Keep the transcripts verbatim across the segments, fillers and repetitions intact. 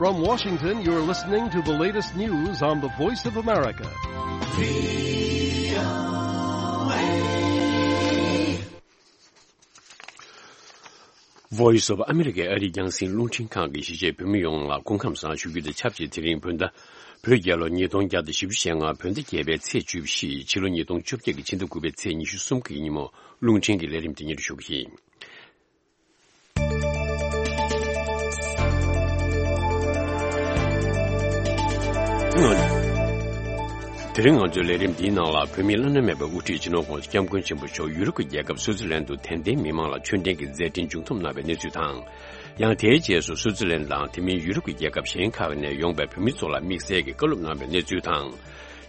From Washington, you're listening to the latest news on the Voice of America. Voice of America ཨ་རིའི་རྒྱང་སྲིང་རླུང་འཕྲིན་ཁང་གི་གཞིས་བྱེས་བོད་མི་ཡོངས་ལ་སྐུ་ཁམས་བཟང་ཞུ་རྒྱུ་དང་ཆབས་ཅིག་དེ་རིང་བོད་ཟླ་བོད་རྒྱལ་ལོ་ཉིས་སྟོང་བརྒྱ་དང་བཞི་བཅུ་ཞེ་ལྔ་བོད་ཟླ་བརྒྱད་པའི་ཚེས་བཅུ་བཞི། ཕྱི་ལོ་ཉིས་སྟོང་བཅོ་བརྒྱད་ཀྱི་ཕྱི་ཟླ་དགུ་པའི་ཚེས་ཉི་ཤུ་གསུམ་གྱི་ཉིན་མོ། རླུང་འཕྲིན་གྱི་ལས་རིམ་དེ་སྙན་སྒྲོན་ཞུ་གི་ཡིན། དེ་རིང་ང་ཚོའི་ལས་རིམ་འདིའི་ནང་ལ། བོད་མིའི་བླ་ན་མེད་པའི་དབུ་ཁྲིད་སྤྱི་ནོར་༧གོང་ས་༧སྐྱབས་མགོན་ཆེན་པོ་མཆོག་ཡུ་རོབ་ཀྱི་རྒྱལ་ཁབ་སུའུ་ཙི་ལན་དུ་དད་ལྡན་མི་མང་ལ་མཆོད་རྟེན་གྱི་མཛད་འཕྲིན་མཇུག་བསྡོམས་གནང་བའི་གནས་ཚུལ་དང་། ཡང་དེའི་རྗེས་སུ་སུའུ་ཙི་ལན་དང་དེ་མིན་ཡུ་རོབ་ཀྱི་རྒྱལ་ཁབ་གཞན་ཁག་ནས་ཡོང་པའི་བོད་མི་ཚོ་ལ་དམིགས་བསལ་གྱི་བཀའ་སློབ་གནང་བའི་གནས་ཚུལ་དང་།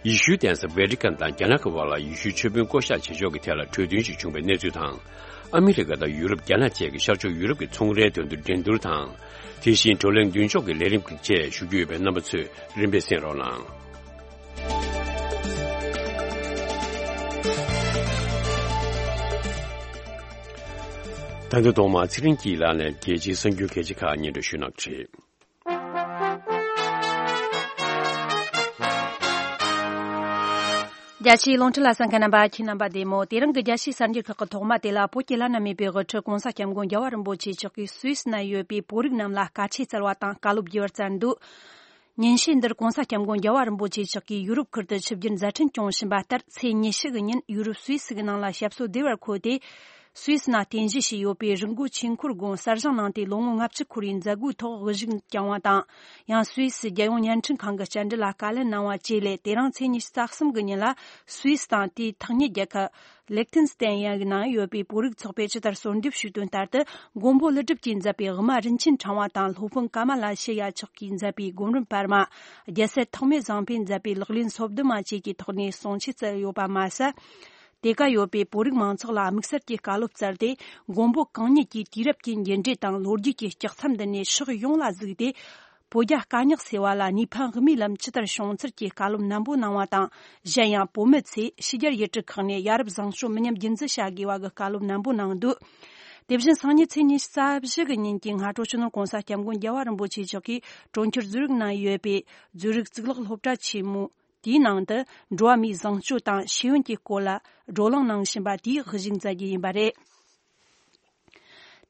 ཡེ་ཤུའི་གདན་ས་ཝེ་ཏི་ཀན་དང་རྒྱ་ནག་གི་བར་ལ་ཡེ་ཤུའི་ཆོས་དཔོན་བསྐོ་གཞག་བྱེད་ཕྱོགས་ཀྱི་ཐད་ལ་གྲོས་མཐུན་ཞིག་བྱུང་བའི་གནས་ཚུལ་དང་། ཨ་མི་རི་ཀ་དང་ཡུ་རོབ། རྒྱ་ནག་བཅས་ཀྱི་ཤར་ཕྱོགས་ཡུ་རོབ་ཀྱི་ཚོང་རའི་དོན་དུ་འགྲན་བསྡུར་དང་། དེ་བཞིན་བགྲོ་གླེང་མདུན་ཕྱོགས་ཀྱི་ལས་རིམ་བཅས་ཞུ་རྒྱུ་ཡོད་པས། རྣམ་པ་ཚོས་རིམ་པས་གསན་རོགས་གནང་། ད་དུང་ཐོག་མར་ཚེ་རིང་སྐྱིད་ལགས་ནས་རྒྱལ་སྤྱིའི་གསར་འགྱུར་གལ་ཆེ་ཁག་སྙན་སྒྲོན་ཞུ་གནང་གི་རེད། རྒྱ་ཆེའི་རླུང་འཕྲིན་ལ་གསན་མཁན་རྣམ་པ། ཁྱེད་རྣམ་པ་བདེ་མོ། དེ་རིང་གི་རྒྱལ་སྤྱིའི་གསར་འགྱུར་ཁག་གི་ཐོག་མ་དེ་ལ། བོད་ཀྱི་བླ་ན་མེད་པའི་དབུ་ཁྲིད་༧གོང་ས་༧སྐྱབས་མགོན་རྒྱལ་བ་རིན་པོ་ཆེ་མཆོག་གིས་སུད་སི་ན་ཡོད་པའི་བོད་རིགས་རྣམས་ལ་བཀའ་ཆོས་སྩལ་བ་དང་བཀའ་སློབ་བརྒྱབ་པར་བསྩལ་འདུག་ཉིན་ཤས་འདིར་༧གོང་ས་༧སྐྱབས་མགོན་རྒྱལ་བ་རིན་པོ་ཆེ་མཆོག་གིས་ཡུ་རོབ་ཁུལ་དུ་ཆིབས་བསྒྱུར་མཛད་འཕྲིན་སྐྱོང་བཞིན་པ་ལྟར། ཚེས་ཉི་ཤུ་གི་ཉིན་ཡུ་རོབ་སུད་སི་གི་ནང་ལ་ཞབས་སོར་བདེ་བར་འཁོད་དེ། སུད་སི་ནང་རྟེན་གཞི་བྱས་ཡོད་པའི་རི་མགོ་ཆོས་འཁོར་དགོན་གསར་བཞེངས་གནང་སྟེ། ལོ་ངོ་ལྔ་བཅུ་འཁོར་བའི་མཛད་སྒོའི་ཐོག་དབུ་བཞུགས་བསྐྱངས་བ་དང་། ཡང་སུད་སི་རྒྱལ་ཡོངས་བརྙན་འཕྲིན་ཁང་གི་བཅར་འདྲི་ལ་བཀའ་ལན་གནང་བ་བཅས་ལས། དེ་རིང་ཚེས་ཉི་ཤུ་རྩ་གསུམ་གི་ཉིན་ལ། སུད་སི་དང་དེའི་ཐག་ཉེ་རྒྱལ་ཁབ་ལེག་ཐེན་སི་ཏན་ཡ་གི་ནང་ཡོད་པའི་བོད་རིགས་ཚོགས་པས་ཇི་ལྟར་གསོལ་འདེབས་ཞུས་དོན་ལྟར་དུ། མགོན་པོ་ཀླུ་སྒྲུབ་ཀྱིས་མཛད་པའི་དབུ་མ་རིན་ཆེན་ཕྲེང་བ་དང་། སློབ་དཔོན་ཀ་མ་ལ་ཤི་ཡ་མཆོག་གིས་མཛད་པའི་སྒོམ་རིམ་པར་མ། རྒྱལ་སྲས་ཐོགས་མེད་བཟང་པོས་མཛད་པའི་ལག་ལེན་སོ་བདུན་མ་བཅས་ཀྱི་ཐོག་ནས་གསུང་ཆོས་སྩལ་ཡོད་པ་མ་ཟད། དེ་ག་ཡོད་པའི་བོད་རིགས་མང་ཚོགས་ལ་དམིགས་བསལ་གྱི་བཀའ་སློབ་སྩལ་ཏེ། མགོན་པོ་གང་ཉིད་ཀྱི་དུས་རབས་ཀྱི་འགྱུར་འགྲོས་དང་ལོ་རྒྱུས་ཀྱི་ལྕགས་མཚམས་འདི་ནས་ཕྱོགས་ཡོངས་ལ་གཟིགས་ཏེ། བོད་རྒྱ་དཀའ་རྙོག་སེལ་བ་ལ་ནུས་ཕན་དབུ་མའི་ལམ་ཇི་ལྟར་བྱུང་ཚུལ་གྱི་བཀའ་སློབ་ནན་པོ་གནང་བ་དང་། གཞན་ཡང་བོད་མི་ཚོས་ཕྱི་རྒྱལ་ཡུལ་གྲུ་ཁག་ནས་ཡ་རབས་བཟང་སྤྱོད་མི་ཉམས་རྒྱུན་འཛིན་བྱ་དགོས་པ་གི་བཀའ་སློབ་ནན་པོ་གནང་འདུག་དེ་བཞིན་སང་ཉིན་ཚེས་ཉི་ཤུ་རྩ་བཞི་གི་ཉིན་གྱི་སྔ་དྲོ་སྤྱི་ནོར་༧གོང་ས་༧སྐྱབས་མགོན་རྒྱལ་བ་རིན་པོ་ཆེ་མཆོག་གིས་གྲོང་ཁྱེར་ཛུ་རིག་ནང་ཡོད་པའི་ཛུ་རིག་གཙུག་ལག་སློབ་གྲྭ་ཆེན་མོ་དེའི་ནང་དུ་འགྲོ་བ་མིའི་བཟང་སྤྱོད་དང་ཤེས་ཡོན་གྱི་སྐོར་ལ་བགྲོ་གླེང་གནང་བཞིན་པ་དེའི་གཞི་མཛད་རྒྱུ་ཡིན་པ་རེད།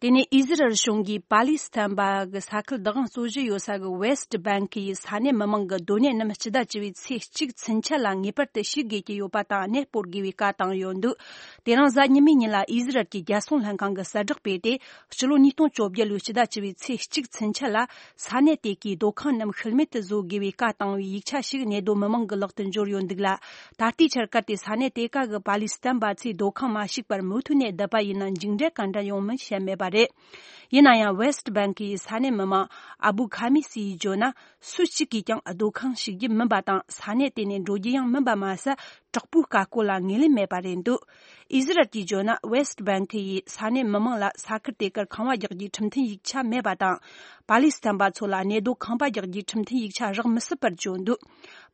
དེ་ནས་ཨི་ཟི་རལ་གཞུང་གིས་པ་ལི་སི་ཐན་པ་གི་ས་ཁུལ་བདག་དབང་རྩོད་གཞི་ཡོད་ས་གི་ཝེ་སི་ཊི་བྷེང་ཀི་ཡི་ས་གནས་མི་མང་གི་སྡོད་གནས་རྣམས་སྤྱི་ཟླ་བཅུ་པའི་ཚེས་གཅིག་ཚུན་ཆད་ལ་ངེས་པར་དུ་ཕྱིར་དགོས་ཀྱི་ཡོད་པ་དང་། གནས་སྤོར་དགོས་པའི་བཀའ་བཏང་ཡོད་འདུག་དེ་རིང་གཟའ་ཉི་མའི་ཉིན་ལ་ཨི་ཟི་རལ་གྱི་རྒྱལ་སྲུང་ལྷན་ཁང་གིས་གསལ་བསྒྲགས་སྤེལ་ཏེ། སྤྱི་ལོ་ཉིས་སྟོང་བཅོ་བརྒྱད་ལོའི་སྤྱི་ཟླ་བཅུ་པའི་ཚེས་གཅིག་ཚུན་ཆད་ལ། ས་གནས་དེ་གའི་སྡོད་ཁང་རྣམས་ཤུལ་མེད་དུ་བཟོ་དགོས་པའི་བཀའ་བཏང་བའི་ཡིག་ཆ་ཞིག་གནས་སྡོད་མི་མང་གི་ལག་ཏུ་འབྱོར་ཡོད་འདུག་ལ། ད་ལྟའི་ཆར་གལ་ཏེ་ས་གནས་དེ་ག་གི་པ་ལི་སི་ཐན་པ་ཚོས་སྡོད་ཁང་མ་བཤིག་པར་མུ་མཐུད་ནས་བསྡད་པ་ཡིན་ན། མཇུག་འབྲས་ག་འདྲ་ཡོང་མིན་བཤད་མེད་པ་རེད། ཡིན་ན་ཡང་ཝེ་སི་ཊི་བྷེང་ཀི་ཡི་ས་གནས་མི་མང་ཨ་བུ་ཁ་མི་སི་ཡིས་བརྗོད་ན། སུ་གཅིག་གིས་ཀྱང་སྡོད་ཁང་བཤིག་རྒྱུ་མིན་པ་དང་། ས་གནས་དེ་ནས་འགྲོ་རྒྱུ་ཡང་མིན་པ་མ་ཟད། དྲག་པོའི་བཀའ་བཀོད་ལ་ངོས་ལེན་མེད་པ་རེད་འདུག་ཨི་ཟི་རལ་གྱིས་བརྗོད་ན། ཝེ་སི་ཊི་བྷེང་ཀི་ཡིས་ས་གནས་མི་མང་ལ་ས་ཁུལ་དེ་གར་ཁང་བ་རྒྱག་རྒྱུའི་ཁྲིམས་མཐུན་ཡིག་ཆ་མེད་པ་དང་། པ་ལི་སི་ཐན་པ་ཚོ་ལ་གནས་སྡོད་ཁང་པ་རྒྱག་རྒྱུའི་ཁྲིམས་མཐུན་ཡིག་ཆ་རག་མི་སྲིད་པར་བརྗོད་འདུག་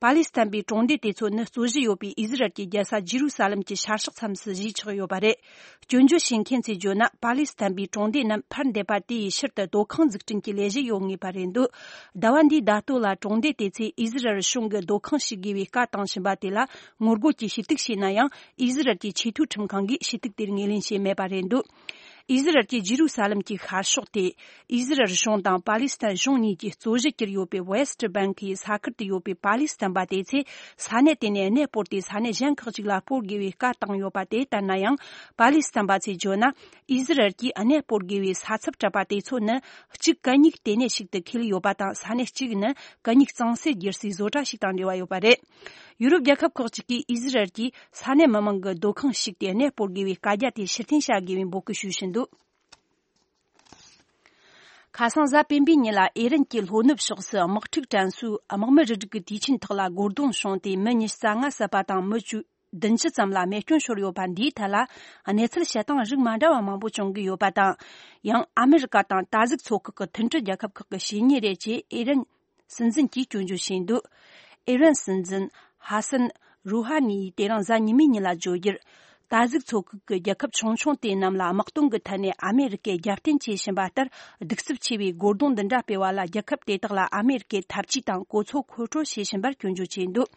པ་ལི་སི་ཐན་པའི་གྲོང་སྡེ་དེ་ཚོ་ནི་རྩོད་གཞི་ཡོད་པའི་ཨི་ཟི་རལ་གྱི་རྒྱལ་ས་ཇི་རུ་ས་ལམ་གྱི་ཤར་ཕྱོགས་མཚམས་སུ་གཞིས་ཆགས་ཡོད་པ་རེད། སྐྱོན་བརྗོད་བྱེད་མཁན་ཚོས་བརྗོད་ན། པ་ལི་སི་ཐན་པའི་གྲོང་སྡེ་རྣམས་ཕར་འདེད་པ་དེ་ཡི་ཕྱིར་དུ་སྡོད་ཁང་འཛུགས་སྐྲུན་གྱི་ལས་གཞི་ཡོད་ངེས་པ་རེད་འདུག་ཟླ་བ་འདིའི་ཟླ་སྟོད་ལ་གྲོང་སྡེ་དེ་ཚོས་ཨི་ཟི་རལ་གཞུང་གིས་སྡོད་ཁང་བཤིག་དགོས་པའི་བཀའ་བཏང་བཞིན་པ་དེ་ལ་ངོ་རྒོལ་གྱིས་ཞུ་གཏུག་བྱས་ན་ཡང་། ཨི་ཟི་རལ་གྱི་ཆེས་མཐོའི་ཁྲིམས་ཁང་གིས་ཞུ་གཏུག་དེར་ངོས་ལེན་བྱས་མེད་པ་རེད་འདུག་ཨི་ཟི་རལ་གྱི་ཇི་རུ་ས་ལམ་གྱི་ཤར་ཕྱོགས་དེ། ཨི་ཟི་རལ་གཞུང་དང་པ་ལི་སི་ཐན་གཞུང་གཉིས་ཀྱི་རྩོད་གཞི་གྱུར་ཡོད་པའི་ཝེ་སི་ཊི་བྷེང་ཀི་ཡི་ས་ཁུལ་དུ་ཡོད་པའི་པ་ལི་སི་ཐན་པ་དེ་ཚོས་ས་གནས་དེ་ནས་གནས་སྤོར་ཏེ། ས་གནས་གཞན་ཁག་ཅིག་ལ་སྤོར་དགོས་པའི་བཀའ་བཏང་ཡོད་པ་དེ་ལྟར་ན་ཡང་། པ་ལི་སི་ཐན་པ་ཚོས་བརྗོད་ན། ཨི་ཟི་རལ་གྱིས་གནས་སྤོར་དགོས་པའི་ས་ཚབ་སྤྲད་པ་དེ་ཚོ་ནི། གཅིག་གད་སྙིགས་ལྟེ་གནས་ཤིག་ཏུ་འཁེལ་ཡོད་པ་དང་། ས་གནས་གཅིག་ནི་གད་སྙིགས་གཙང་སེལ་སྒྱུར་སའི་བཟོ་གྲྭ་ཞིག་དང་འབྲེལ་བ་ཡོད་པ་རེད། ཡུ་རོབ་རྒྱལ་ཁབ་ཁག་ཅིག་གིས་ཨི་ཟི་རལ་གྱིས་ས་གནས་མི་མང་གི་སྡོད་ཁང་བཤིག་སྟེ་གནས་སྤོར་དགོས་པའི་བཀའ་རྒྱ་དེ་ཕྱིར་འཐེན་བྱ་དགོས་པའི་འབོད་སྐུལ་ཞུས་བཞིན་འདུག་ཁ་སང་གཟའ་སྤེན་པའི་ཉིན་ལ་ཨི་རན་གྱི་ལྷོ་ནུབ་ཕྱོགས་སུ་དམག་འཁྲུག་དྲན་གསོའི་དམག་མི་རུ་སྒྲིག་གི་དུས་ཆེན་ཐོག་ལ་རྒོལ་རྡུང་བྱུང་སྟེ། མི་ཉི་ཤུ་རྩ་ལྔ་བསད་པ་དང་། མི་བཅུ་བདུན་ཅུ་ཙམ་ལ་རྨས་སྐྱོན་ཤོར་ཡོད་པ་འདིའི་ཐད་ལ། གནས་ཚུལ་བཤད་སྟངས་རིགས་མ་འདྲ་བ་མང་པོ་བྱུང་གི་ཡོད་པ་དང་། ཡང་ཨ་མི་རི་ཀ་དང་ད་གཟུགས་ཚོགས་ཁག་གི་མཐུན་སྒྲིལ་རྒྱལ་ཁབ་ཁག་གི་བྱས་ཉེས་རེད་ཅེས་ཨི་རན་སྲིད་འཛིན་གྱིས་སྐྱོན་བརྗོད་བྱས་འདུག་ཨི་རན་སྲིད་འཛིན་ཧ་སན་རུ་ཧ་ནི་ཡིས་དེ་རིང་གཟའ་ཉི་མའི་ཉིན་ལ་བརྗོད་རྒྱུར། ད་གཟུགས་ཚོགས་ཁག་གི་རྒྱལ་ཁབ་ཆུང་ཆུང་དེ་རྣམས་ལ་དམག་དོན་གྱི་ཐད་ནས་ཨ་མེ་རི་ཀས་རྒྱབ་རྟེན་བྱེད་བཞིན་པ་ལྟར། གདུག་རྩུབ་ཆེ་བའི་རྒོལ་རྡུང་འདི་འདྲ་སྤེལ་བ་ལ། རྒྱལ་ཁབ་དེ་དག་ལ་ཨ་མེ་རི་ཀས་ཐབས་ཇུས་དང་གོ་མཚོན་མཁོ་སྤྲོད་བྱེད་བཞིན་པར་སྐྱོན་བརྗོད་བྱས་འདུག་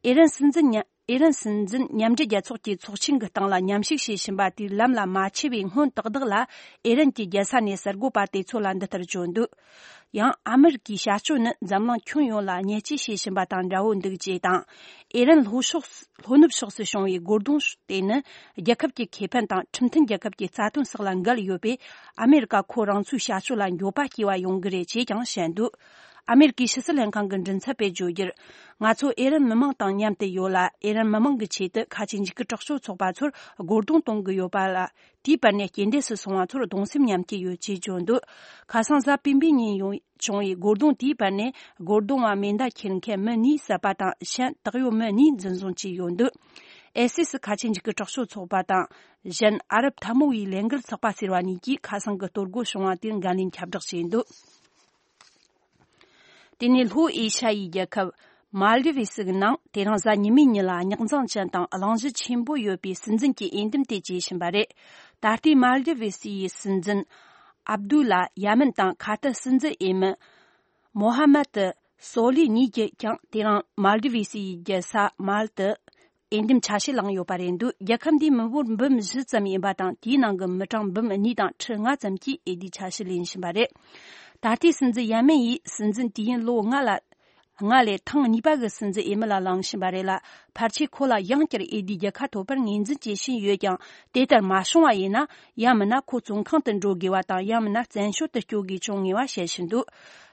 ཨེ་རན་སྲིད་འཛིན་ཉ- ཨེ་རན་སྲིད་འཛིན་མཉམ་འབྲེལ་རྒྱལ་ཚོགས་ཀྱི་ཚོགས་ཆེན་གྱི་སྟེང་ལ་མཉམ་ཞུགས་བྱེད་བཞིན་པ་དེའི་ལམ་ལ་མ་ཆས་པའི་སྔོན་ཏག་ཏག་ལ། ཨེ་རན་གྱི་རྒྱལ་ས་ནས་གསར་འགོད་པ་དེ་ཚོ་ལ་འདི་ལྟར་བརྗོད་འདུག་ཡང་ཨ་མི་རི་ཀའི་བྱ་སྤྱོད་ནི་འཛམ་གླིང་ཁྱོན་ཡོངས་ལ་ཉེས་ཆད་བྱེད་བཞིན་པ་དང་འདྲ་བོ་འདུག་ཅེས་དང་། ཨེ་རན་ལྷོ་ཕྱོགས། ལྷོ་ནུབ་ཕྱོགས་སུ་བྱུང་བའི་རྒོལ་རྡུང་དེ་ནི་རྒྱལ་ཁབ་ཀྱི་ཁེ་ཕན་དང་ཁྲིམས་མཐུན་རྒྱལ་ཁབ་ཀྱི་རྩ་དོན་སོགས་ལ་འགལ་ཡོད་པས། ཨ་མེ་རི་ཀ་ཁོ་རང་ཚོའི་བྱ་སྤྱོད་ལ་འགྱོད་པ་སྐྱེ་བ་ཡོང་གི་རེད་ཅེས་ཀྱང་བཤད་འདུག་ཨ་མེ་རི་ཀའི་ཕྱི་སྲིད་ལྷན་ཁང་གི་མགྲིན་ཚབ་པས་བརྗོད་རྒྱུར། ང་ཚོ་ཨེ་རན་མི་མང་དང་མཉམ་དུ་ཡོད་ལ། ཨེ་རན་མི་མང་གི་ཆེད་དུ་ཁ་ཆེ་འཇིགས་སྐུལ་དྲག་སྤྱོད་ཚོགས་པ་ཚོར་རྒོལ་རྡུང་གཏོང་གི་ཡོད་པ་ལ། དེའི་བར་ནས་རྐྱེན་འདས་སུ་སོང་བ་ཚོར་གདུང་སེམས་མཉམ་སྐྱེད་ཡོད་ཅེས་བརྗོད་འདུག་ཁ་སང་གཟའ་སྤེན་པའི་ཉིན་ཡོང་བྱུང་བའི་རྒོལ་རྡུང་དེའི་བར་ནས། རྒོལ་རྡུང་བ་མེ་མདའ་འཁྱེར་མཁན་མི་གཉིས་བསད་པ་དང་། གཞན་བདག་ཡོད་མི་གཉིས་འཛིན་བཟུང་བྱས་ཡོད་འདུག་ཨེ་སི་སི་ཁ་ཆེ་འཇིགས་སྐུལ་དྲག་སྤྱོད་ཚོགས་པ་དང་། གཞན་ཨ་རབ་འཐབ་མོ་བའི་ལས་འགུལ་ཚོགས་པ་ཟེར་བ་གཉིས་ཀྱིས་ཁ་སང་གི་གཏོར་རྒོལ་བྱུང་བ་དེར་འགན་ལེན་ཁྱབ་བསྒྲགས་བྱས་འདུག་དེ་ནས་ལྷོ་ཨེ་ཤ་ཡའི་རྒྱལ་ཁབ་མཱལ་ཌི་བི་སི་གི་ནང་དེ་རིང་གཟའ་ཉི་མའི་ཉིན་ལ་རྙོག་འཛིང་ཅན་དང་གླེང་གཞི་ཆེན་པོ་ཡོད་པའི་སྲིད་འཛིན་གྱི་འོས་འདེམས་དེ་བྱེད་བཞིན་པ་རེད། ད་ལྟའི་མཱལ་ཌི་བི་སི་ཡི་སྲིད་འཛིན་ཨབ་དུ་ལ་ཡ་མིན་དང་ཁ་ཐར་སྲིད་འཛིན་འོས་མི་མོ་ཧ་མད་སོ་ལི་གཉིས་ཀྱིས་ཀྱང་དེ་རིང་མཱལ་ཌི་བི་སི་ཡི་རྒྱལ་ས་མཱལ་དུ་འོས་འདེམས་ཆ་ཤས་བླངས་ཡོད་པ་རེད་འདུག་རྒྱལ་ཁབ་འདིའི་མི་འབོར་འབུམ་བཞི་ཙམ་ཡིན་པ་དང་། དེའི་ནང་གི་མི་གྲངས་འབུམ་གཉིས་དང་ཁྲི་ལྔ་ཙམ་གྱིས་འོས་བསྡུའི་ཆ་ཤས་ལེན་བཞིན་པ་རེད། ད་ལྟའི་སྲིད་འཛིན་ཡ་མིན་ཡིས་སྲིད་འཛིན་དུས་ཡུན་ལོ་ལྔ་ལ། ལྔ་ལས་ཐེངས་གཉིས་པ་གི་སྲིད་འཛིན་འོས་མི་ལ་ལངས་བཞིན་པ་རེད་ལ། ཕལ་ཆེར་ཁོ་ལ་ཡང་བསྐྱར་འོས་བསྡུའི་རྒྱལ་ཁ་ཐོབ་པར་ངོས་འཛིན་བྱེད་བཞིན་ཡོད་ཀྱང་། དེ་ལྟར་མ་བྱུང་བ་ཡིན་ན། ཡང་མིན་ན་ཁོ་བཙོན་ཁང་དུ་འགྲོ་དགོས་པ་དང་། ཡང་མིན་ན་བཙན་བྱོལ་དུ་སྐྱོད་དགོས་བྱུང་ངེས་པ་བཤད་བཞིན་འདུག་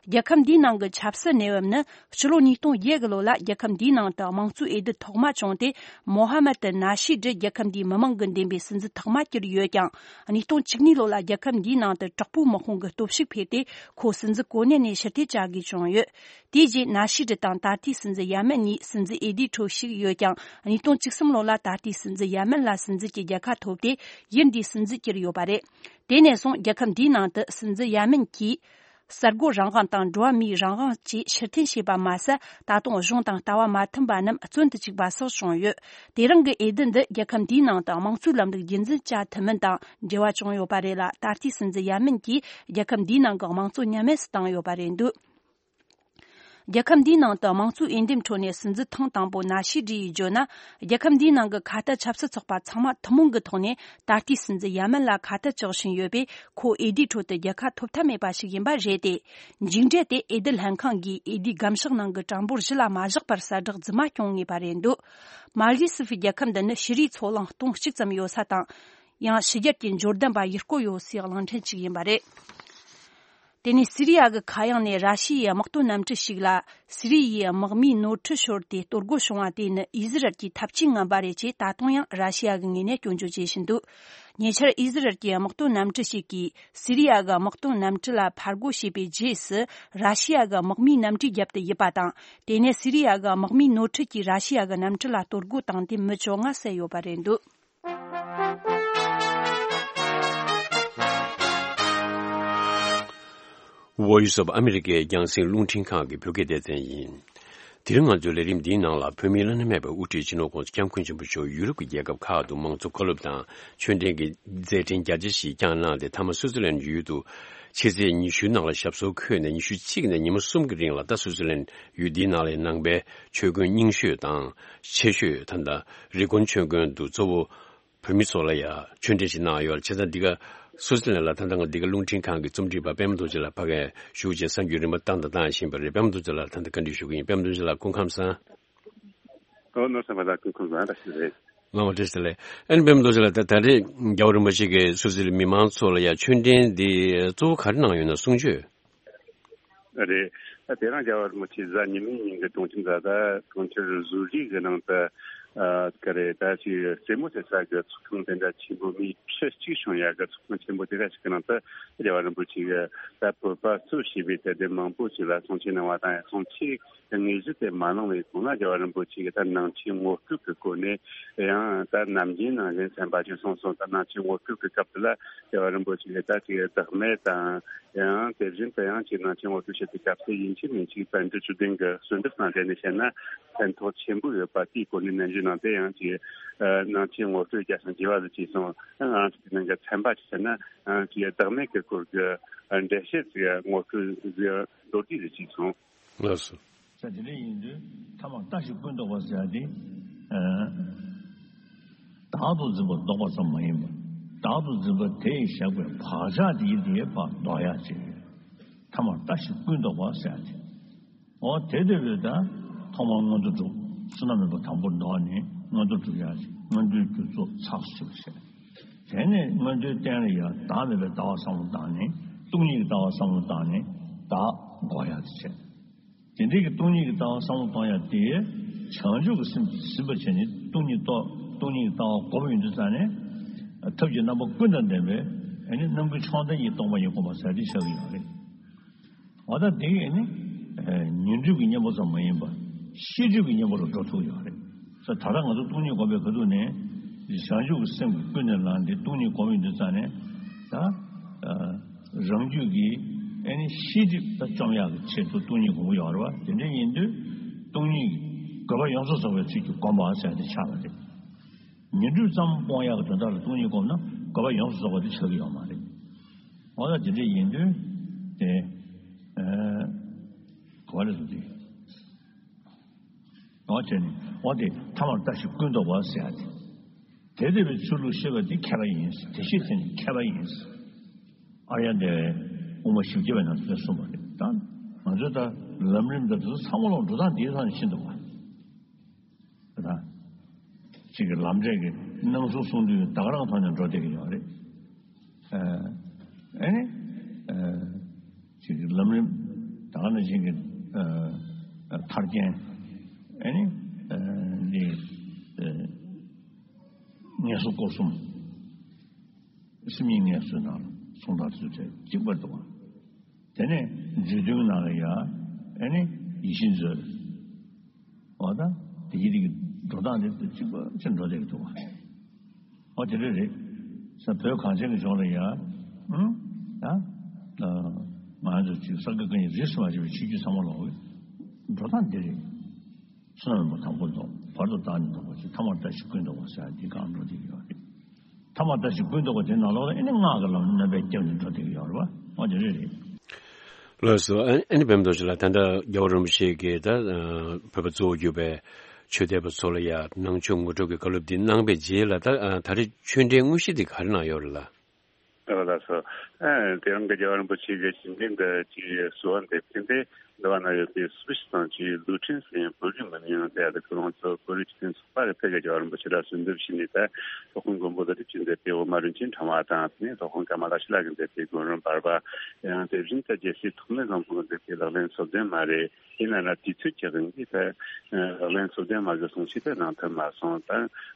རྒྱལ་ཁབ་འདིའི་ནང་གི་ཆབ་སྲིད་གནས་བབ་ནི། ཕྱི་ལོ་ཉིས་སྟོང་བརྒྱད་གི་ལོ་ལ་རྒྱལ་ཁབ་འདིའི་ནང་དུ་དམངས་གཙོའི་འོས་བསྡུ་ཐོག་མ་བྱུང་སྟེ། མོ་ཧ་མད་ཏི་ན་ཤི་ཏྲི་རྒྱལ་ཁབ་འདིའི་མི་མང་གིས་འདེམས་པའི་སྲིད་འཛིན་ཐོག་མ་གྱུར་ཡོད་ཀྱང་། ཉིས་སྟོང་བཅུ་གཉིས་ལོ་ལ་རྒྱལ་ཁབ་འདིའི་ནང་དུ་དྲག་པོའི་དམག་དཔུང་གི་སྟོབས་ཤུགས་འཕེལ་ཏེ། ཁོ་སྲིད་འཛིན་གོ་གནས་ནས་ཕྱིར་འཐེན་བྱ་དགོས་བྱུང་ཡོད། དེ་རྗེས་ན་ཤི་ཏྲི་དང་ད་ལྟའི་སྲིད་འཛིན་ཡ་མིན་གཉིས་སྲིད་འཛིན་འོས་བསྡུའི་ཁྲོད་ཞུགས་ཡོད་ཀྱང་། ཉིས་སྟོང་བཅུ་གསུམ་ལོ་ལ་ད་ལྟའི་སྲིད་འཛིན་ཡ་མིན་ལ་སྲིད་འཛིན་གྱི་རྒྱལ་ཁ་ཐོབ་སྟེ། ཡུལ་འདིའི་སྲིད་འཛིན་གྱུར་ཡོད་པ་རེད། དེ་ནས་བཟུང་རྒྱལ་ཁབ་འདིའི་ནང་དུ་སྲིད་འཛིན་ཡ་མིན་གྱིས། གསར་འགོད་རང་དབང་དང་འགྲོ་བ་མིའི་རང་དབང་བཅས་ཕྱིར་འཐེན་བྱས་པ་མ་ཟད། ད་དུང་གཞུང་དང་ལྟ་བ་མ་མཐུན་པ་རྣམས་བཙོན་དུ་བཅུག་པ་སོགས་བྱུང་ཡོད། དེ་རིང་གི་འོས་བསྡུ་འདི་རྒྱལ་ཁབ་འདིའི་ནང་དུ་དམངས་གཙོའི་ལམ་ལུགས་རྒྱུན་འཛིན་བྱ་ཐུབ་མིན་དང་འབྲེལ་བ་བྱུང་ཡོད་པ་རེད་ལ། ད་ལྟའི་སྲིད་འཛིན་ཡ་མིན་གྱིས་རྒྱལ་ཁབ་འདིའི་ནང་གི་དམངས་གཙོ་ཉམས་དམས་སུ་བཏང་ཡོད་པ་རེད་འདུག་རྒྱལ་ཁབ་འདིའི་ནང་དུ་དམངས་གཙོའི་འོས་འདེམས་ཁྲོད་ནས་སྲིད་འཛིན་ཐེངས་དང་པོ་ན་ཤི་ཏྲི་ཡིས་བརྗོད་ན། རྒྱལ་ཁབ་འདིའི་ནང་གི་ཁ་གཏད་ཆབ་སྲིད་ཚོགས་པ་ཚང་མ་ཐུན་མོང་གི་ཐོག་ནས་ད་ལྟའི་སྲིད་འཛིན་ཡ་མིན་ལ་ཁ་གཏད་གཅོག་བཞིན་ཡོད་པས། ཁོ་འོས་བསྡུའི་ཁྲོད་དུ་རྒྱལ་ཁ་ཐོབ་ཐབས་མེད་པ་ཞིག་ཡིན་པ་རེད་དེ། མཇུག་འབྲས་དེ་འོས་བསྡུ་ལྷན་ཁང་གིས་འོས་བསྡུའི་སྒམ་ཤག་ནང་གི་གྲངས་འབོར་བཞི་ལ་མ་བཞག་པར་གསལ་བསྒྲགས་རྫུན་མ་བྱུང་ངེས་པ་རེད་འདུག་མཱལ་ཌི་སི་ཕི་རྒྱལ་ཁབ་འདི་ནི་ཕྱི་རིགས་ཚོ་གླང་སྟོང་གཅིག་ཙམ་ཡོད་ས་དང་། ཡང་ཕྱི་རྒྱལ་གྱི་འབྱོར་ལྡན་པ་ཡུལ་སྐོར་ཡོད་སའི་གླིང་ཕྲན་ཞིག་ཡིན་པ་རེད། དེ་ནས་སི་རི་ཡ་གི་མཁའ་དབྱིངས་ནས་ར་ཤི་ཡའི་དམག་དོན་གནམ་གྲུ་ཞིག་ལ། སི་རི་ཡའི་དམག་མིའི་ནོར་འཁྲུལ་ཤོར་ཏེ་གཏོར་རྒོལ་བྱུང་བ་དེ་ནི་ཨི་ཟི་རལ་གྱི་ཐབས་ཇུས་ངན་པ་རེད་ཅེས་ད་དུང་ཡང་ར་ཤི་ཡ་གི་ངོས་ནས་སྐྱོན་བརྗོད་བྱེད་བཞིན་འདུག་ཉེ་ཆར་ཨི་ཟི་རལ་གྱི་དམག་དོན་གནམ་གྲུ་ཞིག་གིས་སི་རི་ཡ་གི་དམག་དོན་གནམ་གྲུ་ལ་ཕར་རྒོལ་བྱས་པའི་རྗེས་སུ། ར་ཤི་ཡ་གི་དམག་མིའི་གནམ་གྲུའི་རྒྱབ་ཏུ་ཡིབ་པ་དང་། དེ་ནས་སི་རི་ཡ་གི་དམག་མིའི་ནོར་འཁྲུལ་གྱིས་ར་ཤི་ཡ་གི་གནམ་གྲུ་ལ་གཏོར་རྒོལ་བཏང་སྟེ་མི་བཅོ་ལྔ་བསད་ཡོད་པ་རེད་འདུག Voice of America རྒྱང་སྲིང་རླུང་འཕྲིན་ཁང་གི་བོད་སྐད་སྡེ་ཚན་ཡིན། དེ་རིང་ང་ཚོའི་ལས་རིམ་འདིའི་ནང་ལ། བོད་མིའི་བླ་ན་མེད་པའི་དབུ་ཁྲིད་སྤྱི་ནོར་༸གོང་ས་༸སྐྱབས་མགོན་ཆེན་པོ་མཆོག་ཡུ་རོབ་ཀྱི་རྒྱལ་ཁབ་ཁག་ཏུ་མང་གཙོ་བཀའ་སློབ་དང་ཆོས་འབྲེལ་གྱི་མཛད་འཕྲིན་རྒྱ་ཆེ་ཞིག་བསྐྱངས་གནང་སྟེ། མཐའ་མ་སུའུ་ཙི་ལན་ཡུལ་དུ་ཕྱི་ཚེས་ཉི་ཤུ་ནང་ལ་ཞབས་སོར་འཁོད་ནས། ཉི་ཤུ་གཅིག་ནས་ཉིན་མོ་གསུམ་གྱི་རིང་ལ། ད་སུའུ་ཙི་ལན་ཡུལ་འདིའི་ནང་ལ་ནང་པའི་ཆོས་དགོན་རྙིང་ཤོས་དང་ཆེ་ཤོས། ད་ལྟ་རི་ཀོན་ཆོས་དགོན་དུ་གཙོ་བོ་བོད་མི་ཚོ་ལ་ཡང་ཆོས་འབྲེལ་ཞིག་གནང་ཡོད། བྱས་ཙང་འདི་ག་སུའུ་ཙི་ལན་ལ་ད་ལྟ་ང་འདི་ག་རླུང་འཕྲིན་ཁང་གི་རྩོམ་སྒྲིག་པ་པད་མ་རྡོ་རྗེ་ལགས་ཕ་གིར་བཞུགས་བྱས་གསར་འགྱུར་རིམ་པ་བཏང་དང་བཏང་བཞིན་པ་རེད། པད་མ་རྡོ་རྗེ་ལགས་ལ་ད་ལྟ་བཀའ་འདྲི་ཞུ་གི་ཡིན། པད་མ་རྡོ་རྗེ་ལགས་སྐུ་ཁམས་བཟང་། ཨོ་ནོར་སེམས་པ་ལགས་སྐུ་ཁམས་བཟང་། བཀྲ་ཤིས་བདེ་ལེགས། ལགས་འོང་། བཀྲ་ཤིས་བདེ་ལེགས། ཨ་ནི་པད་མ་རྡོ་རྗེ་ལགས། ད་ད་རེས་རྒྱལ་བ་རིན་པོ་ཆེ་གིས་སུའུ་ཙི་ལན་མི་མང་ཚོ་ལ་ཡང་ཆོས་འབྲེལ་འདི་གཙོ་བོ་ག་རེ་གནང་ཡོད་ན་གསུང་ཆོས། རེད། ད་དེ་རིང་རྒྱལ་བ་རིན་པོ་ཆེ་གཟའ་ཉི་མའི་ཉིན་གྱི་གྲོང་ཁྱེར་འཛད་ད་གྲོང་ཁྱེར་ཟུ་རིག་གི་ནང་དུ་ཨ་ག་རེ་ད་ཅིག་རྩེད་མོ་རྩེ་ས་གི་ཚོགས་ཁང་དེ་འདྲ་ཆེན་པོ་མི་ཁྲི་གཅིག་བྱུང་ཡག་གི་ཚོགས་ཁང་ཆེན་པོ་དེ་འདྲ་ཞིག་གི་ནང་དུ་རྒྱལ་བ་རིན་པོ་ཆེ་གིས་ད་བོད་པ་གཙོས་བྱས་པའི་དད་ལྡན་མང་པོ་ཞིག་ལ་གསུང་ཆོས་གནང་བ་དང་། གསུང་ཆོས་དངོས་གཞི་དེ་མ་གནང་བའི་གོང་ལ་རྒྱལ་བ་རིན་པོ་ཆེ་གིས་ད་ནང་ཆོས་ངོ་སྤྲོད་ཀྱི་སྒོ་ནས། ཡང་ད་ནམ་རྒྱུན་ནང་བཞིན་ཚན་པ་ཅིག་གསུངས་སོང་། ད་ནང་ཆོས་ངོ་སྤྲོད་ཀྱི་སྐབས་དེ་ལ་རྒྱལ་བ་རིན་པོ་ཆེ་གིས་ད་ཅིག་བདག་མེད་དང་། ཡང་དེ་བཞིན་དུ་ཡང་ཅིག་ནང་ཆོས་ངོ་སྤྲོད་བྱེད་པའི་སྐབས་སུ་ཡིན་གཅིག་མིན་གཅིག་པཎ་ཌི་ཏ་ཆོས་ལྡན་གྱི་གསོལ་འདེབས་སྟངས་དེ་ནས་བཤད་ན་ཕན་ཐོགས་ཆེན་པོ་ཡོད་པ་དེའི་སྐོར་ནས་ནན་ཞུ། ནང་དེ་ཡང་ཅིག་ནང་ཆོས་ངོ་སྤྲོད་རྒྱག་སོང་རྒྱས་པ་ཟིག་བྱས་སོང་། ང་རང་ཚོ་དེ་ནང་གི་ཚན་པ་ཅིག་ཟེར་ན་ཅིག་བདག་མེད་ཀྱི་སྐོར་གྱི་འགྲེལ་བཤད་ཅིག་ངོ་སྤྲོད་ཟིག་མདོར་བསྡུས་ཟིག་བྱས་སོང་། ལགས་སོ། ས་དེ་འདྲ་ཡིན་དུས་ཐ་མར་ལྟ་ཞིག་ཀུན་བཟློག་པ་ཟེར་ཡ་དེ། བདག་ཏུ་འཛིན་པ་བཟློག་པ་ཙམ་མ་ཡིན་པར་བདག་ཏུ་འཛིན་པ་དེ་ཡིས་བཞག་པའི་བག་ཆགས་དེ་ཡིས་དེའི་བར་བཟློག་ཡ་ཅིག་ཐ་མར་ལྟ་ཞིག་ཀུན་བཟློག་པ་ཟེར་ཡ་དེ། འོ་དེ་འདོད་པའི་ད་ཐོག་མར་མངོན་མཐོ་གྲུབ་བསོད་ནམས་མེད་པ་དང་པོར་བཟློག་ནས་མངོན་མཐོ་གྲུབ་ཡ་ཅིག་མངོན་མཐོའི་རྒྱུ་ཚོགས་ཚགས་སུ་ཆུད་པ་བྱས། དེ་ནས་མངོན་མཐོའི་རྟེན་ལ་ཡང་བདག་མེད་པའི་ལྟ་བ་བསམ་བློ་བཏང་ནས་སྟོང་ཉིད་ཀྱི་ལྟ་བ་བསམ་བློ་བཏང་ནས་བདག་འགོག་ཡག་ཏུ་བྱེད། དེ་འདྲའི་གི་སྟོང་ཉིད་ཀྱི་ལྟ་བ་བསམ་བློ་གཏོང་ཡག་དེ་བྱང་ཆུབ་ཀྱི་སེམས་ཀྱིས་ཟིན་པར་བྱས་ནས་སྟོང་ཉིད་རྟོགས། སྟོང་ཉིད་ཀྱི་ལྟ་བ་གོམས་ཡོང་དུས་ཙང་ནས་ཐབས་ཀྱི་རྣམ་པ་ཀུན་དང་ལྡན་པའི་ཨ་ནི་རྣམ་ཀུན་མཆོག་ལྡན་གྱི་སྟོང་པ་ཉིད་བསྒོམ་པ་ཟེར་དེ་ཆགས་ཀྱི་ཡོད་རེད། འོ་ད་དེ་ཨ་ནི་ཉོན་སྒྲིབ་ཀྱི་གཉེན་པོ་ཙམ་མ་ཡིན་པར་ཤེས་སྒྲིབ་ཀྱི་གཉེན་པོ་ལ་འགྲོ་ཐུབ་ཡོད་རེད། ས་ད་ལྟ་ང་ཚོ་སྟོང་ཉིད་སྒོམ་པའི་ཁ་ཐུག་ནས་བྱང་ཆུབ་ཀྱི་སེམས་ཀྱིས་ཀུན་ནས་བསླངས་ཏེ་སྟོང་ཉིད་སྒོམ་ཡོང་དུས་ཙང་ནས་ད་རང་རྒྱུད་ཀྱི་ཨ་ནི་ཤེས་སྒྲིབ་ད་བཅོམ་ཡག་གི་ཆེད་དུ་སྟོང་ཉིད་སྒོམ་གྱི་ཡོད་རེད་བ། དེ་འདྲ་ཡིན་དུས་སྟོང་ཉིད་ཀྱི་དགོས་པ་ཡོངས་སུ་རྫོགས་པའི་ཚུལ་གྱིས་བསྒོམ་པ་ཟེར་ཏེ་ཆགས་པ་རེད། ཉོན་སྒྲིབ་ཙམ་སྤོང་ཡག་གི་དོན་དག་ལ་སྟོང་ཉིད་བསྒོམས་ན་དགོས་པ་ཡོངས་སུ་རྫོགས་པ་དེ་ཆགས་ཀྱི་ཡོད་མ་རེད། འོ་ད་དེ་འདྲ་ཡིན་དུས་དེ་ཨ་ག་བ་ལས་སུ་དེ། འོ་བྱས་ནས་འོ་དེ་ཐ་མར་ལྟ་ཞིག་ཀུན་བཟློག་པ་ཟེར་ཡ་དེ། དེ་འདོད་པའི་ཚུལ་ལུགས་ཤེས་པ་དེ་མཁས་པ་ཡིན། དེ་ཤེས་ཚད་ནི་མཁས་པ་ཡིན། ཨཱརྱ་དེ་དབུ་མ་བཞི་བརྒྱ་པའི་ནང་དུ་གསུངས་པ་རེད། ད་ང་ཚོས་ད་ལམ་རིམ་དང་དེ་ཚོ་ཚང་མ་ལ་འགྲོ་སྟངས་དེའི་ཐོག་ནས་ཤེས་འདུག་བ། ད་གཅིག་གི་ལམ་འབྲས་ཀྱི་སྣང་ཚུལ་གསུང་དུས་ད་ག་རང་ཐོག་ནས་འགྲོ་བསྡད་ཀྱི་ཡོད་རེད། ཨ་ནི་གཅིག་གི་ལམ་རིམ་ད་ག་ནང་བཞིན་གྱི་ཐར་རྒྱན། ཨ་ནི་འདི་ངལ་གསོ་སྐོར་གསུམ། སེམས་ཉིད་ངལ་གསོའི་ནང་ལ་གསུང་སྟངས་ཚུལ་ཚད་གཅིག་པར་འདུག་བ། དེ་ནས་རྫུས་དོན་ནང་ལ་ཡ་ཨ་ནི་ཡིད་བཞིན་མཛོད། འོ་ད་དེ་གི་དེ་གི་འགྲོ་སྟངས་དེ་གཅིག་པ་ཅིག་འགྲོ་བསྡད་ཀྱི་འདུག་བ། འོ་དེ་འདྲ་རེད། ས་བོད་གངས་ཅན་གྱི་ལྗོངས་ལ་ཡ་ཨང་ད་ང་ཚོ་ཅིག་ས་དགེ་བཀའ་རྙིང་རིས་སུ་མ་ཆད་པའི་ཆོས་བརྒྱུད་ཚང་མ་ལོག་འགྲོ་སྟངས་འདི་རེད། བསོད་ནམས་མ་དང་པོ་ལྡོག་བར་དུ་བདག་ཉིད་ལྡོག་པ་ཅིག་ཐ་མར་ལྟ་ཞིག་ཀུན་ལྡོག་པ་ཟེར་ཡ་འདི་གང་འགྲོ་བསྡད་ཀྱི་ཡོད་རེད། ཐ་མར་ལྟ་ཞིག་ཀུན་ལྡོག་པ་དེ་ནང་ལོགས་ལ་ཨེ་ནི་སྔགས་ཀྱི་ལམ་རྣམ་པས་བརྒྱབ་ནས་འགྲོ་བསྡད་ཀྱི་ཡོད་རེད་བ། འོ་དེ་རེད་རེད། ལགས་སོ། ཨ་ཨ་ནི་བེམ་རྡོ་རྗེ་ལགས་ད་ལྟ་རྒྱལ་བ་རིན་པོ་ཆེ་གིས་ད་བོད་པ་གཙོ་བོ་གྱུར་པའི་ཆོས་དད་པ་ཚོ་ལ་ཡ་ནང་ཆོས་ངོ་སྤྲོད་ཀྱི་བཀའ་སློབ་འདི་གནང་བའི་རྗེས་ལ་ད་ད་རེས་ཆོས་འབྲེལ་དངོས་གཞི་འདི་ག་རེ་གནང་ཡོད་རེད་ལགས། ཨ་ལགས་སོ། ཨ་དེ་རིང་གི་རྒྱལ་བ་རིན་པོ་ཆེ་གི་ཞི་འགྲིག་འདི་ཅིག་གསོལ་བ་འདེབས་མཁན་དེ་འདི་བ་ན་ཡོད་པའི་སུ་ཞིག་དང་ཅིག་ལུས་ཕྲན་ཟེར་ཡང་བོད་རིགས་མི་ནུས་ཡང་དེ་ཡ་དེ་ཁོ་རང་ཚོ་བོད་རིགས་སྤྱི་མཐུན་ཚོགས་པ་གི་ཕེབས་ཀྱི་རྒྱལ་བ་རིན་པོ་ཆེ་ལ་གསོལ་འདེབས་ཞུས་ནས་ད་སློབ་དཔོན་མགོན་པོ་ཀླུ་སྒྲུབ་ཀྱིས་མཛད་པའི་འོག་མ་རིན་ཆེན་ཕྲེང་བ་དང་དེ་ནས་སློབ་དཔོན་ཀ་མ་ལ་ཤཱི་ལ་གིས་མཛད་པའི་མགོན་རིན་བར་པ། ཡང་དེ་བཞིན་དུ་རྒྱལ་སྲས་ཐོགས་མེད་བཟང་པོ་གིས་མཛད་པའི་ལག་ལེན་སོ་བདུན་མ་རེད། ཡིན་ན་ན་དུས་ཚོད་ཀྱི་དབང་གིས་ད་ལག་ལེན་སོ་བདུན་མ་གི་གསུང་ཆོས་དེ་གནང་ཐུབ་མ་སོང་། ད་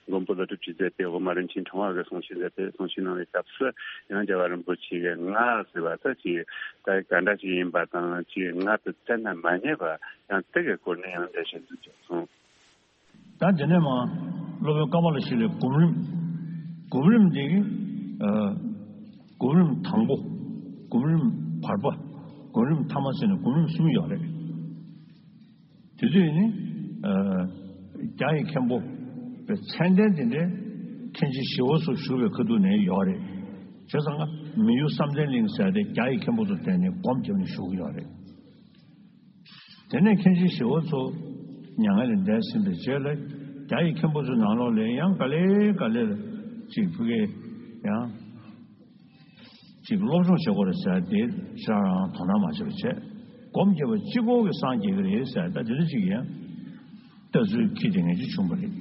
མགོན་པོ་ཀླུ་སྒྲུབ་ཀྱིས་མཛད་པའི་འོག་མ་རིན་ཆེན་ཕྲེང་བ་གི་གསུང་ཆོས་མཛད་པའི་གསུང་ཆོས་གནང་བའི་སྐབས་སུ་ཡང་རྒྱལ་བ་རིན་པོ་ཆེ་གིས་སྔགས་ཟེར་བ་ད་ཅིག་ད་ག་འདྲ་ཅིག་ཡིན་པ་དང་ཅིག་སྔགས་དེ་བཙལ་ན་མ་རྙེད་པ་ཡང་དེ་གི་སྐོར་ནས་ཡང་འགྲེལ་བཤད་མཛད་ཀྱང་སོང་། ད་དེ་ནས་མ་སློབ་དཔོན་ཀ་མ་ལ་ཤཱི་ལའི་སྒོམ་རིམ། སྒོམ་རིམ་དེ་གི་ཨ་སྒོམ་རིམ་དང་པོ། སྒོམ་རིམ་བར་པ། སྒོམ་རིམ་ཐ་མ་ཟེར་ནས་སྒོམ་རིམ་གསུམ་ཡོད་རེད། དེ་དུས་ནི་ཨ་རྒྱ་ཡི་མཁན་པོ་པའི་མཚན་ལྡན་དེ་འདྲའི་མཁན་ཆེན་ཞི་བ་འཚོ་བཞུགས་པའི་ཁ་ཐུག་ནས་ཡོད་རེད། བྱས་ཙང་ཀ་མི་ཡུལ་བསམ་གཏན་གླིང་ཟེར་དེ་རྒྱ་ཡི་མཁན་པོ་ཚོ་དེ་ནས་སྒོམ་རྒྱབ་ནས་བཞུགས་ཡོད་རེད། དེ་ནས་མཁན་ཆེན་ཞི་བ་འཚོ་མྱ་ངན་ལས་འདས་ཟིན་པའི་རྗེས་ལ་རྒྱ་ཡི་མཁན་པོ་ཚོའི་ནང་ལོགས་ལ་ཡང་ག་ལེ་ག་ལེ་ལ་ཅིག་ཕ་གིའི་ཡང་ཅིག་སློབ་སྦྱོང་བྱེད་དགོས་རེད་ཟེར་དེ་ཁྱེད་རང་དོ་སྣང་མ་བྱེད་པ་བྱས། སྒོམ་རྒྱབ་པ་གཅིག་པོ་གིས་སངས་རྒྱས་ཀྱི་རེད་ཟེར་ད་དེ་འདྲ་ཅིག་ཡང་ལྟ་ཚུལ་འཁྱེར་དེ་ངེས་ཅིག་བྱུང་བ་རེད།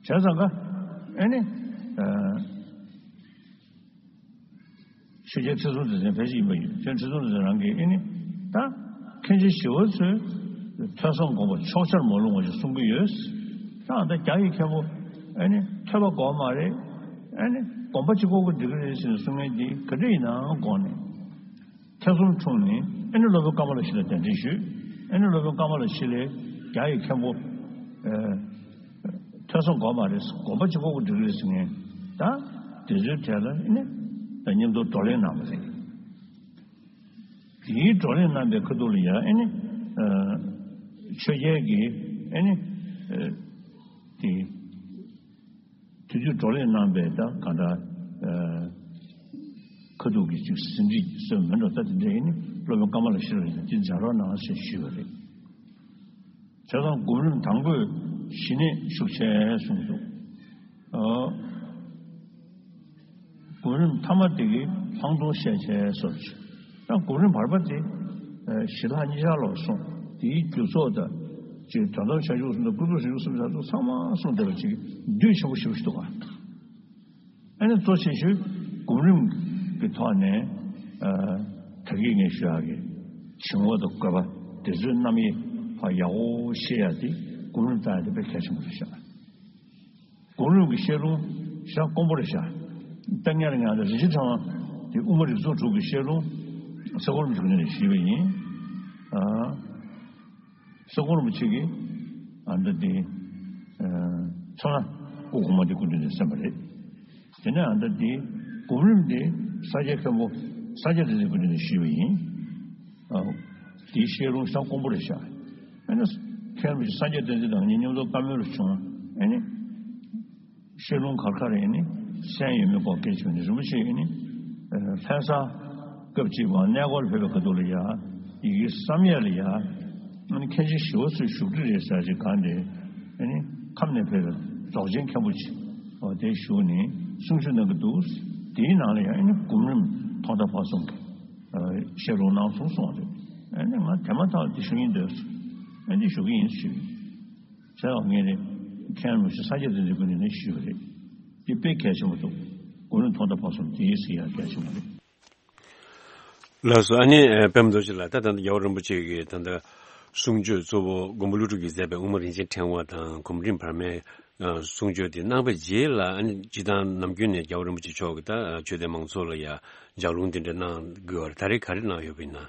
བྱས་ཙང་ཀ་ཨེ་ནི། ཆོས་རྒྱལ་ཁྲི་སྲོང་ལྡེ་བཙན་ཕལ་ཆེར་ཡིན་པ་ཡིན། ཁྲི་སྲོང་ལྡེ་བཙན་རང་གིས་ཨེ་ནི། ད་མཁན་ཆེན་ཞི་བ་འཚོས་ཐོས་བསམ་སྒོམ་པ་ཕྱོགས་ཆར་མ་ལྷུང་བ་ཞིག་གསུང་གི་ཡོད། ད་ད་རྒྱ་ཡི་མཁན་པོ་ཨེ་ནི་ཐོས་པ་དགོས་མ་རེད། ཨེ་ནི་སྒོམ་པ་གཅིག་པོ་གིས་འགྲིག་གི་རེད་ཟེར་ནས་གསུང་མཁན་དེ་ག་འདྲ་ཡིན་ནའང་དགོངས་ནས། ཐེ་ཚོམ་འཁྲུངས་ནས་ཨེ་ནི་སློབ་དཔོན་ཀ་མ་ལ་ཤཱི་ལ་གདན་འདྲེན་ཞུས། ཨེ་ནི་སློབ་དཔོན་ཀ་མ་ལ་ཤཱི་ལས་རྒྱ་ཡི་མཁན་པོ། ཨེ། ཐོས་བསམ་དགོས་མ་རེད། སྒོམ་པ་གཅིག་པོ་གིས་འགྲིག་གི་རེད་ཟེར་མཁན། ད་དེ་ཚོའི་གྲས་ལ་ཨེ་ནི་ད་མཉམ་དུ་བགྲོ་གླེང་གནང་བ་རེད། དེའི་བགྲོ་གླེང་གནང་པའི་ཁ་ཐུག་ལ་ཡང་ཨེ་ནི་ཆོས་རྒྱལ་གྱིས་ཨེ་ནི་ དེ་དུས་དུས་བགྲོ་གླེང་གནང་པའི་ད་གང་ལྟར་ཨ་ཁ་ཐུག་གི་ཅིག་ཟིན་བྲིས་སོན་མེད་འགྲོ། ད་དེ་འདྲ་ཡིན་ནི་སློབ་དཔོན་ཀ་མ་ལ་ཤི་ར་ཡིན་ན་དེ་མཇལ་རོགས་གནང་ཞེས་ཞུས་པ་རེད། བྱས་ཙང་སྒོམ་རིམ་དང་པོས་ཞི་གནས་ཤུགས་ཆེ་གསུངས་འདུག་ཨ། སྒོམ་རིམ་མཐའ་མ་དེ་གི་ལྷག་མཐོང་ཤས་ཆེ་སོགས་ཀྱི། ད་སྒོམ་རིམ་བར་པ་དེ་ཨ་ཞི་ལྷག་གཉིས་ཆར་ལོག་སོང་། དེའི་རྒྱུ་ཚོགས་དང་ཅིག་དོན་དམ་བྱང་ཆུབ་གསུམ་དང་ཀུན་རྫོབ་བྱང་ཆུབ་གསུམ་ཆར་ཚོགས་ཚང་མ་གསུངས་བསྡད་པ་ཅིག་འདུས་ཆེན་པོ་ཞེ་པོ་ཞིག་འདུག་ག་ཨ་ནི་གཙོ་ཆེ་ཤོས་སྒོམ་རིམ་གྱི་ཐོག་ནས་ཨ་ད་གིན་ངས་ཞུ་ཡག་གི་བྱིང་བ་དང་རྒོད་པ་དེ་ཚོའི་རྣམ་དབྱེ་ཕར་ཡག་པོ་ཤེས་ཡག་དེ་སྒོམ་རིམ་བཏང་ཡག་དེ་དཔེ་གལ་ཆེན་པོ་རེད་ཤག་སྒོམ་རིམ་གྱི་བཤད་ལུང་ཞེ་དྲག་དཀོན་པོ་རེད་ཤག་ད་སྔོན་ལ་ང་ཚོ་རིན་ཆེན་ཕྲེང་བ་དེ་དབུ་མ་རིགས་ཚོགས་དྲུག་གི་བཤད་ལུང་ས་གོ་རིན་པོ་ཆེ་ནས་ཞུས་པ་ཡིན། ཨ། ས་གོ་རིན་པོ་ཆེ་གིས་ཨ་ད་དེ་ཨ་ཚོ་ན་སྐུ་གོང་མ་དེ་སྐུ་མདུན་ནས་གསན་པ་རེད། དེ་ནས་ཨ་ད་དེ་སྒོམ་རིམ་དེ་ས་སྐྱ་མཁན་པོ་ས་སྐྱ་བདེ་ཚེ་སྐུ་མདུན་ནས་ཞུས་པ་ཡིན། ཨ། དེའི་བཤད་ལུང་ཞེ་དྲག་དཀོན་པོ་རེད་ཤག་ཨ་ནི་མཁན་རིན་པོ་ཆེ་ས་སྐྱ་བསྟན་འཛིན་དང་ངེད་མཉམ་དུ་བཀའ་མོལ་རུ་བྱུང་། ཨ་ནི་བཤད་ལུང་ག་རེ་ག་རེ་ཨ་ནི་གསན་ཡོད་མེད་སྐོར་སྐད་ཆ་ནི་རིན་པོ་ཆེ་ཨ་ནི་ལྷ་ས་སྐབས་གཅིག་པ་གནས་སྐོར་ཕེབས་པའི་ཁ་ཐུག་ལ་ཡ་ཡི་གེ་བསམ་ཡས་ལ་ཡ་ཨ་ནི་མཁན་ཆེན་ཞི་བ་འཚོའི་བཞུགས་ཁྲི་རེད་ཟེར་ཅིག་གང་དེ་ཨ་ནི་ཁམས་ནས་ཕེབས་པའི་རྫོགས་ཆེན་མཁན་པོ་ཅིག་འོ་དེ་བཞུགས་ནས་གསུང་ཆོས་གནང་གི་འདུག་དེའི་ནང་ལ་ཡ་ཨ་ནི་སྒོམ་རིམ་ཐོག་མཐའ་བར་གསུམ་གྱི་བཤད་ལུང་གནང་སོང་གསུངས་པ་རེད། ཨ་ནི་ང་དེ་མ་ཐག་དེ་ཞུ་སྙིང་འདོད་སོང་། ཨ་ནི་ཞུ་གི་ཡིན་ཞུས། བྱས་ཙང་ངས་ནི་མཁན་རིན་པོ་ཆེ་ས་སྐྱ་བདེ་ཚེ་སྐུ་མདུན་ནས་ཞུས་པ་རེད། འདི་དཔེ་གལ་ཆེན་པོ་འདུག་སྒོམ་རིམ་ཐོག་མཐའ་བར་གསུམ་དེ་ཡིན་ཟེར་ཡ་གལ་ཆེན་པོ་རེད། ལགས་སོ། ཨ་ནི་ཨ་པད་མ་རྡོ་རྗེ་ལགས། ད་ད་ལྟ་རྒྱལ་བ་རིན་པོ་ཆེ་གིས་ད་ལྟ་གསུང་ཆོས་གཙོ་བོ་མགོན་པོ་ཀླུ་སྒྲུབ་ཀྱིས་མཛད་པའི་དབུ་མ་རིན་ཆེན་ཕྲེང་བ་དང་སྒོམ་རིམ་བར་མའི་ཨ་གསུང་ཆོས་དེ་གནང་བའི་རྗེས་ལ། ཨ་ནི་སྤྱིར་བཏང་ནམ་རྒྱུན་ནས་རྒྱལ་བ་རིན་པོ་ཆེ་མཆོག་གིས་ད་ཆོས་དད་མང་ཚོགས་ལ་ཡ་ལྗགས་ལུང་དེ་འདྲ་གནང་དགོས་པ་རེད། ད་རེས་ག་རེ་གནང་ཡོད་པ་ཡིན་ན།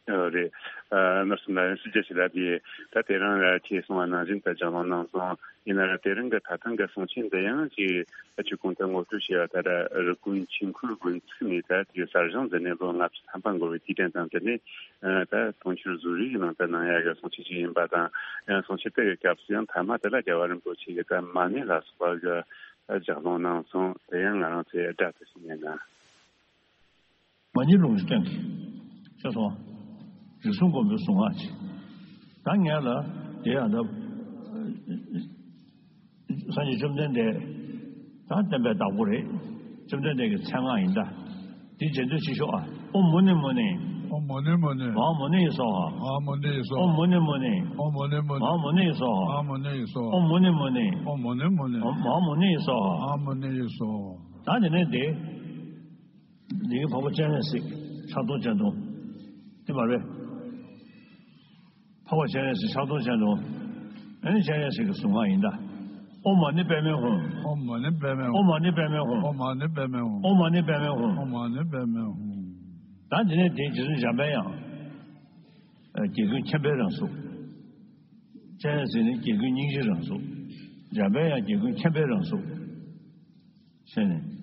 ཨ་རེད། ཨ་ནོར་སུ་ན་སུ་ཇ་ཞིག་ལ་དེ་ད་དེ་རིང་ལ་ཁྱེད་གསུང་བ་ནང་བཞིན་དུ་ལྗགས་ལུང་གནང་སོང་། ཡིན་ན་ར་དེ་རིང་གི་ད་ཐེངས་གི་གསུང་ཆོས་འདི་ཡང་ཅིག་ཨ་ཆོས་གོང་དུ་ངོ་སྤྲོད་བྱས་པ་ལྟར་རི་ཀོན་ཆོས་འཁོར་དགོན་ཚུགས་ནས་ད་དེ་གསར་བཞེངས་མཛད་ནས་ལོ་ལྔ་བཅུ་ཐམ་པ་འགོར་བའི་དུས་དྲན་དང་བསྟུན་ནས། ཨ་ད་དུང་ཕྱུར་བཟོ་རིག་གི་ནང་དུ་གནང་ཡག་གི་གསུང་ཆོས་ཅིག་ཡིན་པ་དང་། ཡང་གསུང་ཆོས་དེ་གི་སྐབས་སུ་ཡང་མཐའ་མ་དེ་ལ་རྒྱལ་བ་རིན་པོ་ཆེ་གིས་ད་མ་ཎི་ལ་སོགས་པ་གི་ད་ལྗགས་ལུང་གནང་སོང་། དེ་ཡང་ང་རང་ཚོས་སྒྲ་དེ་ཞིག་ཉན་ན། མ་ཎི་ལུང་གི་སྟེང་གི་ཤེས་སོང་། རིགས་གསུམ་མགོན་པོའི་གཟུངས་སྔགས་ཅིག་ད་ངས་ལ་དེ་ཡང་ད་སངས་རྒྱས་བཅོམ་ལྡན་འདས་ད་བསྟན་པའི་བདག་པོ་རེད། བཅོམ་ལྡན་འདས་ཀྱི་མཚན་སྔགས་ཡིན་ད། དེ་རྗེས་ཟློས་ཅིག་ཤོག་ཨ། ཨོཾ་མུ་ནེ་མུ་ནེ། ཨོཾ་མུ་ནེ་མུ་ནེ། མ་ཧཱ་མུ་ནེ་ཡེ་སྭཱ་ཧཱ། མ་ཧཱ་མུ་ནེ་ཡེ་སྭཱ་ཧཱ། ཨོཾ་མུ་ནེ་མུ་ནེ། ཨོཾ་མུ་ནེ་མུ་ནེ། མ་ཧཱ་མུ་ནེ་ཡེ་སྭཱ་ཧཱ། མ་ཧཱ་མུ་ནེ་ཡེ་སྭཱ་ཧཱ། ཨོཾ་མུ་ནེ་མུ་ནེ། ཨོཾ་མུ་ནེ་མུ་ནེ། མ་ཧཱ་མུ་ནེ་ཡེ་སྭཱ་ཧཱ། མ་ཧཱ་མུ་ནེ་ཡེ་སྭཱ་ཧཱ། ད་དེ་ནས་དེ། འདི་གི་འཕགས་པ་སྤྱན་རས་གཟིགས་ཕྱག་སྟོང་སྤྱན་སྟོང་། དེ་མ་རེད། འཕགས་པ་སྤྱན་རས་གཟིགས་ཕྱག་སྟོང་སྤྱན་སྟོང་། ཨ་ནི་སྤྱན་རས་གཟིགས་ཀྱི་གཟུངས་སྔགས་ཡིན་ད། ཨོཾ་མ་ཎི་པདྨེ་ཧཱུྃ། ཨོཾ་མ་ཎི་པདྨེ་ཧཱུྃ། ཨོཾ་མ་ཎི་པདྨེ་ཧཱུྃ། ཨོཾ་མ་ཎི་པདྨེ་ཧཱུྃ། ཨོཾ་མ་ཎི་པདྨེ་ཧཱུྃ། ཨོཾ་མ་ཎི་པདྨེ་ཧཱུྃ། ད་འདི་ནས་དེ་རྗེ་བཙུན་འཇམ་དཔལ་དབྱངས། ཨ་དགེ་ཀུན་མཁྱེན་པའི་རང་གཟུགས། སྤྱན་རས་གཟིགས་ནི་དགེ་ཀུན་སྙིང་རྗེའི་རང་གཟུགས། འཇམ་དཔལ་དབྱངས་དགེ་ཀུན་མཁྱེན་པའི་རང་གཟུགས། ཟེར་ནས།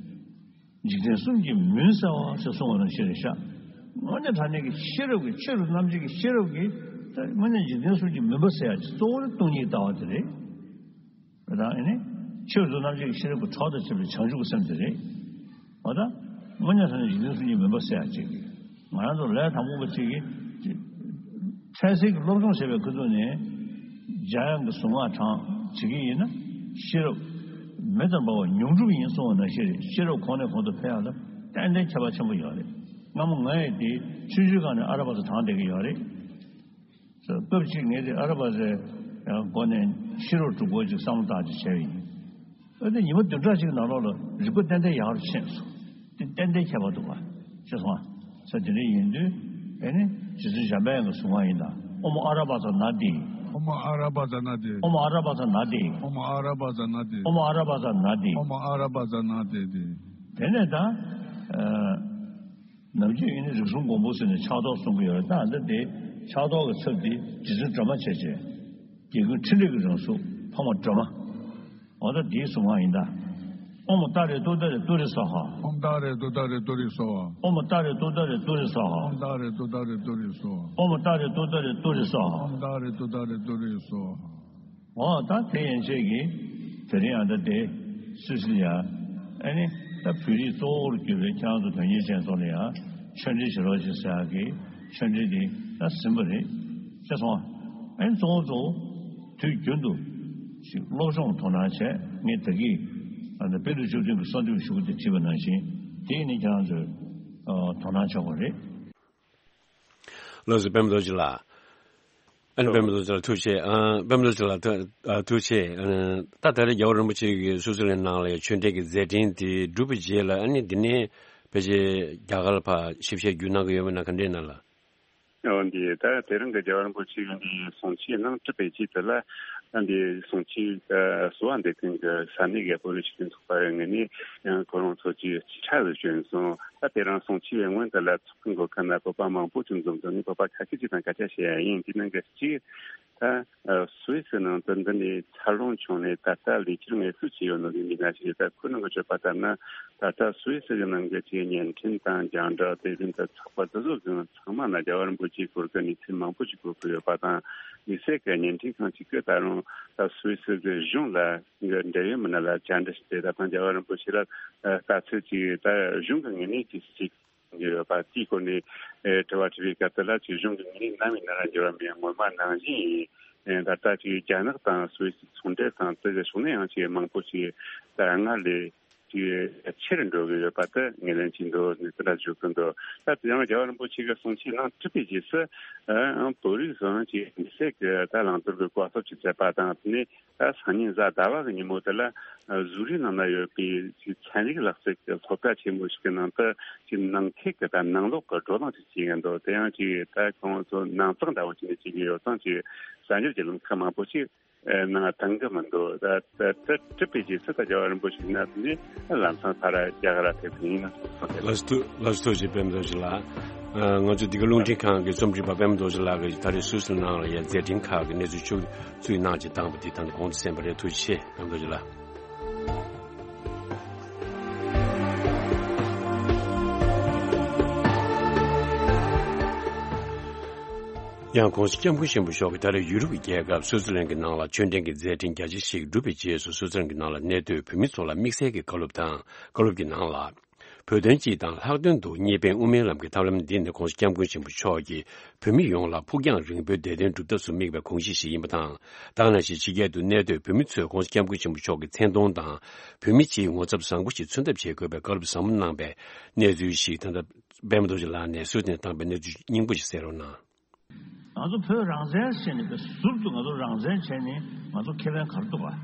འཇིག་རྟེན་གསུམ་གྱི་མུན་བསལ་བ་ཞེས་གསུངས་པ་ནང་བཞིན་རེད་ཤག་དངོས་གནས་དྲང་གནས་ཀྱི་ཤེས་རབ་ཀྱི་ཆོས་རབ་རྣམ་འབྱེད་ཀྱི་ཤེས་རབ་ཀྱིས་ད་དངོས་གནས་འཇིག་རྟེན་གསུམ་གྱི་མུན་པ་སེལ་ཡག་གི་གཙོ་བོ་ནི་སྟོང་ཉིད་ལྟ་བ་དེ་རེད། དེ་དང་ཨེ་ནི། ཆོས་རབ་རྣམ་འབྱེད་ཀྱི་ཤེས་རབ་ཀྱི་གྲོགས་དང་བཅས་པའི་བྱང་ཆུབ་ཀྱི་སེམས་དེ་རེད། འོ་ད། དངོས་གནས་དྲང་གནས་འཇིག་རྟེན་གསུམ་གྱི་མུན་པ་སེལ་ཡག་ཅིག་ང་རང་ཚོ་ལས་དང་པོ་པ་ཅིག་གིས། འཕྲལ་སེལ་གྱི་སློབ་སྦྱོང་བྱས་པའི་ཁ་ཐུག་ནས། འཇམ་དབྱངས་ཀྱི་གཟུངས་སྔགས་བགྲང་བྱེད་ཀྱི་ཡིན་ན། ཤེས་རབ་མེ་ལྟར་འབར་བ་ཉུང་འགྲུབ་ཡིན་གསུངས་པ་ནང་བཞིན་རེད། ཤེས་རབ་གོང་ནས་གོང་དུ་འཕེལ་ཡག་ལ་ཏན་ཏན་ཁྱད་པར་ཆེན་པོ་ཡོད་རེད། སྔ་མོ་ང་ཡི་དེ་ཆུང་ཆུང་སྒང་ནས་ཨ་ར་པ་ཙ་བགྲང་བསྡད་ཀྱི་ཡོད་རེད། སྐབས་གཅིག་ངས་དེ་ཨ་ར་པ་ཙའི་སྒོ་ནས་ཤེས་རབ་སྒྲུབ་སྐོར་ཅིག་བསམ་བློ་བཏང་ཅིག་བྱས་པ་ཡིན། ཨ་ནི་ཉི་མ་བདུན་ཕྲག་གཅིག་ནང་ལོགས་ལ་རིག་པ་ཏན་ཏན་ཡག་རུ་ཕྱིན་སོང་། དེ་ཏན་ཏན་ཁྱད་པར་འདུག་པ། ཤེས་སོང་ཨ། ས་དེ་འདྲ་ཡིན་དུས་ཨེ་ནི་རྗེ་བཙུན་འཇམ་དཔལ་དབྱངས་ཀྱི་གཟུངས་སྔགས་ཡིན་ད། ཨོཾ་ཨ་ར་པ་ཙ་ན་དྷཱིཿ། ཨོཾ་ཨ་ར་པ་ཙ་ན་དྷཱིཿ། ཨོཾ་ཨ་ར་པ་ཙ་ན་དྷཱིཿ། ཨོཾ་ཨ་ར་པ་ཙ་ན་དྷཱིཿ། ཨོཾ་ཨ་ར་པ་ཙ་ན་དྷཱིཿ། ཨོཾ་ཨ་ར་པ་ཙ་ན་དྷཱིཿ། དེ་ནས་ད། ཨ། ནམ་རྒྱུན་ཡིན་ན་རིགས་གསུམ་མགོན་པོ་ཟེར་ནས་ཕྱག་རྡོར་གསུང་གི་ཡོད་རེད། ད་འདི་དེ་ཕྱག་རྡོར་གྱི་ཚབ་དེ་རྗེ་བཙུན་སྒྲོལ་མ་བྱས་བྱས། དགེ་ཀུན་ཕྲིན་ལས་ཀྱི་རང་གཟུགས་འཕགས་མ་སྒྲོལ་མ། འོ་ད་དེའི་གཟུངས་སྔགས་ཡིན་ད། ཨོཾ་ཏཱ་རེ་ཏུཏྟཱ་རེ་ཏུ་རེ་སྭཱ་ཧཱ། ཨོཾ་ཏཱ་རེ་ཏུཏྟཱ་རེ་ཏུ་རེ་སྭཱ་ཧཱ། ཨོཾ་ཏཱ་རེ་ཏུཏྟཱ་རེ་ཏུ་རེ་སྭཱ་ཧཱ། ཨོཾ་ཏཱ་རེ་ཏུཏྟཱ་རེ་ཏུ་རེ་སྭཱ་ཧཱ། ཨོཾ་ཏཱ་རེ་ཏུཏྟཱ་རེ་ཏུ་རེ་སྭཱ་ཧཱ། ཨོཾ་ཏཱ་རེ་ཏུཏྟཱ་རེ་ཏུ་རེ་སྭཱ་ཧཱ། འོ་ད་དེ་ཡན་ཆད་ཀྱིས་དེ་རིང་ཨ་ད་དེ་སུད་སི་ལ་ཡ་ཨ་ནི་ད་བོད་རིགས་གཙོ་བོར་གྱུར་པའི་ཁྱེད་རང་ཚོ་དོན་གཉེར་ཅན་ཚོ་ལ་ཡ་ཆོས་འབྲེལ་བྱེད་རོགས་བྱེད་ཟེར་ཡག་གི་ཆོས་འབྲེལ་དེ་ད་ཟིན་པ་རེད། ཤེས་སོང་ཨ། ཨ་ནི་གཙོ་བོ་གཙོ་བོ་དུས་རྒྱུན་དུ་ཞིག་སློབ་སྦྱོང་དོ་སྣང་བྱས། ངས་ད་གིན་ཨ་ད་དཔེ་མཛོད་བཅུ་བདུན་གྱི་གསར་འདེབས་ཞུ་གི་དེ་བྲིས་པ་ནང་བཞིན་དེ་ནི་ཁྱེད་རང་ཚོས་དོ་སྣང་ཆོག་པ་རེད། ལགས་སོ། པད་མ་རྡོ་རྗེ་ལགས། ཨ་ནི་པད་མ་རྡོ་རྗེ་ལགས་ཐུགས་རྗེ་ཆེ། ཨ། པད་མ་རྡོ་རྗེ་ལགས་ཐུགས་ཨ་ཐུགས་རྗེ་ཆེ། ཨ་ནི་ད་ད་རེས་རྒྱལ་བ་རིན་པོ་ཆེ་གིས་སུད་སི་ལན་ནང་ལ་ཡང་ཆོས་འབྲེལ་གྱི་མཛད་འཕྲིན་དེ་གྲུབ་པའི་རྗེས་ལ་ཨ་ནི་འདི་ནས་ཕལ་ཆེར་རྒྱ་གར་ལ་ཕར་ཞིབ་བཤེར་བརྒྱུད་གནང་གི་ཡོད་མེད་ན་ག་འདྲས་ན་ལགས། འོ་འདི་ད་དེ་རིང་གི་རྒྱལ་བ་རིན་པོ་ཆེ་གི་འདི་གསུང་ཆོས་གནང་གྲུབ་པའི་རྗེས་དེ་ལ་ཨ་འདི་གསུང་ཆོས་གསོལ་བ་འདེབས་མཁན་གྱི་ས་གནས་ཀྱི་བོད་རིགས་སྤྱི་མཐུན་ཚོགས་པ་ཡི་ངོས་ནས་ཡང་ཁོ་རང་ཚོ་གྱི་སྤྱི་ཁྲ་ལ་བྱོན་སོང་། ད་དེ་རིང་གསུང་ཆོས་ཡི་སྔོན་དེ་ལ་ཚོགས་ཁང་གི་ཁ་ན་བོད་པ་མང་པོ་ཅིག་འཛོམས་འདུག་ངས་བོད་པ་ཁ་ཤས་ཅིག་དང་སྐད་ཆ་བཤད་ཡ་ཡིན། དེ་ནང་གི་གཅིག་ད་སུད་སི་ནང་དུ་འདི་ནས་འཚར་ལོངས་བྱུང་ནས་ད་ལྟ་ལས་འཁྱུར་ངལ་གསོ་བྱས་ཡོད་ནོ་གི་མི་སྣ་ཞིག་རེད། ད་ཁོའི་ནང་གི་བརྗོད་པ་ལྟར་ན་ད་ལྟ་སུད་སི་གི་ནང་གི་ཅིག་བརྙན་འཕྲིན་དང་རྒྱང་བསྒྲགས་དེ་བཞིན་དུ་ཚོགས་པ་དེ་ཚོ་གི་ཚང་མ་ན་རྒྱལ་བ་རིན་པོ་ཆེའི་སྐོར་གྱི་གནས་ཚུལ་མང་པོ་ཞིག་གོ་གི་ཡོད་པ་དང་། དམིགས་བསལ་གྱི་བརྙན་འཕྲིན་ཁང་ཞིག་གིས་ད་རུང་ད་སུད་སི་གི་གཞུང་ལ་འབྲེལ་ཡོད་མི་སྣ་ལ་བཅར་འདྲི་ཞུས་ཏེ། ད་ཐེངས་རྒྱལ་བ་རིན་པོ་ཆེ་ལ་ལྟ་ཚུལ་ཅིག་ད་གཞུང་གི་ངོས་ནས་ཅིག་ཅིག་ཡོད་པ་དེའི་སྐོར་ནས་ཨེ་དྲི་བ་དྲིས་པའི་སྐབས་དེ་ལ་ཅིག་གཞུང་གི་ངོས་ནས་ནམ་ཡིན་ན་ར་འགྱུར་བ་མེད། སྔོན་མ་ནང་བཞིན་ཡིན། ཨེ་ད་ལྟ་ཅིག་རྒྱ་ནག་དང་སུད་སི་ཚོང་འབྲེལ་དང་དེ་གི་ཕྱོགས་ནས་ཡང་ཅིག་མང་པོ་ཞིག་ད་སྔར་ལས་ཅིག་ཆེ་རུ་འགྲོ་གི་ཡོད་པ་དེ་ངོས་ལེན་བྱེད་འདུག་ནས་དེ་འདྲ་ཞུ་གི་འདུག་ད་དེ་ཡང་རྒྱལ་བ་རིན་པོ་ཆེ་གི་གསུང་ཆོས་ནང་གྲུབ་པའི་རྗེས་སུ་ཨ་བོད་རིགས་སུའང་ཅིག་མི་སེར་གྱི་ད་བླང་དོར་གྱི་བཀའ་སློབ་ཅིག་མཛད་པ་དང་། དེ་ནས་ད་སང་ཉིན་གཟའ་ཟླ་བ་གི་ཉིན་མོ་དེ་ལ་ཨ་གཟུགས་རིས་ནང་ན་ཡོད་པའི་ཅིག་ཚན་རིག་ལག་རྩལ་གྱི་སློབ་གྲྭ་ཆེན་མོ་ཞིག་གི་ནང་དུ་ཅིག་ནང་ཁུལ་གྱི་ད་ནང་ལོགས་ཀྱི་བགྲོ་གླེང་ཅིག་བྱེད་ཀྱི་འདུག་དེ་ཡང་ཅིག་ད་ཁོང་ཚོ་ནང་གཙང་འདྲ་བོ་ཅིག་ནས་བྱེད་ཀྱི་ཡོད་ཙང་། ཅིག་གསར་འགྱུར་གྱི་ལམ་ཁ་མང་པོ་ཅིག་ནང་བཏང་གི་མི་འདུག་ད་ད་ད་གྲུབ་པའི་རྗེས་སུ་ད་རྒྱལ་བ་རིན་པོ་ཆེ་ནས་ནི་ལམ་སང་ཕར་རྒྱ་གར་ལ་ཕེབས་ཀྱི་ཡིན་ན་གསུངས་ཏེ། ལགས་སོ། ཐུགས་རྗེ་ཆེ། པད་མ་རྡོ་རྗེ་ལགས། ང་ཚོ་འདི་ག་རླུང་འཕྲིན་ཁང་གི་རྩོམ་སྒྲིག་པ་པད་མ་རྡོ་རྗེ་ལགས་ཀྱིས་ད་རེས་སུད་སི་ནང་ལ་ཡ་མཛད་འཕྲིན་ཁག་གི་གནས་ཚུལ་ཕྱོགས་བསྡུས་གནང་ཅིག་བཏང་པ་འདི་ད་ལྟ་གོང་དུ་གསན་པ་རེད། ཐུགས་རྗེ་ཆེ། པད་མ་རྡོ་རྗེ་ལགས། ཡང་༸གོང་ས་༸སྐྱབས་མགོན་ཆེན་པོ་མཆོག་གིས་ད་རེས་ཡུ་རོབ་ཀྱི་རྒྱལ་ཁབ་སུའུ་ཙི་ལན་གྱི་ནང་ལ་ཆོས་འབྲེལ་གྱི་མཛད་འཕྲིན་རྒྱ་ཆེ་ཞིག་བསྒྲུབས་པའི་རྗེས་སུ། སུའུ་ཙི་ལན་གྱི་ནང་ལ་གནས་སྡོད་བོད་མི་ཚོ་ལ་དམིགས་བསལ་གྱི་བཀའ་སློབ་དང་། བཀའ་སློབ་ཀྱི་ནང་ལ། བོད་དོན་སྤྱི་དང་ལྷག་དོན་དུ་གཉིས་ཕན་དབུ་མའི་ལམ་གྱི་ཐབས་ལམ་འདི་ནི་༸གོང་ས་༸སྐྱབས་མགོན་ཆེན་པོ་མཆོག་གིས་བོད་མི་ཡོངས་ལ་ཕུགས་རྒྱང་རིང་པོའི་བདེ་དོན་སྒྲུབ་ཐབས་སུ་དམིགས་པའི་དགོངས་གཞི་ཞིག་ཡིན་པ་དང་། ད་ག་ནང་བཞིན་ཕྱི་རྒྱལ་དུ་གནས་སྡོད་བོད་མི་ཚོས་༸གོང་ས་༸སྐྱབས་མགོན་ཆེན་པོ་མཆོག་གི་མཚན་མཐོང་དང་། བོད་མི་སྤྱིའི་ངོ་ཚབ་བཟང་པོ་ཞིག་མཚོན་ཐབས་བྱེད་དགོས་པའི་བཀའ་སློབ་ཟབ་མོ་གནང་པའི་གནས་ཚུལ་ཞིག་ད་ལྟ་པད་མ་རྡོ་རྗེ་ལགས་ནས་སུད་སི་ནས་བཏང་པའི་གནས་ཚུལ་སྙིང་པོ་ཞིག་གསན་རོགས་གནང་། ང་ཚོ་བོད་རང་བཙན་བྱས་ནས་པའི་ཟུར་དུ་ང་ཚོ་རང་བཙན་བྱས་ནས་ང་ཚོ་ཁེ་ཕན་ག་རེ་འདུག་ག་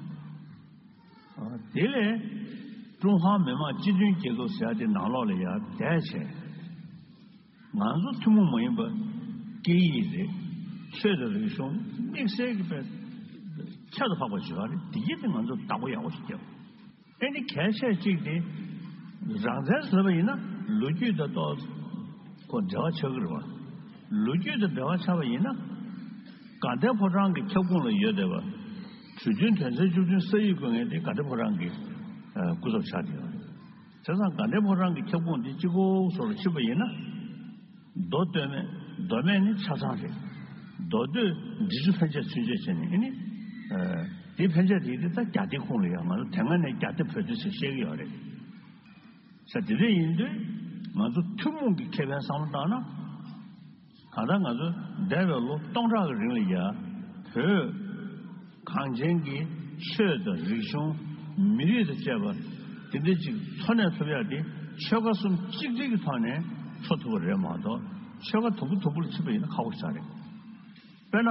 དེ་ལས་ཀྲུང་ཧྭ་མི་དམངས་སྤྱི་མཐུན་རྒྱལ་ཁབ་ཟེར་ཡ་དེ་ནང་ལོགས་ལ་ཡར་བསྡད་བྱས། ང་ཚོ་ཐུན་མོང་མ་ཡིན་པ་སྐད་ཡིག་རེད། ཆོས་དང་རིག་གཞུང་དམིགས་བསལ་གྱི་དཔེ་ཁྱད་དུ་འཕགས་པ་བྱེད་པ་རེད། འདི་གྱིས་དེ་ང་ཚོ་བདག་པོ་ཡག་པོ་ཞིག་བརྒྱབ། ཨེ་ནི་གལ་ཆེ་གཅིག་དེ་རང་བཙན་ཟེར་བ་ཡིན་ན་ལོ་རྒྱུས་དང་ཏོག་ཁོ་འབྲེལ་བ་ཆགས་ཀྱི་རེད་བ། ལོ་རྒྱུས་དང་འབྲེལ་བ་ཆགས་པ་ཡིན་ན་དགའ་ལྡན་ཕོ་བྲང་གི་ཁྱབ་ཁོངས་ལ་ཡོད་བསྡད་པ། གྲོས་མཐུན་དོན་ཚན་བཅུ་བདུན་ས་ཡིག་བཀོད་མཁན་དེ་དགའ་ལྡན་ཕོ་བྲང་གི་སྐུ་ཚབ་ཆགས་བསྡད་ཡོད་རེད། བྱས་ཙང་དགའ་ལྡན་ཕོ་བྲང་གི་ཁྱབ་ཁོངས་འདི་གཅིག་པོ་སོགས་ལ་ཕྱིན་པ་ཡིན་ན། མདོ་སྟོད་སྨད། མདོ་སྨད་ནི་ཆ་ཚང་རེད། མདོ་སྟོད་འབྲི་ཆུ་ཕན་ཆད་ཚུན་ཆད་བྱས་ནས་ཨེ་ནི། དེ་ཕན་ཆད་དེ་དེ་ད་རྒྱ་སྡེ་ཁོངས་ལ་ཡང་ང་ཚོ་དེ་སྔ་ནས་རྒྱ་སྡེ་བོད་སྡེ་ཟེར་བཤད་ཀྱི་ཡོད་རེད། ས་དེ་འདྲ་ཡིན་དུས་ང་ཚོ་ཐུན་མོང་གི་ཁེ་ཕན་བསམ་བློ་བཏང་ན། གང་ལྟར་ང་ཚོ་འདས་པའི་ལོ་སྟོང་ཕྲག་གི་རིང་ལ་ཡ་བོད་གངས་ཅན་གྱི་ཆོས་དང་རིག་གཞུང་། མི་རིགས་དང་བཅས་པ་དེ་འདྲ་ཅིག་འཚོ་གནས་ཐུབ་ཡ་དེ་ཆོལ་ཁ་གསུམ་གཅིག་སྒྲིལ་གྱི་ཐོག་ནས་འཚོ་ཐུབ་པ་རེད་མ་གཏོགས། ཆོལ་ཁ་དུམ་བུ་དུམ་བུ་ལ་ཕྱིན་པ་ཡིན་ན་ཁག་པོ་ཞིག་རེད། དཔེར་ན།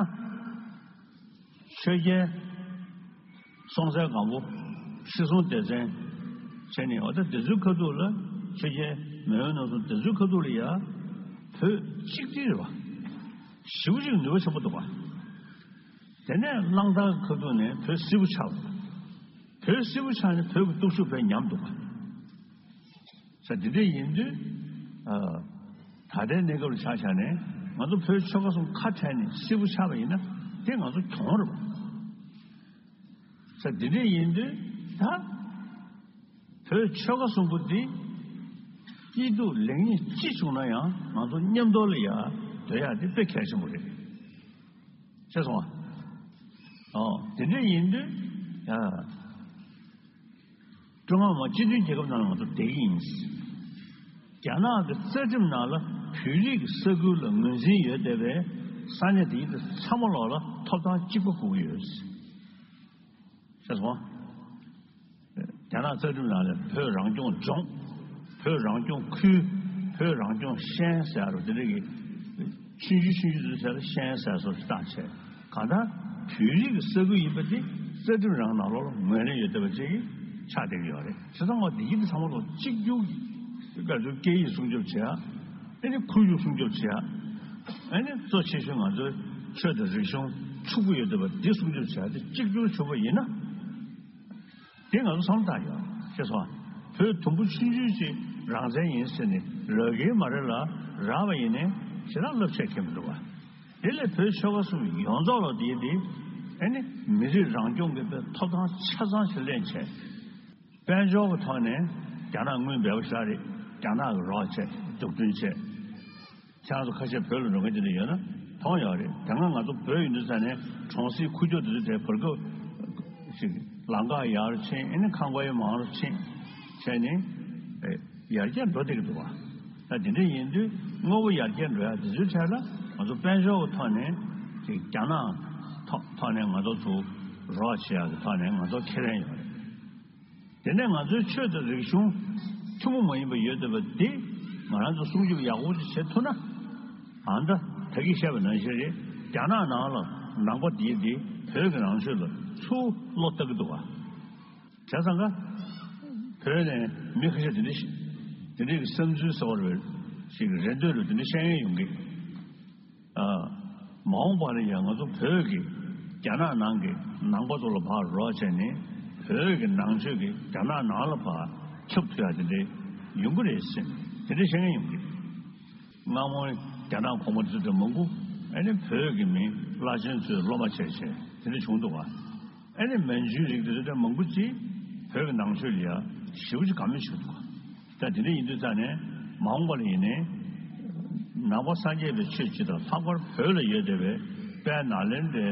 ཆོས་རྒྱལ་སྲོང་བཙན་སྒམ་པོ། ཁྲི་སྲོང་ལྡེ་བཙན་བྱས་ནས། འོ་ད་དེ་ཚོའི་ཁ་ཐུག་ལ། ཆོས་རྒྱལ་མེས་དབོན་རྣམ་གསུམ་དེ་ཚོའི་ཁ་ཐུག་ལ་ཡ་བོད་གཅིག་སྒྲིལ་རེད་པ། ཞེ་པོ་ཅིག་ནུས་པ་ཆེན་པོ་འདུག་པ། དེ་ནས་གླང་དར་གྱི་ཁ་ཐུག་ནས་བོད་སིལ་བུ་ཆགས་པ། བོད་སིལ་བུ་ཆགས་ནས་བོད་ཀྱི་སྟོབས་ཤུགས་དཔེ་ཉམས་འདུག་པ། ས་འདི་འདྲ་ཡིན་དུས། ཨ། ད་ལྟའི་གནས་སྐབས་ལ་ཆ་བཞག་ནས་ང་ཚོ་བོད་ཆོལ་ཁ་གསུམ་ཁ་བྲལ་ནས་སིལ་བུ་ཆགས་པ་ཡིན་ན་དེ་ང་ཚོ་གྱོང་རེད་པ། ས་འདི་འདྲ་ཡིན་དུས་ད་བོད་ཆོལ་ཁ་གསུམ་པོ་འདི་སྐྱིད་སྡུག་ལེགས་ཉེས་ཅི་བྱུང་ན་ཡང་ང་ཚོ་མཉམ་དུ་ལ་ཡ་སྡོད་ཡ་དེ་དཔེ་གལ་ཆེན་པོ་རེད། ཤེས་སོང་ཨ། ཨོ། དེ་འདྲ་ཡིན་དུས་ཡ། ཀྲུང་ཧྭ་མི་དམངས་སྤྱི་མཐུན་རྒྱལ་ཁབ་ནང་ལ་ང་ཚོ་བསྡད་ཀྱི་ཡིན། རྒྱ་ནག་གི་རྩ་ཁྲིམས་ནང་ལ་བོད་རིགས་ཀྱི་ས་ཁུལ་ལ་ངོས་འཛིན་ཡོད་བསྡད་པའི་ས་གནས་དེ་ཚོ་ཚང་མ་ལོག་ལ་ཐོབ་ཐང་གཅིག་པ་དགོས་ཀྱི་ཡོད། ཤེས་སོང་། རྒྱ་ནག་རྩ་ཁྲིམས་ནང་ལ་བོད་རང་སྐྱོང་ལྗོངས། བོད་རང་སྐྱོང་ཁུལ། བོད་རང་སྐྱོང་ཤན་ཟེར་རོ། དེ་འདྲ་གི་ཆུང་ཆུང་ཆུང་ཆུང་ཚོའི་ཆ་ལ་ཤན་ཟེར་སོགས་ཀྱི་བཏགས་བྱས། གང་ལྟར་བོད་རིགས་ཀྱི་ས་ཁུལ་ཡིན་པ་དེ་རྩ་ཁྲིམས་རང་ནང་ལོགས་ལ་ངོས་ལེན་ཡོད་བསྡད་པ་ཅིག་ཆགས་བསྡད་ཀྱི་ཡོད་རེད། བྱས་ཙང་འོ་དེ་ཡིན་དུས་ཚང་མ་ལོག་གཅིག་གྱུར་གྱི་སྐད་ཆ་སྐད་ཡིག་སྲུང་སྐྱོབ་བྱེད་ཡ། ཨ་ནི་ཁོར་ཡུག་སྲུང་སྐྱོབ་བྱེད་ཡ། ཨ་ནི་གཙོ་ཆེ་ཤོས་ང་ཚོའི་ཆོས་དང་རིག་གཞུང་ཕྱུག་པོ་ཡོད་བསྡད་པ་འདི་སྲུང་སྐྱོབ་བྱེད་ཡ་དེ་གཅིག་གྱུར་བྱུང་བ་ཡིན་ན། དེ་ང་ཚོ་བསམ་བློ་བཏང་ཡོད། ཤེས་སོང་། བོད་དུམ་བུ་ཆུང་ཆུང་ཅིག་རང་བཙན་ཡིན་ཟེར་ནས་ལོས་ཀའི་མ་རེད་ལ། རག་པ་ཡིན་ནའི་ཞེ་དྲག་རླབས་ཆེ་ཁེལ་མི་འདུག་བ། དེ་ལས་བོད་ཆོལ་ཁ་གསུམ་ཡོངས་རྫོགས་ལ་དེ་དེ་ཨ་ནི་མི་རིགས་རང་སྐྱོང་གི་ཐོབ་ཐང་ཆ་ཚང་ཞིག་ལེན་བྱས། དཔལ་འབྱོར་གྱི་ཐོག་ནས་རྒྱ་ནག་དངུལ་འབེལ་པོ་ཞིག་རེད། རྒྱ་ནག་གི་རོགས་བྱས། འཛུགས་སྐྲུན་བྱས། ཁྱེད་རང་ཚོ་ཁ་ཤས་བོད་ལ་འགྲོ་མཁན་དེ་འདྲ་ཡོད་ན་མཐོང་ཡོད་རེད། དེ་སྔ་ང་ཚོ་བོད་ཡིན་དུས་ཙ་ནས་གྲོང་གསེབ་ཁུག་ཀྱོག་དེ་ཚོ་དེ་བར་སྐབས་ཤིག་ལམ་ཁ་ཡག་རུ་ཕྱིན། ཨ་ནི་ཁང་པ་ཡང་མང་རུ་ཕྱིན་བྱས་ནས་ཡར་རྒྱས་འགྲོ་བསྡད་ཀྱི་འདུག་བ། ད་དེ་འདྲ་ཡིན་དུས་དངོས་པོ་ཡར་རྒྱས་འགྲོ་ཡ་དེ་ཚོའི་གྲས་ལ་ང་ཚོ་དཔལ་འབྱོར་གྱི་ཐོག་ནས་ཅིག་རྒྱ་ནག་ཐོག་ཐོག་ནས་ང་ཚོ་ཚུར་རོགས་བྱེད་ཡ་གི་ཐོག་ནས་ང་ཚོ་ཁེ་ཕན་ཡོད་རེད། དེ་ནས་ང་ཚོའི་ཆོས་དང་རིག་གཞུང་ཐུན་མོང་མ་ཡིན་པ་ཡོད་བསྡད་པ་དེ་ང་རང་ཚོ་སྲུང་སྐྱོབ་ཡག་པོ་ཅིག་བྱེད་ཐུབ་ན། ཨ་ད་ད་གིན་བཤད་པ་ནང་བཞིན་རེད། རྒྱ་ནག་ནང་ལ་ནང་པ་དེ་དེ་བོད་ཀྱི་ནང་ཆོས་ལ་ཚུར་བློ་གཏད་ཀྱི་འདུག་བ། བྱས་ཙང་ཀ་བོད་ནས་མི་ཁ་ཤས་དེ་འདྲ་ཞིག་དེ་འདྲའི་གི་བསམ་ཚུལ་གསར་པ་རེ་ཞིག་རེ་འདོད་རུ་དེ་འདྲ་བཤད་མཁན་ཡོང་གི། ཨ། མ་འོངས་པ་ལ་ཡང་ང་ཚོ་བོད་ཀྱི་རྒྱ་ནག་ནང་གི་ནང་པ་ཚོ་ལ་ཕར་རོགས་བྱས་ནས་བོད་ཀྱི་ནང་ཆོས་ཀྱི་རྒྱ་ནག་ནང་ལ་ཕར་ཁྱབ་ཐུབ་ཡ་དེ་འདྲའི་ཡོང་གི་རེད་ཟེར་དེ་འདྲའི་བཤད་མཁན་ཡོང་གི། སྔ་མོ་རྒྱ་ནག་གོང་མ་དེ་ཚོ་དེ་མང་པོ་ཨ་ནི་བོད་ཀྱི་མི་བླ་ཆེན་ཚོའི་སློབ་མ་བྱས་བྱས་དེ་འདྲ་བྱུང་འདུག་བ། ཨ་ནི་མན་ཇུའི་རིགས་དེ་ཚོ་དེ་མང་པོ་ཅིག་བོད་ཀྱི་ནང་ཆོས་ལ་ཡ་ཞེ་པོ་ཅིག་དགའ་མོས་བྱུང་འདུག་བ། ད་དེ་འདྲ་ཡིན་དུས་ཙང་ནས་མ་འོངས་པ་ལ་ཡིན་ནའི་ནང་པ་སངས་རྒྱས་པའི་ཆོས་སྤྱི་དང་ལྷག་པར་བོད་ལ་ཡོད་བསྡད་པའི་དཔལ་ནཱ་ལེནྡྲའི་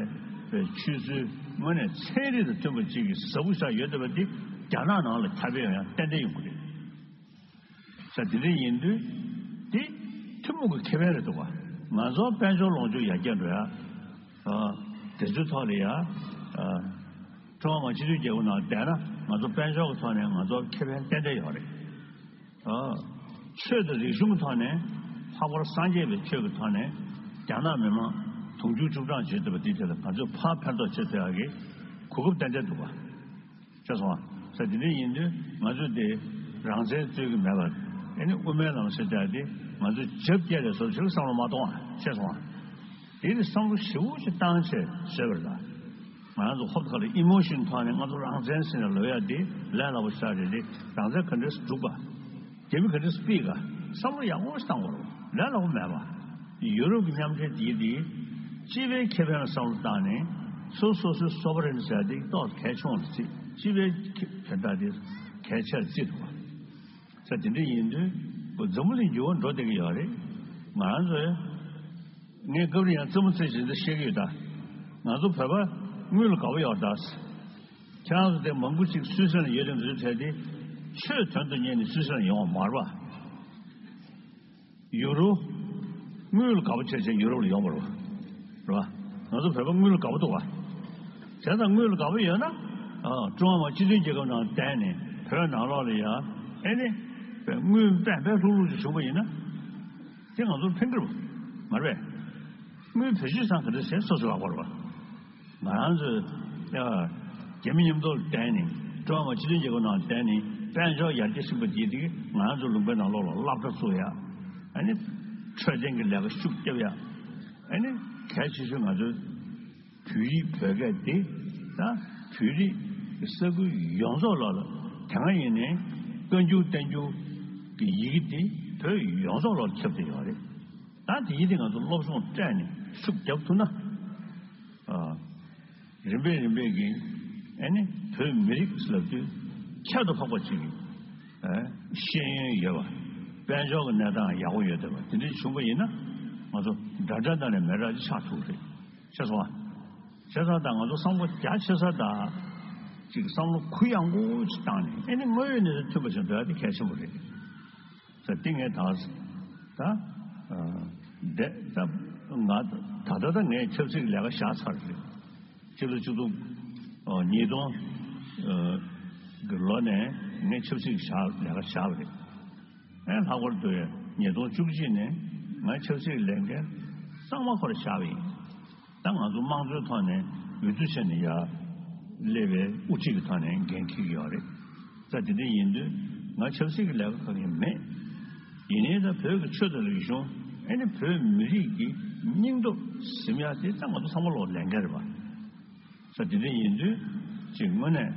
ཆོས་ཚུལ་དངོས་གནས་ཚན་རིག་དང་མཐུན་པ་ཅིག་གི་ཟབ་པོ་ཞིག་ཡོད་བསྡད་པ་འདི་རྒྱ་ནག་ནང་ལ་ཁྱབ་སྤེལ་ཡོང་ཡ་ཏན་ཏན་ཡོང་གི་རེད། ས་དེ་འདྲ་ཡིན་དུས་དེ་ཐུན་མོང་གི་ཁེ་ཕན་རེད་འདུག་བ། ང་ཚོ་དཔལ་འབྱོར་ལོངས་སྤྱོད་ཡར་རྒྱས་འགྲོ་ཡ། ཨ། དེ་ཚོའི་ཐོག་ལ་ཡ། ཨ། ཀྲུང་ཧྭ་མི་དམངས་སྤྱི་མཐུན་རྒྱལ་ཁབ་ནང་བསྡད་ན་ང་ཚོ་དཔལ་འབྱོར་གྱི་ཐོག་ནས་ང་ཚོ་ཁེ་ཕན་ཏན་ཏན་ཡོད་རེད། ཨ། ཆོས་དང་རིག་གཞུང་གི་ཐོག་ནས་ལྷག་པར་སངས་རྒྱས་པའི་ཆོས་ཀྱི་ཐོག་ནས་རྒྱ་ནག་མི་མང་དུང་ཕྱུར་བཅུ་གྲངས་བྱེད་ཐུབ་པ་དེའི་ཐད་ལ་ང་ཚོས་ཕར་ཕན་ཐོགས་བྱེད་ཐུབ་ཡག་གི་གོ་སྐབས་ཏན་ཏན་འདུག་བ། ཤེས་སོང་ཨ། ས་དེ་འདྲ་ཡིན་དུས་ང་ཚོས་དེ་རང་བཙན་རྩོད་ཀྱི་མེད་པར་ཨ་ནི་དབུ་མའི་ལམ་ཟེར་བྱ་དེ་ང་ཚོས་རྒྱབ་བསྐྱལ་རེ་སོར་ཞིག་བསམ་བློ་མ་གཏོང་ཨ། ཤེས་སོང་ཨ། དེ་ནི་བསམ་བློ་ཞེ་པོ་ཞིག་བཏང་བྱས་བཟོས་པ་རེད་ད། ང་རང་ཚོ་ཧོབ་ཁ་ལ་ཨི་མོ་ཤོན་ཐོག་ནས་ང་ཚོ་རང་བཙན་ཟེར་ནས་ལབ་ཡ་དེ་ལས་སླ་པོ་ཞིག་རེད་དེ། རང་བཙན་ག་འདྲས་སྒྲུབ་པ། རྒྱ་མི་ག་འདྲས་སྤེལ་ག། བསམ་བློ་ཡག་པོ་ཞིག་བཏང་དགོས་རེད། ལས་སླ་པོ་མེད་པ། ཡུ་རོབ་ཀྱི་མཉམ་འབྲེལ་འདིའི་འདི་སྤྱི་པའི་ཁེ་ཕན་ལ་བསམ་བློ་བཏང་ནས་སོ་སོ་སོའི་སོ་བ་རེ་ནས་བྱ་དེ་ཏོག་གལ་ཆུང་བ་རེད། སྤྱི་པའི་ཁེ་ཕན་ད་དེ་གལ་ཆེར་བརྩིས་འདུག་བ། ས་དེ་འདྲ་ཡིན་དུས་འཛམ་བུ་གླིང་འགྱུར་བ་འགྲོ་བསྡད་ཀྱི་ཡོད་རེད། ང་རང་ཚོའི་ངས་སྐབས་རེ་ཡང་རྩེད་མོ་རྩེ་བཞིན་དུ་བཤད་ཀྱི་ཡོད་ད། ང་ཚོ་བོད་པ་དངུལ་ལ་དགའ་པོ་ཡོད་ད། ཁྱེད་རང་ཚོ་དེ་མང་པོ་ཅིག་སུད་སི་ལ་ཡོད་རེད་འདུག་བྱས་ཏེ་ཆོས་དོན་དུ་གཉེར་ནས་སུད་སི་ལ་ཡོང་བ་མ་རེད་པ། ཡུ་རོ། དངུལ་ལ་དགའ་པོ་བྱས་བྱས་ཡུ་རོབ་ལ་ཡོང་བ་རེད་པ། རེད་པ། ང་ཚོ་བོད་པ་དངུལ་ལ་དགའ་པོ་འདུག་པ། བྱས་ཙང་དངུལ་ལ་དགའ་པོ་ཡོད་ན། ཨ། ཀྲུང་ཧྭ་མི་དམངས་སྤྱི་མཐུན་རྒྱལ་ཁབ་ནང་བསྡད་ནས་བོད་ནང་ལོགས་ལ་ཡ། ཨེ་ནི། དངུལ་པད་པད་ལྷུག་ལྷུག་ཅིག་བྱུང་བ་ཡིན་ན། དེ་ང་ཚོར་ཕན་གྱི་རེད་པ། མ་རེད་པས། དངུལ་བེད་སྤྱོད་བཏང་ག་འདྲ་བྱས་སོ་སོ་ལག་པར་བ། ང་རང་ཚོས་ཡ། རྒྱ་མི་མཉམ་དུ་བསྡད་ནས་ཀྲུང་ཧྭ་མི་དམངས་སྤྱི་མཐུན་རྒྱལ་ཁབ་ནང་བསྡད་ནས་དཔལ་འབྱོར་ཡར་རྒྱས་ཕྱིན་པ་དེ་དེ་ང་རང་ཚོ་ལུང་པའི་ནང་ལོགས་ལ་སློབ་གྲྭ་བཙུགས་ཡ། ཨ་ནི། འཕྲོད་བསྟེན་གྱི་ལས་ཀ་ཤུགས་རྒྱབ་ཡ། ཨ་ནི། གལ་ཆེ་ཤོས་ང་ཚོའི་བོད་ཡིག་བོད་སྐད་དེ་ད་བོད་རིགས་ཀྱི་ས་ཁུལ་ཡོངས་རྫོགས་ལོགས་ལ་དེ་སྔ་ཡིན་ནའི་བཀའ་འགྱུར་བསྟན་འགྱུར་གྱི་ཡི་གེ་དེ་བོད་ཡོངས་རྫོགས་ལོགས་ལ་ཁྱབ་བསྡད་ཡོད་རེད། ད་དེ་ཡིན་དུས་ང་ཚོ་སློབ་སྦྱོང་སྤྲད་ནས་ཤུགས་རྒྱབ་ཐུབ་ན། ཨ། རིམ་པས་རིམ་པས་ཀྱིས་ཨ་ནི་བོད་མི་རིགས་ལབ་དུས་ཁྱད་དུ་འཕགས་པ་ཅིག་གི་ཨ། ཤེས་ཡོན་ཡོད་པ། དཔལ་འབྱོར་གྱི་གནས་སྟངས་ཡག་པོ་ཡོད་བསྡད་པ་དེ་འདྲ་བྱུང་པ་ཡིན་ན་ང་ཚོ་འདྲ་འདྲ་འདྲ་ནས་མི་འདྲ་ཅིག་ཆགས་ཐུབ་རེད། ཤེས་སོང་ཨ། བྱས་ཙང་ད་ང་ཚོ་བསམ་བློ་རྒྱ་ཆེ་ས་དང་། ཅིག་བསམ་བློ་གུ་ཡངས་པོ་ཅིག་བཏང་ནས། ཨེ་ནི་དངོས་ཡོད་གནས་ཚུལ་མཐུན་པ་ཞིག་འགྲོ་ཡ་དེ་གལ་ཆེན་པོ་རེད། ད་འདི་ངས་ད་ད་ཨ་འདི་ད་ང་ད་ལྟ་ད་ངས་ཆབ་སྲིད་ཀྱི་ལས་ཀ་བཞག་ཚར་རེད། ཕྱི་ལོ་ཆིག་སྟོང་ཨ་ཉིས་སྟོང་ཨ་གི་ལོ་ནས་ངས་ཆབ་སྲིད་ཀྱི་བཞག་ལས་ཀ་བཞག་པ་རེད། ཨེ་ལྷག་པར་དུ་ཉིས་སྟོང་བཅུ་གཅིག་ནས་ང་ཆབ་སྲིད་ཀྱི་ལས་འགན་གཙང་མ་ཁོ་རང་བཞག་པ་ཡིན། ད་ང་ཚོ་དམངས་གཙོའི་ཐོག་ནས་འོས་བསྡུ་བྱས་ནས་ཡར་སླེབས་པའི་དབུ་ཁྲིད་ཀྱི་ཐོག་ནས་འགན་འཁྱེར་གྱི་ཡོད་རེད། ད་དེ་འདྲ་ཡིན་དུས་ང་ཆབ་སྲིད་ཀྱི་ལས་ཀ་གང་ཡང་མེད། ཡིན་ནའི་ད་བོད་ཀྱི་ཆོས་དང་རིག་གཞུང་། ཨེ་ནི་བོད་མི་རིགས་ཀྱི་སྙིང་སྟོབས་ཟིན་ཡ་དེ་ད་ང་ཚོ་ཚང་མ་ལོག་ལས་འགན་རེད་པ། ས་དེ་འདྲ་ཡིན་དུས་ཅིག་དངོས་གནས་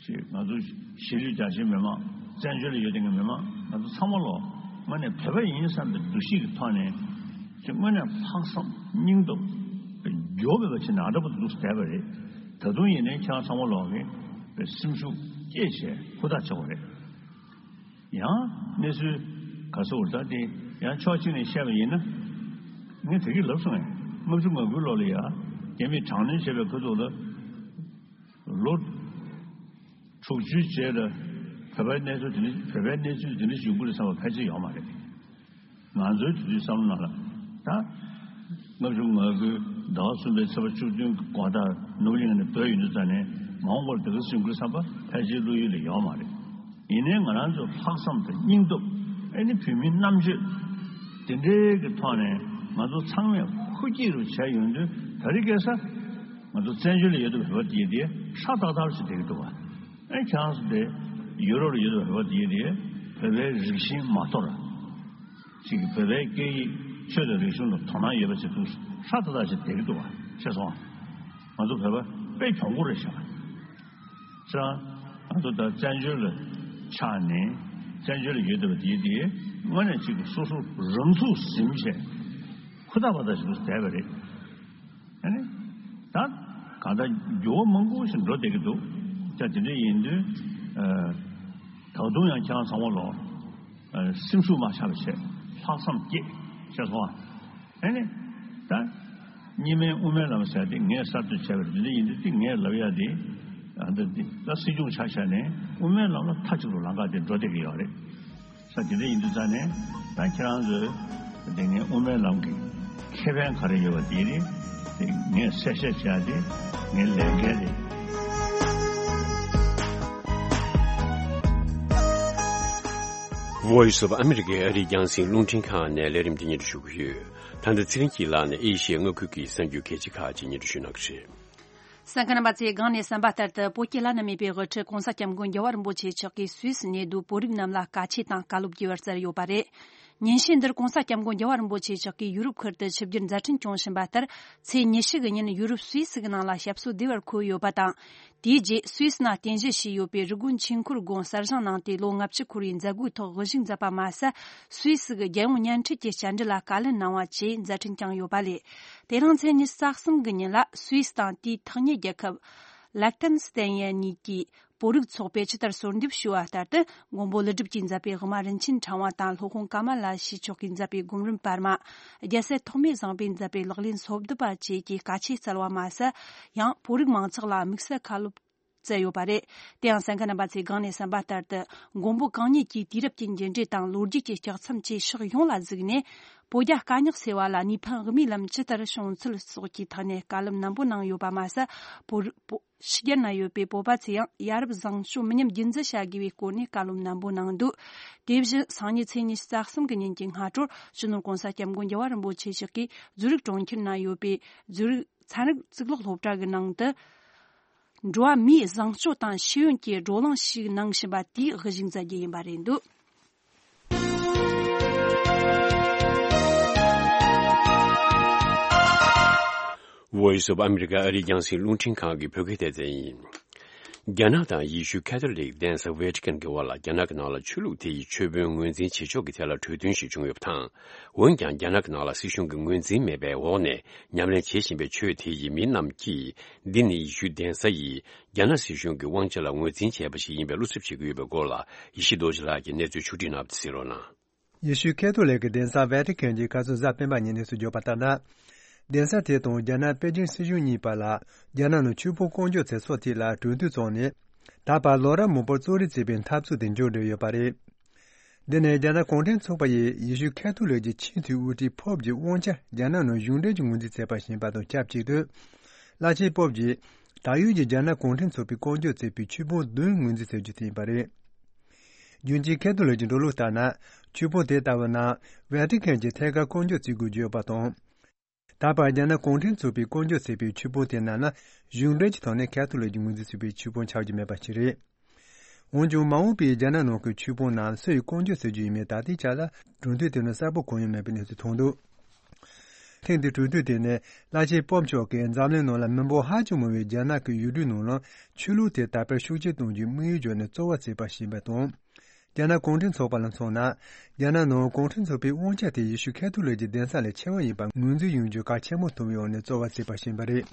ཅིག་ང་ཚོ་གཞིས་ལུས་རྒྱ་ཆེའི་མི་མང་། བཙན་བྱོལ་ལ་ཡོད་བསྡད་མཁན་མི་མང་ང་ཚོ་ཚང་མ་ལོ་དངོས་གནས་བོད་པ་ཡིན་བསམ་པའི་འདུ་ཤེས་ཀྱི་ཐོག་ནས་ཅིག་དངོས་གནས་ལྷག་བསམ་སྙིང་སྟོབས་འགྱུར་བ་མེད་པ་བྱས་ནས་ཨ་འདྲ་པོ་འདུག་བསྡད་པ་རེད། ད་དུང་ཡིན་ནའི་ཁྱེད་རང་ཚང་མ་ལོག་གིས་སེམས་ཤུགས་བསྐྱེད་བྱས་ཧུར་ཐག་བྱེད་དགོས་རེད། ཡང་གནས་ཚུལ་ག་ཚོད་འོར་ད་དེ་ཡང་ཕྱོགས་གཅིག་ནས་བཤད་པ་ཡིན་ན། ངས་དེ་གི་ལབ་སོང་ངས། ལྔ་བཅུ་ང་དགུའི་ལོ་ལ་ཡ་རྒྱ་མིས་དྲག་གནོན་བྱས་པའི་ཁ་ཐུག་ལ་ལོ་དྲུག་ཅུའི་རྗེས་ལ་བོད་པའི་གནས་ཚུལ་དེ་འདྲ་བོད་པའི་གནས་ཚུལ་དེ་འདྲ་ཞིག་ཡོང་གི་རེད་བསམ་པ་ཕལ་ཆེར་ཡོད་མ་རེད། ང་ཚོའི་དུས་ཚོད་བསམ་བློ་ནང་ལ་ད། ལྔ་བཅུ་ང་དགུའི་ཟླ་བ་གསུམ་པའི་ཚེས་པ་བཅུ་བདུན་གྱི་དགོང་དག་ནོར་བུ་གླིང་ནས་བྲོས་ཡོང་དུས་ཙ་ནས་མ་འོངས་པར་དེ་ག་སེམས་ཁུར་བསམ་པ་ཕལ་ཆེར་བློ་ཡུལ་ལ་ཡོད་མ་རེད། ཡིན་ནའི་ང་རང་ཚོ་ལྷག་བསམ་དང་སྙིང་སྟོབས། ཨེ་ནི་བོད་མིའི་རྣམ་དཔྱོད་དེ་འདྲའི་གི་ཐོག་ནས་ང་ཚོ་ཚང་མས་ཧུར་སྐྱེད་རུ་བྱས་ཡོང་དུས། ད་རེས་ཁ་སང་ང་ཚོ་བཙན་བྱོལ་ལ་ཡོད་དུས་བོད་པ་དེ་དེ་ཧྲ་ཏག་ཏག་ཞིག་བསྡད་ཀྱི་འདུག་བ། ཨེ་ཁྱེད་རང་ཚོ་དེ་ཡུ་རོབ་ལ་ཡོད་དུས་བོད་པ་དེ་དེ་བོད་པའི་རིགས་ཞེན་མ་དོར། ཅིག་གིས་བོད་པའི་སྐད་ཡིག་ཆོས་དང་རིག་གཞུང་ལ་དོ་སྣང་ཡོད་པ་ཞིག་འདུག་ཧྲ་ཏག་ཏག་ཞིག་བསྡད་ཀྱི་འདུག་བ། ཤེས་སོང་ང་། ང་ཚོ་བོད་པ་དཔེ་གྱོང་པོ་རེད་ཤག་ཅང་ང་ཚོ་ད་བཙན་བྱོལ་ལ་ཆགས་ནས་བཙན་བྱོལ་ལ་ཡོད་བསྡད་པ་དེ་དེ་དངོས་གནས་ཅིག་གིས་སོ་སོ་རང་ཚུགས་ཟིན་བྱས་ཧུར་ཐག་པ་ཐག་ཞིག་ཏུ་བསྡད་པ་རེད། ཨ་ནི། ད་གང་ལྟར་འགྱུར་བ་མང་པོ་ཞིག་འགྲོ་བསྡད་ཀྱི་འདུག་ད་དེ་འདྲ་ཡིན་དུས། ཨ། ད་དུང་ཡང་ཁྱེད་རང་ཚང་མ་ལོ། ཨ། སེམས་ཤུགས་མ་ཆག་པ་བྱས། ལྷག་བསམ་བསྐྱེད། ཤེས་སོང་ཨ། ཨ་ནི། ད་གཉིས་སྨན་དབུ་མའི་ལམ་ཟེར་དེ་ངས་གསར་གཏོད་བྱས་པ་རེད། དེ་འདྲ་ཡིན་དུས་དེ་ངས་ལབ་ཡ་དེ། ཨ། འདི་འདི་ད་སྲིད་སྐྱོང་ཆ་བཞག་ནས་དབུ་མའི་ལམ་ལ་མཐའ་གཅིག་ཏུ་ལམ་ཁ་དེ་འགྲོ་བསྡད་ཀྱི་ཡོད་རེད། ས་དེ་འདྲ་ཡིན་དུས་ཙ་ནས་ད་ཁྱེད་རང་ཚོས་དེ་ངའི་དབུ་མའི་ལམ་གྱི་ཁེ་ཕན་ག་རེ་ཡོད་པ་དེ་རེད། དེ་ངས་གསལ་བཤད་བྱས་ཏེ་ངའི་ལས་འགན་རེད། Voice of America ཨ་རིའི་རྒྱང་སྲིང་རླུང་འཕྲིན་ཁང་ནས་ལས་རིམ་འདི་སྙན་སྒྲོན་ཞུ་གི་ཡོད། ད་ལྟ་ཚེ་རིང་སྐྱིད་ལགས་ནས་ཨེ་ཤི་ཡའི་མངའ་ཁུལ་གྱི་གསར་འགྱུར་གལ་ཆེ་ཁག་ཅིག་སྙན་སྒྲོན་ཞུ་གནང་གི་རེད། གསན་མཁན་རྣམ་པ་ཚོས་སྒང་ནས་གསན་པ་ལྟར་དུ། བོད་ཀྱི་བླ་ན་མེད་པའི་དབུ་ཁྲིད་༸གོང་ས་༸སྐྱབས་མགོན་རྒྱལ་བ་རིན་པོ་ཆེ་མཆོག་གིས་སུད་སི་གནས་སྡོད་བོད་རིགས་རྣམས་ལ་བཀའ་ཆོས་དང་བཀའ་སློབ་བསྐྱལ་བར་མཛད་ཡོད་པ་རེད། ཉིན་ཤས་འདིར་༸གོང་ས་༸སྐྱབས་མགོན་རྒྱལ་བ་རིན་པོ་ཆེ་མཆོག་གིས་ཡུ་རོབ་ཁུལ་དུ་ཆིབས་བསྒྱུར་མཛད་འཕྲིན་སྐྱོང་བཞིན་པ་ལྟར། ཚེས་ཉི་ཤུ་གི་ཉིན་ཡུ་རོབ་སུད་སི་གི་ནང་ལ་ཞབས་སོར་བདེ་བར་འཁོད་ཡོད་པ་དང་། དེའི་རྗེས་སུད་སི་ནང་རྟེན་གཞི་བྱས་ཡོད་པའི་རི་ཀོན་ཆོས་འཁོར་དགོན་གསར་བཞེངས་གནང་སྟེ་ལོ་ལྔ་བཅུ་འཁོར་བའི་མཛད་སྒོའི་ཐོག་དབུ་བཞུགས་མཛད་པ་མ་ཟད། སུད་སི་གི་རྒྱལ་ཡོངས་བརྙན་འཕྲིན་གྱི་བཅར་འདྲི་ལ་བཀའ་ལན་གནང་བ་བཅས་མཛད་འཕྲིན་བསྐྱངས་ཡོད་པ་ལས། དེ་རིང་ཚེས་ཉི་ཤུ་རྩ་གསུམ་གྱི་ཉིན་ལ་སུད་སི་དང་དེའི་ཐག་ཉེ་རྒྱལ་ཁབ་ལེག་ཐེན་སི་ཐན་གཉིས་ཀྱི་བོད་རིགས་ཚོགས་པས་ཇི་ལྟར་གསོལ་འདེབས་ཞུ་བ་ལྟར་དུ། མགོན་པོ་ཀླུ་སྒྲུབ་ཀྱིས་མཛད་པའི་དབུ་མ་རིན་ཆེན་ཕྲེང་བ་དང་། སློབ་དཔོན་ཀ་མ་ལ་ཤཱི་མཆོག་གིས་མཛད་པའི་སྒོམ་རིམ་པར་མ། རྒྱལ་སྲས་ཐོགས་མེད་བཟང་པོས་མཛད་པའི་ལག་ལེན་སོ་བདུན་པ་བཅས་ཀྱི་བཀའ་ཆོས་སྩལ་བ་མ་ཟད། ཡང་བོད་རིགས་མང་ཚོགས་ལ་དམིགས་བསལ་བཀའ་སློབ་སྩལ་ཡོད་པ་རེད། དེ་ཡང་གསན་མཁན་རྣམ་པ་ཚོས་སྒང་ནས་གསན་པ་ལྟར་དུ། མགོན་པོ་གང་ཉིད་ཀྱི་དུས་རབས་ཀྱི་འགྱུར་འགྲོས་དང་ལོ་རྒྱུས་ཀྱི་ལྕགས་མཚམས་བཅས་ཕྱོགས་ཡོངས་ལ་གཟིགས་ནས། བོད་རྒྱ་དཀའ་རྙོག་སེལ་བ་ལ་ནུས་ཕན་དབུ་མའི་ལམ་ཇི་ལྟར་བྱུང་ཚུལ་སོགས་ཀྱི་ཐད་ནས་བཀའ་སློབ་རྣོན་པོ་གནང་ཡོད་པ་མ་ཟད། བོད་བོད་ཕྱི་རྒྱལ་ན་ཡོད་པའི་བོད་པ་ཚོས་ཡང་ཡ་རབས་བཟང་སྤྱོད་མི་ཉམས་རྒྱུན་འཛིན་བྱ་དགོས་པའི་སྐོར་ནས་བཀའ་སློབ་རྣོན་པོ་གནང་འདུག་དེ་བཞིན་སང་ཉིན་ཚེས་ཉི་ཤུ་རྩ་གསུམ་གྱི་ཉིན་གྱི་སྔ་དྲོར་སྤྱི་ནོར་༸གོང་ས་༸སྐྱབས་མགོན་རྒྱལ་བ་རིན་པོ་ཆེ་མཆོག་གིས་ཛུ་རིག་གྲོང་ཁྱེར་ན་ཡོད་པའི་ཛུ་རིག་ཚན་རིག་གཙུག་ལག་སློབ་གྲྭ་གི་ནང་དུ། འགྲོ་བ་མིའི་བཟང་སྤྱོད་དང་ཤེས་ཡོན་གྱི་བགྲོ་གླེང་ཞིག་གནང་བཞིན་པ་དེའི་དབུ་བཞུགས་མཛད་རྒྱུ་ཡིན་པ་རེད་འདུག Voice of America ཨ་རིའི་རྒྱང་སྲིང་རླུང་འཕྲིན་ཁང་གི་བོད་སྐད་སྡེ་ཚན་ཡིན། རྒྱ་ནག་དང་ཡེ་ཤུའི་ཁ་ཐོ་ལིག་གདན་ས་ཝེ་ཏི་ཀན་གྱི་དབར་ལ་རྒྱ་ནག་གི་ནང་ལ་ཆོས་ལུགས་དེ་ཡི་ཆོས་དཔོན་ངོས་འཛིན་བྱེད་ཕྱོགས་ཀྱི་ཐད་ལ་གྲོས་མཐུན་ཞིག་བྱུང་ཡོད་པ་དང་། འོན་ཀྱང་རྒྱ་ནག་གི་ནང་ལ་སྲིད་གཞུང་གི་ངོས་འཛིན་མེད་པའི་འོག་ནས་ཉམས་ལེན་བྱེད་བཞིན་པའི་ཆོས་དེ་ཡི་མི་རྣམས་ཀྱིས། འདི་ནི་ཡེ་ཤུའི་གདན་ས་ཡིས་རྒྱ་ནག་སྲིད་གཞུང་གི་དབང་ཆ་ལ་ངོས་འཛིན་བྱས་པ་ཞིག་ཡིན་པའི་བློ་འཚབ་བྱེད་ཀྱི་ཡོད་པའི་སྐོར་ལ། ཡེ་ཤེས་རྡོ་རྗེ་ལགས་ཀྱིས་གནས་ཚུལ་ཕྱོགས་བསྒྲིགས་གནང་བ་དེ་གསན་རོགས་གནང་། ཡེ་ཤུའི་ཁ་ཐོ་ལིག་གི་གདན་ས་ཝེ་ཏི་ཀན་གྱིས་ཁ་སང་གཟའ་སྤེན་པ་ཉིན་གནས་ཚུལ་བརྗོད་པ་ལྟར་ན། གདན་ས་དེ་དང་རྒྱ་ནག་པེ་ཅིང་སྲིད་གཞུང་གཉིས་བར་ལ་རྒྱ་ནག་ནང་ཆོས་དཔོན་བསྐོ་འཇོག་མཛད་ས་དེ་ལ་གྲོས་མཐུན་བཙུགས་ནས། ད་བར་ལོ་རབས་མང་པོར་གཙོ་རིམ་བྱས་པའི་འཐབ་རྩོད་དེ་མཇུག་བསྒྲིལ་ཡོད་པ་རེད། འདི་ནི་རྒྱ་ནག་གུང་ཁྲན་ཚོགས་པ་ཡིས་ཡེ་ཤུ་ཁ་ཐོ་ལིག་གི་ཆེས་མཐོའི་དབུ་ཁྲིད་པོབ་ཀྱི་དབང་ཆ་རྒྱ་ནག་ནང་གཞུང་འབྲེལ་གྱི་ངོས་འཛིན་བྱས་པར་བྱས་པ་དང་ཆབས་ཅིག་ཏུ། བླ་ཆེན་པོབ་ཀྱིས་ད་ཡོད་ཀྱི་རྒྱ་ནག་གུང་ཁྲན་ཚོགས་པས་བསྐོ་འཇོག་བྱས་པའི་ཆོས་དཔོན་བདུན་ངོས་འཛིན་བྱ་རྒྱུ་དེ་ཡིན་པ་རེད། རྒྱུན་གཅིག་ཁ་ཐོ་ལིག་གི་འགྲོ་ལུགས་ལྟར་ན། ཆོས་དཔོན་དེ་ལྟ་བུ་རྣམས་ཝེ་ཏི་ཁན་གྱི་ཐད་ཀར་བསྐོ་འཇོག་བྱེད་དགོས་ཀྱི་ཡོད་པ་དང་། ད་བར་རྒྱ་ནག་གུང་ཁྲན་ཚོགས་པས་བསྐོ་འཇོག་བྱས་པའི་ཆོས་དཔོན་དེ་རྣམས་ནི་གཞུང་འབྲེལ་གྱི་ཐོག་ནས་ཁ་ཐོ་ལིག་གིས་ངོས་འཛིན་བྱས་པའི་ཆོས་དཔོན་ཆགས་ཀྱི་མེད་པ་ཞིག་རེད། འོན་ཀྱང་མ་འོངས་པའི་རྒྱ་ནག་ནང་གི་ཆོས་དཔོན་རྣམས་སུ་ཡིས་བསྐོ་འཇོག་བྱེད་རྒྱུ་ཡིན་མིན་ད་ལྟའི་ཆར་ལ་གྲོས་མཐུན་དེ་ནི་གསལ་པོ་གང་ཡང་མེད་པའི་གནས་ཚུལ་ཐོན་འདུག་ཐེངས་འདིའི་གྲོས་མཐུན་དེ་ནི་བླ་ཆེན་པོབ་མཆོག་གིས་འཛམ་གླིང་ནང་ལ་མི་འབོར་ཧ་ཅང་མང་བའི་རྒྱ་ནག་གི་ཡུལ་གྲུའི་ནང་ལ་ཆོས་ལུགས་དེ་དར་སྤེལ་ཤུགས་ཆེ་གཏོང་རྒྱུའི་དམིགས་ཡུལ་བརྗོད་ནས་རྩོལ་བ་བྱས་པ་ཞིག་ཡིན་པ་དང་། རྒྱ་ནག་གུང་ཁྲན་ཚོགས་པ་ལ་མཚོན་ན། རྒྱ་ནག་ནང་གུང་ཁྲན་ཚོགས་པའི་དབང་ཆ་དེ་ཡེ་ཤུ་ཁ་ཐོ་ལིག་གི་གདན་ས་ལས་ཆེ་བ་ཡིན་པར་ངོས་འཛིན་ཡོང་རྒྱུ་གལ་ཆེན་པོ་མཐོང་ཡོང་ནས་རྩོལ་བ་བྱས་པ་ཞིག་ཡིན་པ་རེད།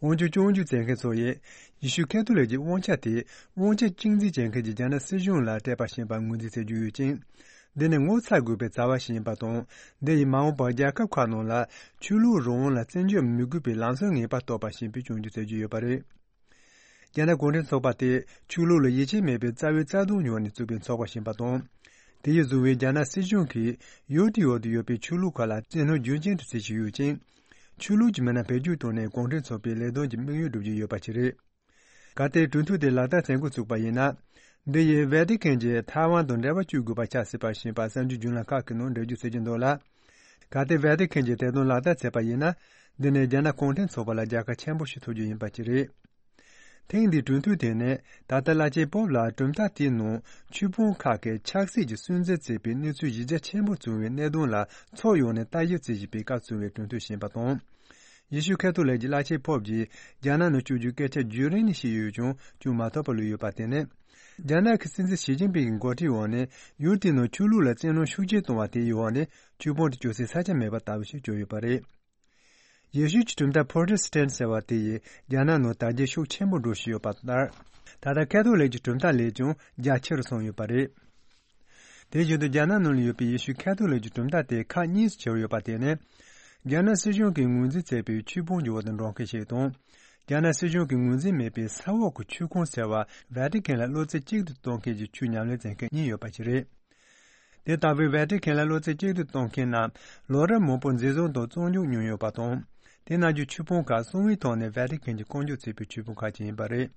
འོན་ཀྱང་སྐྱོན་བརྗོད་བྱེད་མཁན་ཚོ་ཡིས་ཡེ་ཤུ་ཁ་ཐོ་ལིག་གི་དབང་ཆ་དེ་དབང་ཆ་གཅིག་འཛིན་བྱེད་མཁན་གྱི་རྒྱ་ནག་སྲིད་གཞུང་ལ་སྤྲད་པ་ཞིག་ཡིན་པར་ངོས་འཛིན་བྱེད་ཀྱི་ཡོད་ཅིང་། འདི་ནི་ངོ་ཚ་དགོས་པའི་བྱ་བ་ཞིག་ཡིན་པ་དང་། འདི་ཡིས་མ་འོངས་པར་རྒྱལ་ཁབ་ཁག་ནང་ལ་ཆོས་ལུགས་རང་དབང་ལ་བརྩི་འཇོག་མི་དགོས་པའི་ལམ་སང་ངེས་པར་གཏོད་པ་ཞིག་ཡིན་པའི་སྐྱོན་བརྗོད་བྱེད་ཀྱི་ཡོད་པ་རེད། རྒྱ་ནག་གུང་ཁྲན་ཚོགས་པ་དེ་ཆོས་ལུགས་ལ་ཡིད་ཆེས་མེད་པའི་རྩ་བའི་རྩ་དོན་ཉོས་ནས་བཙུགས་པའི་ཚོགས་པ་ཞིག་ཡིན་པ་དང་། དེ་ཡིས་བཟུང་བའི་རྒྱ་ནག་སྲིད་གཞུང་གིས་ཡུལ་དེའི་འོག་ཏུ་ཡོད་པའི་ཆོས་ལུགས་ཁག་ལ་བཙན་གནོན་རྒྱུན་ཆད་དུ་བྱེད་བཞིན་ཡོད་ཅིང་། ཆོས་ལུགས་ཀྱི་མི་སྣ་བེད་སྤྱོད་བཏང་ནས་གུང་ཁྲན་ཚོགས་པའི་ལས་དོན་གྱི་དམིགས་ཡུལ་བསྒྲུབ་ཀྱི་ཡོད་པ་ཞིག་རེད། གལ་ཏེ་གྲོས་མཐུན་དེ་ལག་བསྟར་བྱེད་འགོ་ཚུགས་པ་ཡིན་ན། འདི་ཡིས་ཝེ་ཏི་ཁན་གྱིས་ཐའེ་ཝན་དང་འབྲེལ་བ་གཅོད་དགོས་པ་ཆགས་སྲིད་པ་ཞིག་ཡིན་པ་གསར་འགྱུར་བརྒྱུད་ལམ་ཁག་གི་ནང་འགྲེལ་བརྗོད་བྱེད་ཀྱི་འདུག་ལ། གལ་ཏེ་ཝེ་ཏི་ཁན་གྱིས་དེ་དོན་ལག་བསྟར་བྱས་པ་ཡིན་ན། འདི་ནི་རྒྱ་ནག་གུང་ཁྲན་ཚོགས་པ་ལ་རྒྱལ་ཁ་ཆེན་པོ་ཞིག་ཐོབ་རྒྱུ་ཡིན་པ་ཞིག་རེད། ཐེངས་འདིའི་གྲོས་མཐུན་དེ་ནི་ད་ལྟ་བླ་ཆེན་པོབ་ལ་གྲུབ་མཐའ་དེའི་ནང་ཆོས་དཔོན་ཁག་གིས་ཆབ་སྲིད་ཀྱི་སུན་གཙེར་བྱས་པའི་གནས་ཚུལ་གཞི་རྒྱ་ཆེན་པོ་བྱུང་བའི་གནད་དོན་ལ་ཕྱོགས་ཡོངས་ནས་ལྟ་ཞིབ་བྱེད་བཞིན་པའི་སྐབས་བྱུང་བའི་གྲོས་མཐུན་ཞིག་ཡིན་པ་དང་། ཡེ་ཤུ་ཁ་ཐོ་ལིག་གི་བླ་ཆེན་པོབ་ཀྱིས་རྒྱ་ནག་ནང་བསྐྱོད་རྒྱུའི་སྐད་ཆ་བརྒྱུད་རིམ་ནས་བཤད་ཡོད་ཀྱང་སྐྱོན་མ་ཐོན་པར་ལུས་ཡོད་པ་དེ་ནི། རྒྱ་ནག་གི་སྲིད་འཛིན་ཞི་ཅིན་ཕིང་གི་འགོ་ཁྲིད་འོག་ནས་ཡུལ་དེའི་ནང་ཆོས་ལུགས་ལ་བཙན་གནོན་ཤུགས་ཆེ་བཏང་བ་དེའི་འོག་ནས་ཆོས་དཔོན་དེ་བསྐྱོད་སའི་ས་ཆ་མེད་པ་ལྟ་བུ་ཞིག་གྱུར་ཡོད་པ་རེད། ཡེ་ཤུ་གྱི་གྲུབ་མཐའ་པོ་རོ་ཊེ་སི་ཊན་ཟེར་བ་དེ་ཡིས་རྒྱ་ནག་ནང་དར་རྒྱས་ཤུགས་ཆེན་པོ་འགྲོ་བཞིན་ཡོད་པ་ལྟར། ད་ལྟ་ཁ་ཐོ་ལིག་གི་གྲུབ་མཐའ་ལས་ཀྱང་རྒྱ་ཆེ་རུ་སོང་ཡོད་པ་རེད། དེ་བཞིན་དུ་རྒྱ་ནག་ནང་ལ་ཡོད་པའི་ཡེ་ཤུ་ཁ་ཐོ་ལིག་གི་གྲུབ་མཐའ་དེ་ཁག་གཉིས་སུ་ཕྱེ་བ་ཡོད་པ་དེ་ནི། རྒྱ་ནག་སྲིད་གཞུང་གིས་ངོས་འཛིན་བྱས་པའི་ཆོས་དཔོན་གྱི་འོག་ཏུ་འགྲོ་མཁན་ཞིག་དང་། རྒྱ་ནག་སྲིད་གཞུང་གིས་ངོས་འཛིན་མེད་པའི་ས་འོག་གི་ཆོས་ཁོངས་ཟེར་བ་ཝེ་ཏི་ཁན་ལ་བློ་རྩེ་གཅིག་ཏུ་གཏོང་མཁན་གྱི་ཆོས་ཉམས་ལེན་མཛད་མཁན་གཉིས་ཡོད་པ་ཞིག་རེད། དེ་ལྟ་བུའི་ཝེ་ཏི་ཁན་ལ་བློ་རྩེ་གཅིག་ཏུ་གཏོང་མཁན་རྣམས་ལོ་རབས་མང་པོར་འཛིན་བཟུང་དང་བཙོན་འཇུག་མྱོང་ཡོད་པ་དང་། དེ་རྣམས་ཀྱི་ཆོས་དཔོན་ཁག་གསང་བའི་ཐོག་ནས་ཝེ་ཏི་ཁན་གྱིས་བསྐོ་འཇོག་བྱས་པའི་ཆོས་དཔོན་ཁག་ཅིག་ཡིན་པ་རེད།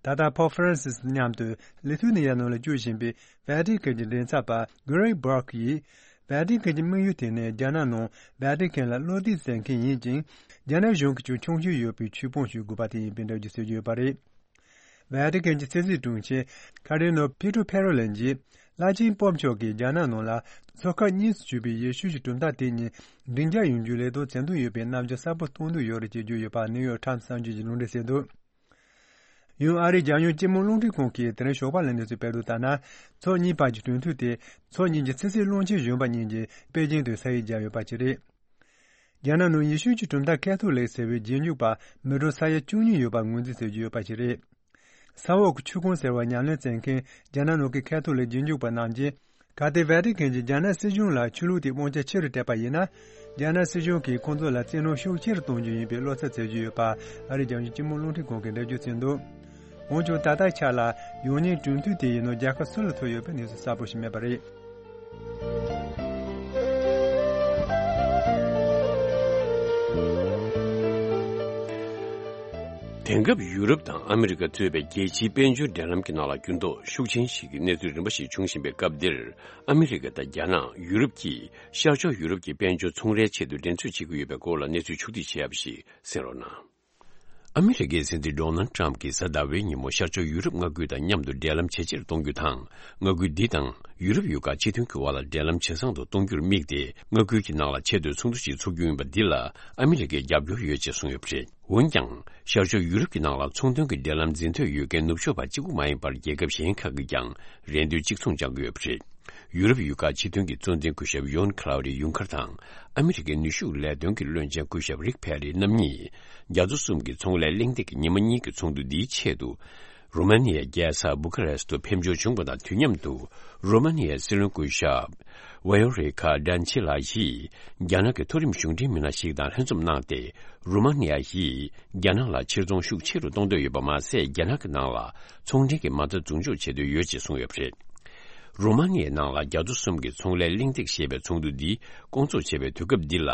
ད་ལྟ་པོབ་ཧྥ་རན་སིས་མཉམ་དུ་ལི་ཐུ་ནི་ཡ་ནང་ལ་བསྐྱོད་བཞིན་པའི་ཝེ་ཏི་ཁན་གྱི་མགྲིན་ཚབ་པ་གྷི་རེག་བྷར་ཀི་ཡིས། ཝེ་ཏི་ཁན་གྱི་དམིགས་ཡུལ་དེ་ནི་རྒྱ་ནག་ནང་ཝེ་ཏི་ཁན་ལ་བློ་གཏད་བྱེད་མཁན་ཡིན་ཅིང་། རྒྱ་ནག་གཞུང་གི་ཅུང་ཆུང་ཤོས་ཡོད་པའི་ཆོས་དཔོན་ཞིག་དགོས་པ་དེ་ཡིན་པའི་འགྲེལ་བརྗོད་བྱེད་ཀྱི་ཡོད་པ་རེད། ཝེ་ཏི་ཁན་གྱི་ཕྱི་སྲིད་དྲུང་ཆེ་ཁ་རི་ནོ་པི་ཏྲོ་ཕེ་རོ་ལིན་གྱིས་བླ་ཆེན་པོབ་མཆོག་གིས་རྒྱ་ནག་ནང་ལ་ཚོ་ཁག་གཉིས་སུ་གྱུར་པའི་ཡེ་ཤུ་གྱི་གྲུབ་མཐའ་དེ་གཉིས་སྒྲིང་འཇགས་ཡོང་རྒྱུའི་ལས་དོན་བྱེད་འདོད་ཡོད་པའི་རྣམ་འགྱུར་གསལ་པོ་སྟོན་འདོད་ཡོད་རེད་ཅེས་བརྗོད་ཡོད་པ་ནིའུ་ཡོག་ཊའིམ་གསར་འགྱུར་གྱིས་ལུང་འདྲེན་བྱས་འདུག་ཡང་ཨ་རིའི་རྒྱལ་ཡོངས་སྤྱི་དམངས་རླུང་འཕྲིན་ཁང་གིས་དེ་རིང་ཞོགས་པ་ལ་གནས་ཚུལ་སྤེལ་དོན་ལྟར་ན། ཕྱོགས་གཉིས་བར་གྱི་གྲོས་མཐུན་དེ་ཕྱོགས་གཉིས་ཀྱི་ཕྱི་སྲིད་བློན་ཆེན་གཞོན་པ་གཉིས་ཀྱིས་པེ་ཅིང་དུ་ས་ཡིག་བརྒྱབ་ཡོད་པ་ཞིག་རེད། རྒྱ་ནག་ནང་ཡེ་ཤུ་གྱི་གྲུབ་མཐའ་ཁ་ཐོ་ལིག་ཟེར་བའི་རྗེས་འཇུག་པ་མི་གྲངས་ས་ཡ་བཅུ་གཉིས་ཡོད་པར་ངོས་འཛིན་བྱེད་ཀྱི་ཡོད་པ་ཞིག་རེད། ས་འོག་གི་ཆོས་ཁོངས་ཟེར་བ་ཉམས་ལེན་བྱེད་མཁན་རྒྱ་ནག་ནང་གི་ཁ་ཐོ་ལིག་རྗེས་འཇུག་པ་རྣམས་ཀྱིས། གལ་ཏེ་ཝེ་ཏི་ཁན་གྱིས་རྒྱ་ནག་སྲིད་གཞུང་ལ་ཆོས་ལུགས་དེའི་དབང་ཆ་ཆེ་རུ་སྤྲད་པ་ཡིན་ན། རྒྱ་ནག་སྲིད་གཞུང་གིས་ཁོང་ཚོ་ལ་བཙན་གནོན་ཤུགས་ཆེ་རུ་གཏོང་རྒྱུ་ཡིན་པའི་བློ་འཚབ་བྱེད་ཀྱི་ཡོད་པ་ཨ་རིའི་རྒྱལ་ཡོངས་སྤྱི་དམངས་རླུང་འཕྲིན་ཁང་གིས་འགྲེལ་བརྗོད་བྱས་འདུག་འོན་ཀྱང་ད་ལྟའི་ཆ་ལ་ཡང་སྙིང་གྲོས་མཐུན་དེ་ཡི་ནང་རྒྱལ་ཁ་སུ་ལ་ཐོབ་ཡོད་པའི་གནས་ཚུལ་གསལ་པོ་ཞིག་མེད་པ་རེད། དེང་སྐབས་ཡུ་རོབ་དང་ཨ་མི་རི་ཀ་གཙོས་པའི་རྒྱལ་སྤྱིའི་དཔལ་འབྱོར་འབྲེལ་ལམ་གྱི་ནང་ལ་འགྱུར་ལྡོག་ཤུགས་ཆེན་ཞིག་གི་གནས་ཚུལ་རིམ་པ་ཞིག་འབྱུང་བཞིན་པའི་སྐབས་འདིར། ཨ་མི་རི་ཀ་དང་རྒྱ་ནག་ཡུ་རོབ་ཀྱིས་ཤར་ཕྱོགས་ཡུ་རོབ་ཀྱི་དཔལ་འབྱོར་ཚོང་རའི་ཆེད་དུ་འགྲན་རྩོད་བྱེད་ཀྱི་ཡོད་པའི་སྐོར་ལ་གནས་ཚུལ་ཕྱོགས་བསྡུས་བྱེད་ཡག་ཞིག་གསན་རོགས་གནང་། ཨ་མི་རི་ཀའི་སྲིད་འཛིན་ཌོ་ནལ་ཏྲམ་གྱིས་གཟའ་ཟླ་བའི་ཉིན་མོ་ཤར་ཕྱོགས་ཡུ་རོབ་མངའ་ཁུལ་དང་མཉམ་དུ་འབྲེལ་ལམ་ཇེ་ཆེར་གཏོང་རྒྱུ་དང་། མངའ་ཁུལ་འདི་དང་ཡུ་རོབ་ཡུལ་ཁག་སྤྱི་མཐུན་གྱི་དབར་ལ་འབྲེལ་ལམ་ཇེ་བཟང་དུ་གཏོང་རྒྱུར་དམིགས་ཏེ། མངའ་ཁུལ་གྱི་ནང་ལ་ཆེས་མཐོའི་ཚོགས་འདུ་ཞིག་འཚོགས་རྒྱུ་ཡིན་པ་འདི་ལ་ཨ་མི་རི་ཀས་རྒྱབ་སྐྱོར་ཡོད་ཅེས་གསུངས་ཡོད་པ་རེད། འོན་ཀྱང་། ཤར་ཕྱོགས་ཡུ་རོབ་ཀྱི་ནང་ལ་ཚོང་དོན་གྱི་འབྲེལ་ལམ་འཛིན་འདོད་ཡོད་མཁན་ནུབ་ཕྱོགས་པ་གཅིག་པུ་མ་ཡིན་པར་རྒྱལ་ཁབ་གཞན་ཁག་གིས་ཀྱང་རེ་འདུན་གཅིག་མཚུངས་བཅངས་ཀྱི་ཡོད་པ་རེད། ཡུ་རོབ་ཡུལ་ཁག་སྤྱི་མཐུན་གྱི་གཙོ་འཛིན་སྐུ་ཞབས་ཡོན་ཁ་ལའུ་ཌི་ཡུང་ཁར་དང་། ཨ་མི་རི་ཀའི་ནུས་ཤུགས་ལས་དོན་གྱི་བློན་ཆེན་སྐུ་ཞབས་རིག་ཕེ་རི་རྣམ་གཉིས། རྒྱ་མཚོ་གསུམ་གྱི་ཚོང་ལས་གླེང་སྟེགས་ཀྱི་ཉི་མ་གཉིས་ཀྱི་ཚོགས་འདུ་འདིའི་ཆེད་དུ། རུ་མ་ནི་ཡའི་རྒྱལ་ས་བུ་ཁ་རེ་སི་ཏུ་ཕེབས་འབྱོར་བྱུང་བ་དང་དུས་མཉམ་དུ། རུ་མ་ནི་ཡའི་སྲིད་བློན་སྐུ་ཞབས་ཝེ་ཡོ་རེ་ཁ་ཌན་ཆི་ལགས་ཀྱིས་རྒྱ་ནག་གི་མཐོ་རིམ་གཞུང་འབྲེལ་མི་སྣ་ཞིག་དང་ལྷན་འཛོམས་གནང་སྟེ། རུ་མ་ནི་ཡ་ཡིས་རྒྱ་ནག་ལ་ཕྱིར་ཚོང་ཤུགས་ཆེ་རུ་གཏོང་འདོད་ཡོད་པ་མ་ཟད། རྒྱ་ནག་གི་ནང་ལ་ཚོང་འབྲེལ་གྱི་མ་རྩ་འཛུགས་འཇོག་བྱེད་འདོད་ཡོད་ཅེས་གསུངས་ཡོད་པ་རེད། རུ་མ་ནི་ཡའི་ནང་ལ་རྒྱ་མཚོ་གསུམ་གྱི་ཚོང་ལས་གླེང་སྟེགས་ཞེས་པའི་ཚོགས་འདུ་འདི་སྐོང་ཚོགས་བྱས་པའི་དུས་སྐབས་འདི་ལ།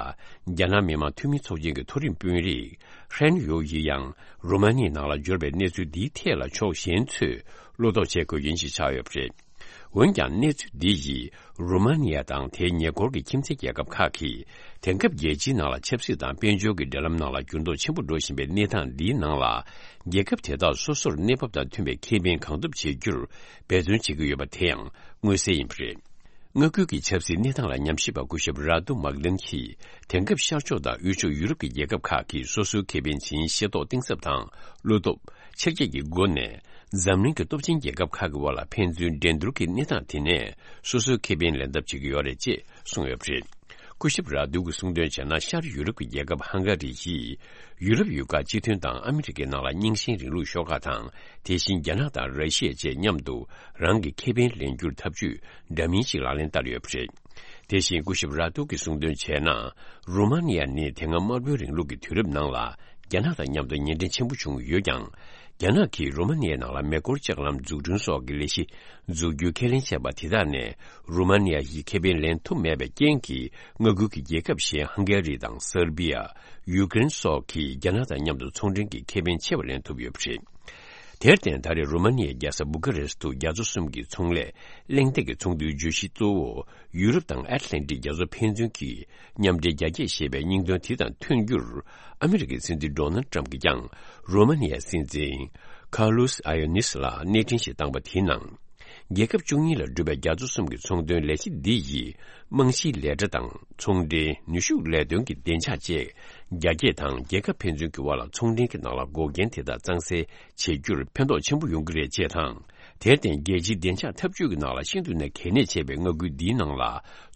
རྒྱ་ནག་མི་དམངས་འཐུས་མི་ཚོགས་ཆེན་གྱི་མཐོ་རིམ་དཔོན་རིགས་ཧྲན་ཡོ་ཡིས་ཡང་རུ་མ་ནི་ཡའི་ནང་ལ་འབྱོར་བའི་གནས་ཚུལ་འདིའི་ཐད་ལ་ཕྱོགས་གཞན་ཚོས་བློ་དོགས་བྱེད་དགོས་ཡིན་ཞེས་ཆགས་ཡོད་པ་རེད། འོན་ཀྱང་གནས་ཚུལ་འདི་ཡིས་རུ་མ་ནི་ཡ་དང་དེའི་ཉེ་འཁོར་གྱི་ཁྱིམ་མཚེས་རྒྱལ་ཁབ་ཁག་གིས་དེང་སྐབས་རྒྱལ་སྤྱིའི་ནང་ལ་ཆབ་སྲིད་དང་དཔལ་འབྱོར་གྱི་འབྲེལ་ལམ་ནང་ལ་འགྱུར་ལྡོག་ཆེན་པོ་འགྲོ་བཞིན་པའི་གནས་སྟངས་འདིའི་ནང་ལ། རྒྱལ་ཁབ་དེ་དག་སོ་སོར་གནས་བབ་དང་མཐུན་པའི་ཁེ་ཕན་གང་ཐུབ་བྱེད་རྒྱུར་འབད་བརྩོན་བྱེད་ཀྱི་ཡོད་པ་དེ་ཡང་མངོན་གསལ་ཡིན་པ་རེད། མངའ་ཁུལ་གྱི་ཆབ་སྲིད་གནས་སྟངས་ལ་ཉམས་ཞིབ་པ་སྐུ་ཞབས་ར་ཏུ་མག་ལན་གྱིས། དེང་སྐབས་ཤར་ཕྱོགས་དང་དབུས་ཕྱོགས་ཡུ་རོབ་ཀྱི་རྒྱལ་ཁབ་ཁག་གིས་སོ་སོའི་ཁེ་ཕན་ཇི་བཞིན་ཤེས་རྟོགས་གཏིང་ཟབ་དང་བློ་སྟོབས་ཆེར་སྐྱེད་ཀྱི་སྒོ་ནས། འཛམ་གླིང་གི་སྟོབས་ཆེན་རྒྱལ་ཁབ་ཁག་གི་དབར་ལ་ཕན་ཚུན་འགྲན་བསྡུར་གྱི་གནས་སྟངས་དེ་ནས་སོ་སོའི་ཁེ་ཕན་ལེན་ཐབས་བྱེད་ཀྱི་ཡོད་རེད་ཅེས་གསུངས་ཡོད་པ་རེད། སྐུ་ཞབས་ར་ཏུ་གིས་གསུངས་དོན་བྱས་ན། ཤར་ཡུ་རོབ་ཀྱི་རྒྱལ་ཁབ་ཧང་ག་རི་ཡིས་ཡུ་རོབ་ཡུལ་ཁག་སྤྱི་མཐུན་དང་ཨ་མི་རི་ཀའི་ནང་ལ་རྙིང་ཞེན་རིང་ལུགས་ཤོག་ཁག་དང་། དེ་བཞིན་རྒྱ་ནག་དང་ར་ཤི་ཡ་བཅས་མཉམ་དུ་རང་གི་ཁེ་ཕན་ལེན་རྒྱུར་ཐབས་ཇུས་འདྲ་མིན་ཞིག་ལག་ལེན་བསྟར་ཡོད་པ་རེད། དེ་བཞིན་སྐུ་ཞབས་ར་ཏུ་གིས་གསུངས་དོན་བྱས་ན། རུ་མ་ནི་ཡ་ནི་དེ་སྔ་དམར་པོའི་རིང་ལུགས་ཀྱི་དུས་རབས་ནང་ལ་རྒྱ་ནག་དང་མཉམ་དུ་ཉེ་འབྲེལ་ཆེན་པོ་བྱུང་ཡོད་ཀྱང་། རྒྱ་ནག་གིས་རུ་མ་ནི་ཡའི་ནང་ལ་མེ་འཁོར་ལྕགས་ལམ་འཛུགས་སྐྲུན་སོགས་ཀྱི་ལས་གཞི་འཛུགས་རྒྱུའི་ཁས་ལེན་བྱས་པ་དེ་དག་ནས་རུ་མ་ནི་ཡ་ཡིས་ཁེ་ཕན་ལེན་ཐུབ་མེད་པའི་རྐྱེན་གྱིས། མངའ་ཁུལ་གྱི་རྒྱལ་ཁབ་གཞན་ཧང་གེ་རི་དང་སར་བི་ཡ། ཡུ་ཀེ་རེན་སོགས་ཀྱིས་རྒྱ་ནག་དང་མཉམ་དུ་ཚོང་འབྲེལ་གྱི་ཁེ་ཕན་ཆེ་བ་ལེན་ཐུབ་ཡོད་པ་རེད། དེར་བརྟེན། ད་རེས་རུ་མ་ནི་ཡའི་རྒྱལ་ས་བུ་ཁ་རེ་སི་ཏུ་རྒྱ་མཚོ་གསུམ་གྱི་ཚོང་ལས་གླེང་སྟེགས་ཀྱི་ཚོགས་འདུའི་བརྗོད་གཞི་གཙོ་བོ། ཡུ་རོབ་དང་ཨེཊ་ལན་ཊིག་རྒྱ་མཚོ་ཕན་ཚུན་གྱི་མཉམ་འབྲེལ་རྒྱ་སྐྱེད་ཞེས་པའི་སྙིང་དོན་དེ་དང་མཐུན་རྒྱུར། ཨ་མི་རི་ཀའི་སྲིད་འཛིན་ཌོ་ནལ་ཊམ་གྱིས་ཀྱང་རུ་མ་ནི་ཡའི་སྲིད་འཛིན་ཁཱར་ལུས་ཨ་ཡོ་ནིས་ལ་གནས་འཕྲིན་ཞིག་བཏང་པ་དེའི་ནང་། རྒྱལ་ཁབ་བཅུ་གཉིས་ལ་གྲུབ་པའི་རྒྱ་མཚོ་གསུམ་གྱི་ཚོང་དོན་ལས་གཞི་འདི་ཡིས། རྨང་གཞིའི་ལས་གྲྭ་དང་། ཚོང་འབྲེལ། ནུས་ཤུགས་ལས་དོན་གྱི་བདེ་འཇགས་བཅས་རྒྱ་སྐྱེད་དང་། རྒྱལ་ཁབ་ཕན་ཚུན་གྱི་དབར་ལ་ཚོང་འབྲེལ་གྱི་ནང་ལ་འགོག་རྐྱེན་དེ་དག་གཙང་སེལ་བྱེད་རྒྱུར་ཕན་ཐོགས་ཆེན་པོ་ཡོང་གི་རེད་ཅེས་དང་། དེར་བརྟེན། རྒྱལ་སྤྱིའི་བདེ་འཇགས་འཐབ་ཇུས་ཀྱི་ནང་ལ་ཤིན་ཏུ་ནས་གལ་གནད་ཆེ་བའི་མངའ་ཁུལ་འདིའི་ནང་ལ།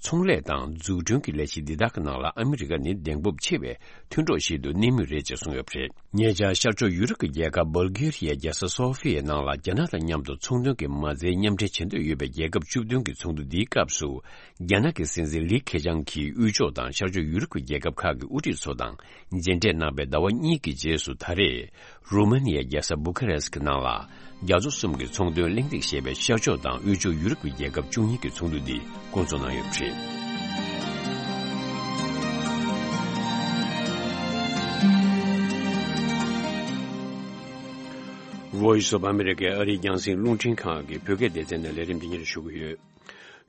ཚོང་ལས་དང་འཛུགས་སྐྲུན་གྱི་ལས་གཞི་འདི་དག་གི་ནང་ལ་ཨ་མི་རི་ཀ་ནི་གདེང་སྤོབས་ཆེ་བའི་མཐུན་གྲོགས་ཤིག་ཏུ་གནས་མུས་རེད་ཅེས་གསུངས་ཡོད་པ་རེད། ཉེ་ཆར་ཤར་ཕྱོགས་ཡུ་རོབ་ཀྱི་རྒྱལ་ཁབ་སྦོལ་གྷེ་རི་ཡའི་རྒྱལ་ས་སོ་ཧྥི་ཡའི་ནང་ལ་རྒྱ་ནག་དང་མཉམ་དུ་ཚོང་དོན་གྱི་མ་རྩའི་མཉམ་འབྲེལ་བྱེད་འདོད་ཡོད་པའི་རྒྱལ་ཁབ་བཅུ་བདུན་གྱི་ཚོགས་འདུ་འདིའི་སྐབས་སུ། རྒྱ་ནག་གི་སྲིད་འཛིན་ལི་ཁེ་ཆང་གིས་དབུས་ཕྱོགས་དང་ཤར་ཕྱོགས་ཡུ་རོབ་ཀྱི་རྒྱལ་ཁབ་ཁག་གི་དབུ་ཁྲིད་ཚོ་དང་མཇལ་འཕྲད་གནང་པའི་ཟླ་བ་གཉིས་ཀྱི་རྗེས་སུ། ད་རེས་རུ་མ་ནི་ཡའི་རྒྱལ་ས་བུ་ཁ་རེ་སི་ཀི་ནང་ལ་རྒྱ་མཚོ་གསུམ་གྱི་ཚོང་དོན་གླེང་སྟེགས་ཞེས་པའི་ཤར་ཕྱོགས་དང་དབུས་ཕྱོགས་ཡུ་རོབ་ཀྱི་རྒྱལ་ཁབ་བཅུ་གཉིས་ཀྱི་ཚོགས་འདུ་འདི་བསྐོང་ཚོགས་གནང་ཡོད་པ་རེད། Voice of America ཨ་རིའི་རྒྱང་སྲིང་རླུང་འཕྲིན་ཁང་གི་བོད་སྐད་སྡེ་ཚན་ནས་ལས་རིམ་འདི་ཉིད་ཞུ་གི་ཡོད།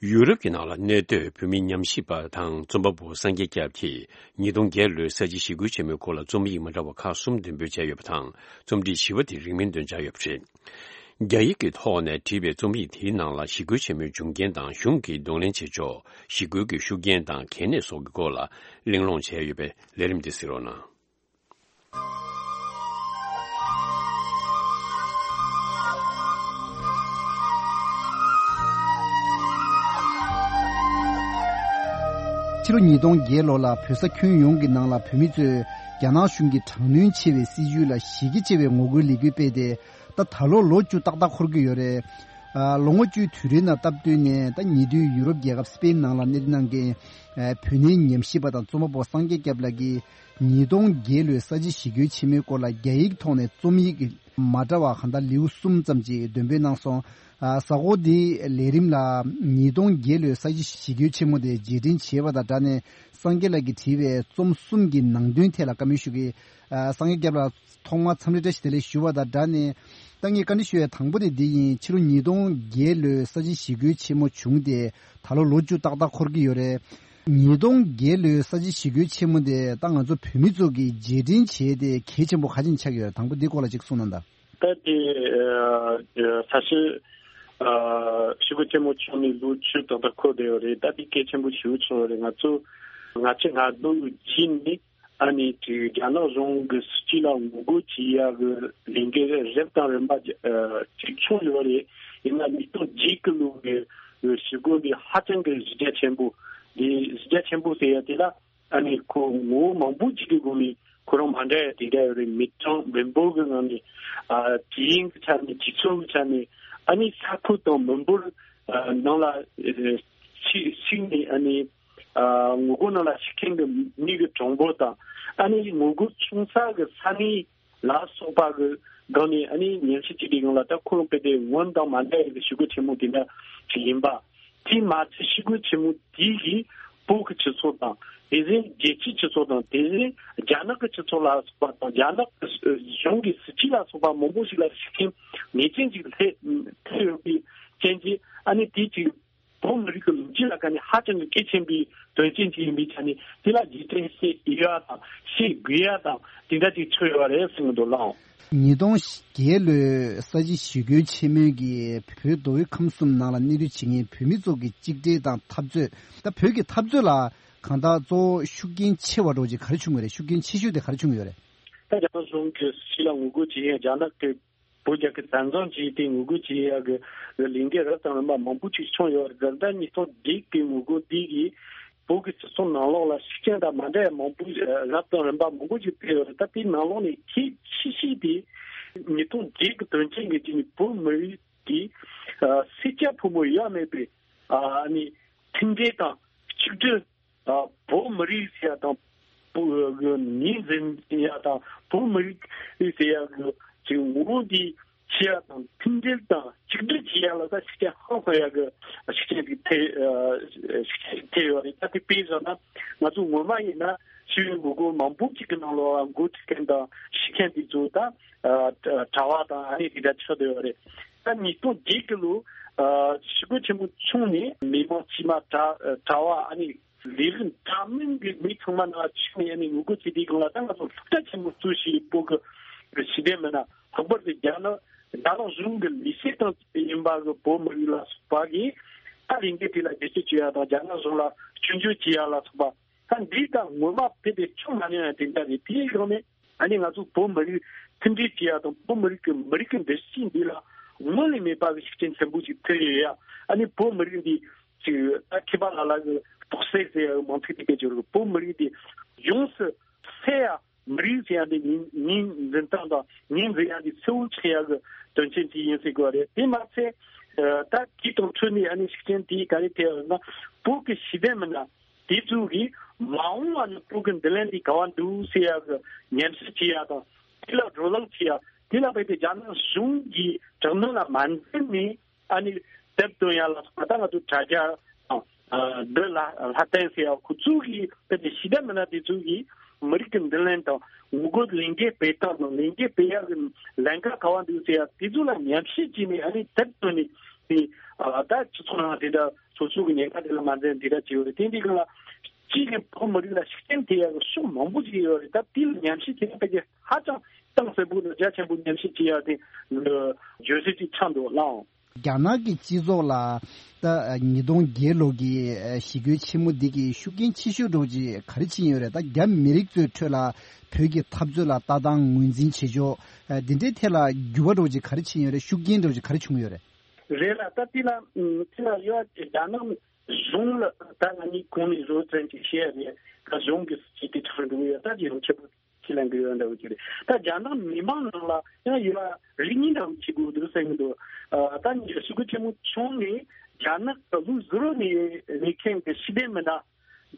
ཡུ་རོབ་ཀྱི་ནང་ལ་གནས་སྡོད་བོད་མི་ཉམས་ཞིབ་པ་དང་རྩོམ་པ་པོ་སངས་རྒྱས་སྐྱབས་ཀྱིས་ཉིས་སྟོང་བརྒྱད་ལོའི་ས་བྱི་ཞི་རྒོལ་ཆེན་མོའི་སྐོར་ལ་རྩོམ་ཡིག་མ་འདྲ་བ་ཁག་གསུམ་འདོན་སྤེལ་བྱས་ཡོད་པ་དང་། རྩོམ་བྲིས་བཞི་པ་དེ་རིང་མིན་འདོན་འཆར་ཡོད་པ་རེད། རྒྱ་ཡིག་གི་ཐོག་ནས་བྲིས་པའི་རྩོམ་ཡིག་དེའི་ནང་ལ་ཞི་རྒོལ་ཆེན་མོའི་འབྱུང་རྐྱེན་དང་གཞུང་གིས་གདོང་ལེན་བྱེད་ཕྱོགས། ཞི་རྒོལ་གྱི་ཤུགས་རྐྱེན་དང་གལ་གནད་སོགས་ཀྱི་སྐོར་ལ་གླེང་སློང་བྱས་ཡོད་པའི་ལས་རིམ་འདི་གཟིགས་རོགས་གནང་། ཕྱི་ལོ་ཉིས་སྟོང་བརྒྱད་ལོ་ལ་བོད་ས་ཁྱོན་ཡོངས་ཀྱི་ནང་ལ་བོད་མི་ཚོས་རྒྱ་ནག་གཞུང་གི་དྲག་གནོན་ཆེ་བའི་སྲིད་བྱུས་ལ་ཞེད་ཀྱི་ཆེ་བའི་ངོ་རྒོལ་ལས་འགུལ་སྤེལ་ཏེ། ད་ད་ལོ་ལོ་བཅུ་ཏག་ཏག་འཁོར་གྱི་ཡོད་རེད། ཨ། ལོ་ངོ་བཅུའི་དུས་རིང་ནང་སྟབས་བསྟུན་ནས་ད་ཉེ་དུས་ཡུ་རོབ་རྒྱལ་ཁབ་སི་པེན་ནང་ལ་གནས་སྡོད་གནང་མཁན། ཨ། བོད་གནས་ཉམས་ཞིབ་པ་དང་རྩོམ་པ་པོ་སངས་རྒྱས་སྐྱབས་ལགས་ཀྱིས་ཉིས་སྟོང་བརྒྱད་ལོའི་ས་བྱི་ཞི་རྒོལ་ཆེན་མོའི་སྐོར་ལ་རྒྱ་ཡིག་ཐོག་ནས་རྩོམ་ཡིག་མ་འདྲ་བ་གང་ལྟར་ལེའུ་གསུམ་ཙམ་ཅིག་འདོན་སྤེལ་གནང་སོང་། ཨ། གཟའ་འཁོར་འདིའི་ལས་རིམ་ལ་ཉིས་སྟོང་བརྒྱད་ལོའི་ས་བྱི་ཞི་རྒོལ་ཆེན་མོ་དེ་རྗེས་དྲན་བྱས་པ་དང་སྦྲགས་ནས་སངས་རྒྱས་ལགས་ཀྱིས་བྲིས་པའི་རྩོམ་གསུམ་གྱི་ནང་དོན་ཐད་ལ་བཀའ་མོལ་ཞུ་གི། ཨ། སངས་རྒྱས་སྐྱབས་ལགས། ཐོག་མར་འཚམས་འདྲི་བཀྲ་ཤིས་བདེ་ལེགས་ཞུ་བ་དང་སྦྲགས་ནས། ད་ངས་བཀའ་འདྲི་ཞུ་ཡའི་དང་པོ་དེ་འདི་ཡིན། ཕྱི་ལོ་ཉིས་སྟོང་བརྒྱད་ལོའི་ས་བྱི་ཞི་རྒོལ་ཆེན་མོ་བྱུང་སྟེ་ད་ལོ་ལོ་བཅུ་ཏག་ཏག་འཁོར་གྱི་ཡོད་རེད། ཉིས་སྟོང་བརྒྱད་ལོའི་ས་བྱི་ཞི་རྒོལ་ཆེན་མོ་དེ་ད་ང་ཚོ་བོད་མི་ཚོ་གིས་རྗེས་དྲན་བྱས་ཏེ་གལ་ཆེན་པོ་ག་ཅིག་ཆགས་ཀྱི་ཡོད་རེད། དང་པོ་འདིའི་སྐོར་ལ་ཅིག་གསུངས་གནང་དང་། ད་དེ་ས་བྱི་ཞི་རྒོལ་ཆེན་མོ་བྱུང་ནས་ལོ་བཅུ་ཏག་ཏག་འཁོར་བསྡད་ཡོད་རེད། ད་དེ་གལ་ཆེན་པོ་ཞེ་པོ་ཆགས་ཡོད་རེད། ང་ཚོ་ང་ཚོ་ང་ཚོ་རྗེས་ནས། ཨ་ནི་ཅིག་རྒྱ་ནག་གཞུང་གི་སྲིད་བྱུས་ལ་ངོ་རྒོལ་བྱེད་ཡག་གི་ལས་འགུལ་རབ་དང་རིམ་པ་ཅིག་བྱུང་ཡོད་རེད། ཡིན་ན་ཉིས་སྟོང་བརྒྱད་གི་ལོ་གི་ཞི་རྒོལ་འདི་ཧ་ཅང་གི་གཞི་རྒྱ་ཆེན་པོ། འདི་གཞི་རྒྱ་ཆེན་པོ་ཟེར་ཡ་དེ་ལ་ ཨ་ནི་ཁོ་ངོ་བོ་མང་པོ་ཅིག་གི་སྒོ་ནས་ཁོ་རང་མ་འདྲ་ཡ་དེ་འདྲ་ཡོད་རེད། མི་གྲངས་མི་འབོར་གྱི་ངང་ནས་ཨ་དུས་ཡུན་གྱི་ཆ་ནས་སྤྱི་ཚོགས་ཀྱི་ཆ་ནས་ཨ་ནི་ས་ཁུལ་དང་མི་འབོར་ཨ་ནང་ལ་ཨ་ཞིག་ཞིག་ནས་ཨ་ནི་ཨ་ངོ་རྒོལ་ནང་ལ་ཞུགས་མཁན་གྱི་མི་གི་གྲངས་འབོར་དང་ཨ་ནི་ངོ་རྒོལ་བྱུང་ས་གི་ས་གནས་ལ་སོགས་པ་གི་སྒང་ནས་ཨ་ནི་ཉམས་ཞིབ་བྱེད་པའི་སྒང་ལ་ད་ཁོ་རང་དཔེ་དེ་སྔོན་དང་མ་འདྲ་བའི་གི་ཞི་རྒོལ་ཆེན་མོ་དེ་འདྲ་ཞིག་ཡིན་པ། དེ་མ་ཚད་ཞི་རྒོལ་ཆེན་མོ་དེ་གིས་བོད་ཀྱི་སྤྱི་ཚོགས་དང་དེ་བཞིན་རྒྱལ་སྤྱིའི་སྤྱི་ཚོགས་དང་དེ་བཞིན་རྒྱ་ནག་གི་སྤྱི་ཚོགས་ལ་སོགས་པ་དང་རྒྱ་ནག་གི་གཞུང་གི་སྲིད་ཇུས་ལ་སོགས་པ་མང་པོ་ཞིག་ལ་ཤུགས་རྐྱེན་ངེས་ཅན་ཞིག་ཐེབས་ཐེབས་ཡོད་པའི་རྐྱེན་གྱིས་ཨ་ནི་དེ་གཅིག་བོད་མི་རིགས་ཀྱི་ལོ་རྒྱུས་ལ་ཁ་ནས་ཧ་ཅང་གི་གལ་ཆེན་པའི་དོན་རྐྱེན་ཅིག་ཡིན་པའི་ཆ་ནས་དེ་ལ་རྗེས་དྲན་བྱེད་ཡ་དང་བྱེད་དགོས་ཡ་དང་དེ་འདྲ་ཅིག་ཚོད་ཡོད་རེད་གསུང་གི་འདུག་ལགས། ཉིས་སྟོང་བརྒྱད་ལོའི་ས་གཞི་ཞི་རྒོལ་ཆེན་མོའི་གི་བོད་མདོ་དབུས་ཁམས་གསུམ་ནང་ལ་གནས་སྡོད་བྱེད་མཁན་བོད་མི་ཚོ་གི་གཅིག་སྒྲིལ་དང་འཐབ་རྩོད། ད་བོད་ཀྱི་འཐབ་རྩོད་ལ་གང་ལྟར་གཙོ་བོ་ཤུགས་རྐྱེན་ཆེ་བ་འདྲ་བོ་ཅིག་ག་རེ་བྱུང་ཡོད་རེད། ཤུགས་རྐྱེན་ཆེ་ཤོས་དེ་ག་རེ་བྱུང་ཡོད་རེད། ད་རྒྱ་ནག་གཞུང་གི་སྲིད་ཇུས་ལ་ངོ་རྒོལ་བྱེད་མཁན་རྒྱ་ནག་གི་བོད་རྒྱལ་ཁབ་བཙན་བཟུང་བྱས་ཏེ་ངོ་རྒོལ་བྱེད་ཡག་གི་ལས་འགུལ་རབ་དང་རིམ་པ་མང་པོ་ཅིག་བྱུང་ཡོད་རེད། ད་ལྟ་ཉིས་སྟོང་བརྒྱད་ཀྱི་ངོ་རྒོལ་འདི་གིས་བོད་ཀྱི་སྤྱི་ཚོགས་ནང་ལོགས་ལ་ཤུགས་རྐྱེན་དང་མ་འདྲ་བའི་མང་པོ་རབ་དང་རིམ་པ་མང་པོ་ཅིག་ཕེབས་ཡོད་རེད། ད་དེའི་ནང་ལོགས་ནས་གལ་ཆེ་ཤོས་དེ་ཉིས་སྟོང་བརྒྱད་ཀྱི་དོན་རྐྱེན་གྱི་རྐྱེན་གྱིས་བོད་མི་རིགས་ཀྱི་ཨ་སེར་སྐྱ་ཕོ་མོ་ཡ་མེད་པའི་ཨ་ནི་མཐུན་སྒྲིལ་དང་གཅིག་སྒྲིལ། ཨ་བོད་མི་རིགས་ཟེར་ཡ་དང་བོད་ཀྱི་ངོས་འཛིན་ཡ་དང་བོད་མི་རིགས་ཟེར་ཡ་གི་ཅིག་ངོ་བོ་འདི་ཕྱེ་ཡ་དང་མཐུན་སྒྲིལ་དང་གཅིག་སྒྲིལ་བྱེད་ཡ་ལ་ད་ཤུགས་རྐྱེན་ཧང་སང་ཡ་གི་ཤུགས་རྐྱེན་དེ་ཐེབས་ཨ་ཤུགས་རྐྱེན་ཐེབས་ཡོད་རེད། ད་དེ་དཔེ་བཞག་ན་ང་ཚོ་སྔོན་མ་ཡིན་ན་ཞི་བའི་ངོ་རྒོལ་མང་པོ་ཅིག་གི་ནང་ལོགས་འགོ་ཁྲིད་མཁན་དང་ཞུགས་མཁན་དེ་ཚོ་ད་ཨ་གྲྭ་བ་དང་ཨ་ནི་དེ་འདྲ་ཆགས་བསྡད་ཡོད་རེད། ད་ཉིས་སྟོང་བརྒྱད་ཀྱི་ལོ་ཨ་ཞི་རྒོལ་ཆེན་མོ་བྱུང་ནས་མི་མང་དཀྱུས་མ་གྲྭ་གྲྭ་བ་ཨ་ནི་ལས་རིགས་འདྲ་མིན་གྱི་མི་ཚང་མ་ནང་ཆུད་ནས་ཡ་ནས་ངོ་རྒོལ་བྱེད་དུས་སྒང་ལ་ད་ང་ཚོ་སློབ་གྲྭ་ཆེན་མོ་བཙུགས་ཤིག་བོད་ཀྱི་ཞི་བདེ་མི་སྣ་ལྷག་པར་དུ་རྒྱ་ནག་རྒྱ་ནག་གཞུང་གི་ལས་བྱེད་སྟངས་ཡིན་པ་གི་བོད་མི་རིགས་ལ་སོགས་པ་གིས་ད་ལས་འགུལ་དེ་ལ་རྒྱབ་སྐྱོར་བྱེད་ཡ་དང་རྒྱ་ནག་གཞུང་ལ་སྐྱོན་བརྗོད་བྱེད་ཡ་ལ་སོགས་པ་ད་འདི་དང་ངོ་མ་ཕེབས་ཏེ་བྱུང་མ་མྱོང་ཡ་དེ་འདྲ་རེད། དེའི་སྒང་ནས་ཨ་ནི་ང་ཚོ་བོད་མི་རིགས་མཐུན་སྒྲིལ་བྱེད་ཡ་དང་བོད་མི་རིགས་ཀྱི་མི་རིགས་ཀྱི་འདུ་ཤེས་འདི་ལ་སྔོན་ལས་མེད་པ་གི་ཤུགས་རྐྱེན་ཆེན་པོ་ཞིག་ཐེབས་ཡོད་ཡ། ཨ་ནི་བོད་མི་རིགས་འདི་ཅིག་ད་མཁས་པ་ལ་ལ་གི་རྟོག་སད་ཟེར་ཡ་མང་ཐིག་ཐིག་གི་བརྗོད་རིགས་བོད་མི་རིགས་འདི་ཡོངས་སུ་སད་ཡ། མི་རིགས་ཟེར་ཡ་འདི་ངོས་ངོས་འཛིན་སྟངས་དང་ངོས་འཛིན་ཡ་འདི་གསལ་བོ་ཆགས་ཡ་གི་དོན་ཆེན་ཅིག་ཡིན་ཟེར་དགོས་རེད། དེ་མ་ཚད་ད་དེ་དང་འཕྲོས་ནས་ཨ་ནི་ཤུགས་རྐྱེན་དེ་ག་རེ་ཐེབས་ཡོད་ན་བོད་ཀྱི་ཞི་བདེ་མི་སྣ་དེ་ཚོ་གིས་མ་འོངས་པ་ན་བོད་ཀྱི་མདུན་ལམ་འདི་ག་བ་འདུག་ཟེར་ཡ་གི་ཉམས་ཞིབ་བྱེད་ཡ་དང་དེ་ལ་བགྲོ་གླེང་བྱེད་ཡ་དེ་ལ་རྦད་དེ་རྒྱ་ནག་གཞུང་གི་དྲག་གནོན་ལ་མ་འཛེམས་ནས་ཨ་ནི་དེབ་བཏོན་ཡ་ལ་སོགས་པ་ད་ང་ཚོ་དྲ་རྒྱ་དང་འདི་ལ་ལྷ་བསྟན་ཟེར་ཡ་ཁོ་ཚོ་གིས་རྦད་དེ་ཞི་བདེ་མི་སྣ་དེ་ཚོ་གིས་མི་རིགས་ཀྱི་མདུན་ལམ་དང་ངོ་རྒོལ་ལས་འགུལ་སྤེལ་སྟངས་དང་ལས་འགུལ་སྤེལ་ཡ་གི་ལམ་ཁ་ག་བ་འདུག་ཟེར་ཡ་དེ་ཚོ་ལ་ཉམས་ཞིབ་བྱས་ནས་ཨ་ནི་དེབ་བཏོན་ནས་དེ་ད་སྤྱི་ཚོགས་ནང་དེ་འདྲ་སོ་སོ་གི་ཉེན་ཁ་དེ་ལ་མ་འཛེམས་དེ་འདྲ་བྱས་ཡོད་རེད། དེ་འདི་གང་ལ་གཅིག་གི་བོད་མི་རིགས་ལ་ཤུགས་རྐྱེན་ཐེབས་ཡ་གི་ཕྱོགས་མང་པོ་ཞིག་ཡོད་རེད། ད་དེ་ལ་ཉམས་ཞིབ་བྱས་ན་ཕལ་ཆེར་ཧ་ཅང་གཏིང་ཟབ་པོ་དང་རྒྱ་ཆེན་པོ་ཉམས་ཞིབ་བྱེད་ཡ་དེ་བརྗོད་གཞི་ཅིག་ཆགས་འདུག་ལགས། རྒྱ་ནག་གི་སྤྱི་ཚོགས་ལ་ད་ཉིས་སྟོང་བརྒྱད་ལོ་གི་ཞི་རྒོལ་ཆེན་མོ་འདི་གི་ཤུགས་རྐྱེན་ཆེ་ཤོས་འདྲ་བོ་ཅིག་ག་རེ་ཕྱིན་ཡོད་རེད། ད་རྒྱ་མི་རིགས་ཚོའི་ཁྲོད་ལ་བོད་ཀྱི་འཐབ་རྩོད་ལ་ལྟ་སྟངས་ངོས་འཛིན་བྱེད་ཕྱོགས་འདི་འདྲའི་ཐད་ལ་འགྱུར་བ་འདྲ་བོ་ཅིག་ག་རེ་ཕྱིན་ཡོད་རེད། ཤུགས་རྐྱེན་འདྲ་བོ་ཅིག་ག་རེ་བྱུང་ཡོད་རེད། རེད་ལ་ད་དེ་ལ་དེ་ལ་ཡོད་རྒྱ་ནག་གཞུང་ལ་ད་ང་གཉིས་གོང་ནས་བཟོ་བཙན་གྱི་བཤད་རེད། ད་གཞུང་གི་སྲིད་ཇུས་དེ་ཁྲིད་འགྲོ་གི་ཡོད། ད་ཅི་ཡང་ཁྱད་པར་ཁས་ལེན་གི་ཡོད་འདྲ་བོ་ཅིག་རེད། ད་རྒྱ་ནག་མི་མང་ནང་ལ་ཡང་ཡོད་རིགས་གཉིས་འདྲ་བོ་ཅིག་དགོས་འདུག་བསམ་གི་འདུག་ཨ་ད་ཉིན་ཞུ་གི་ཆེན་མོ་བྱུང་ནས་རྒྱ་ནག་གི་ལུགས་ཟུར་ནས་ནས་མཁན་གྱི་ཞི་བདེ་མི་སྣ་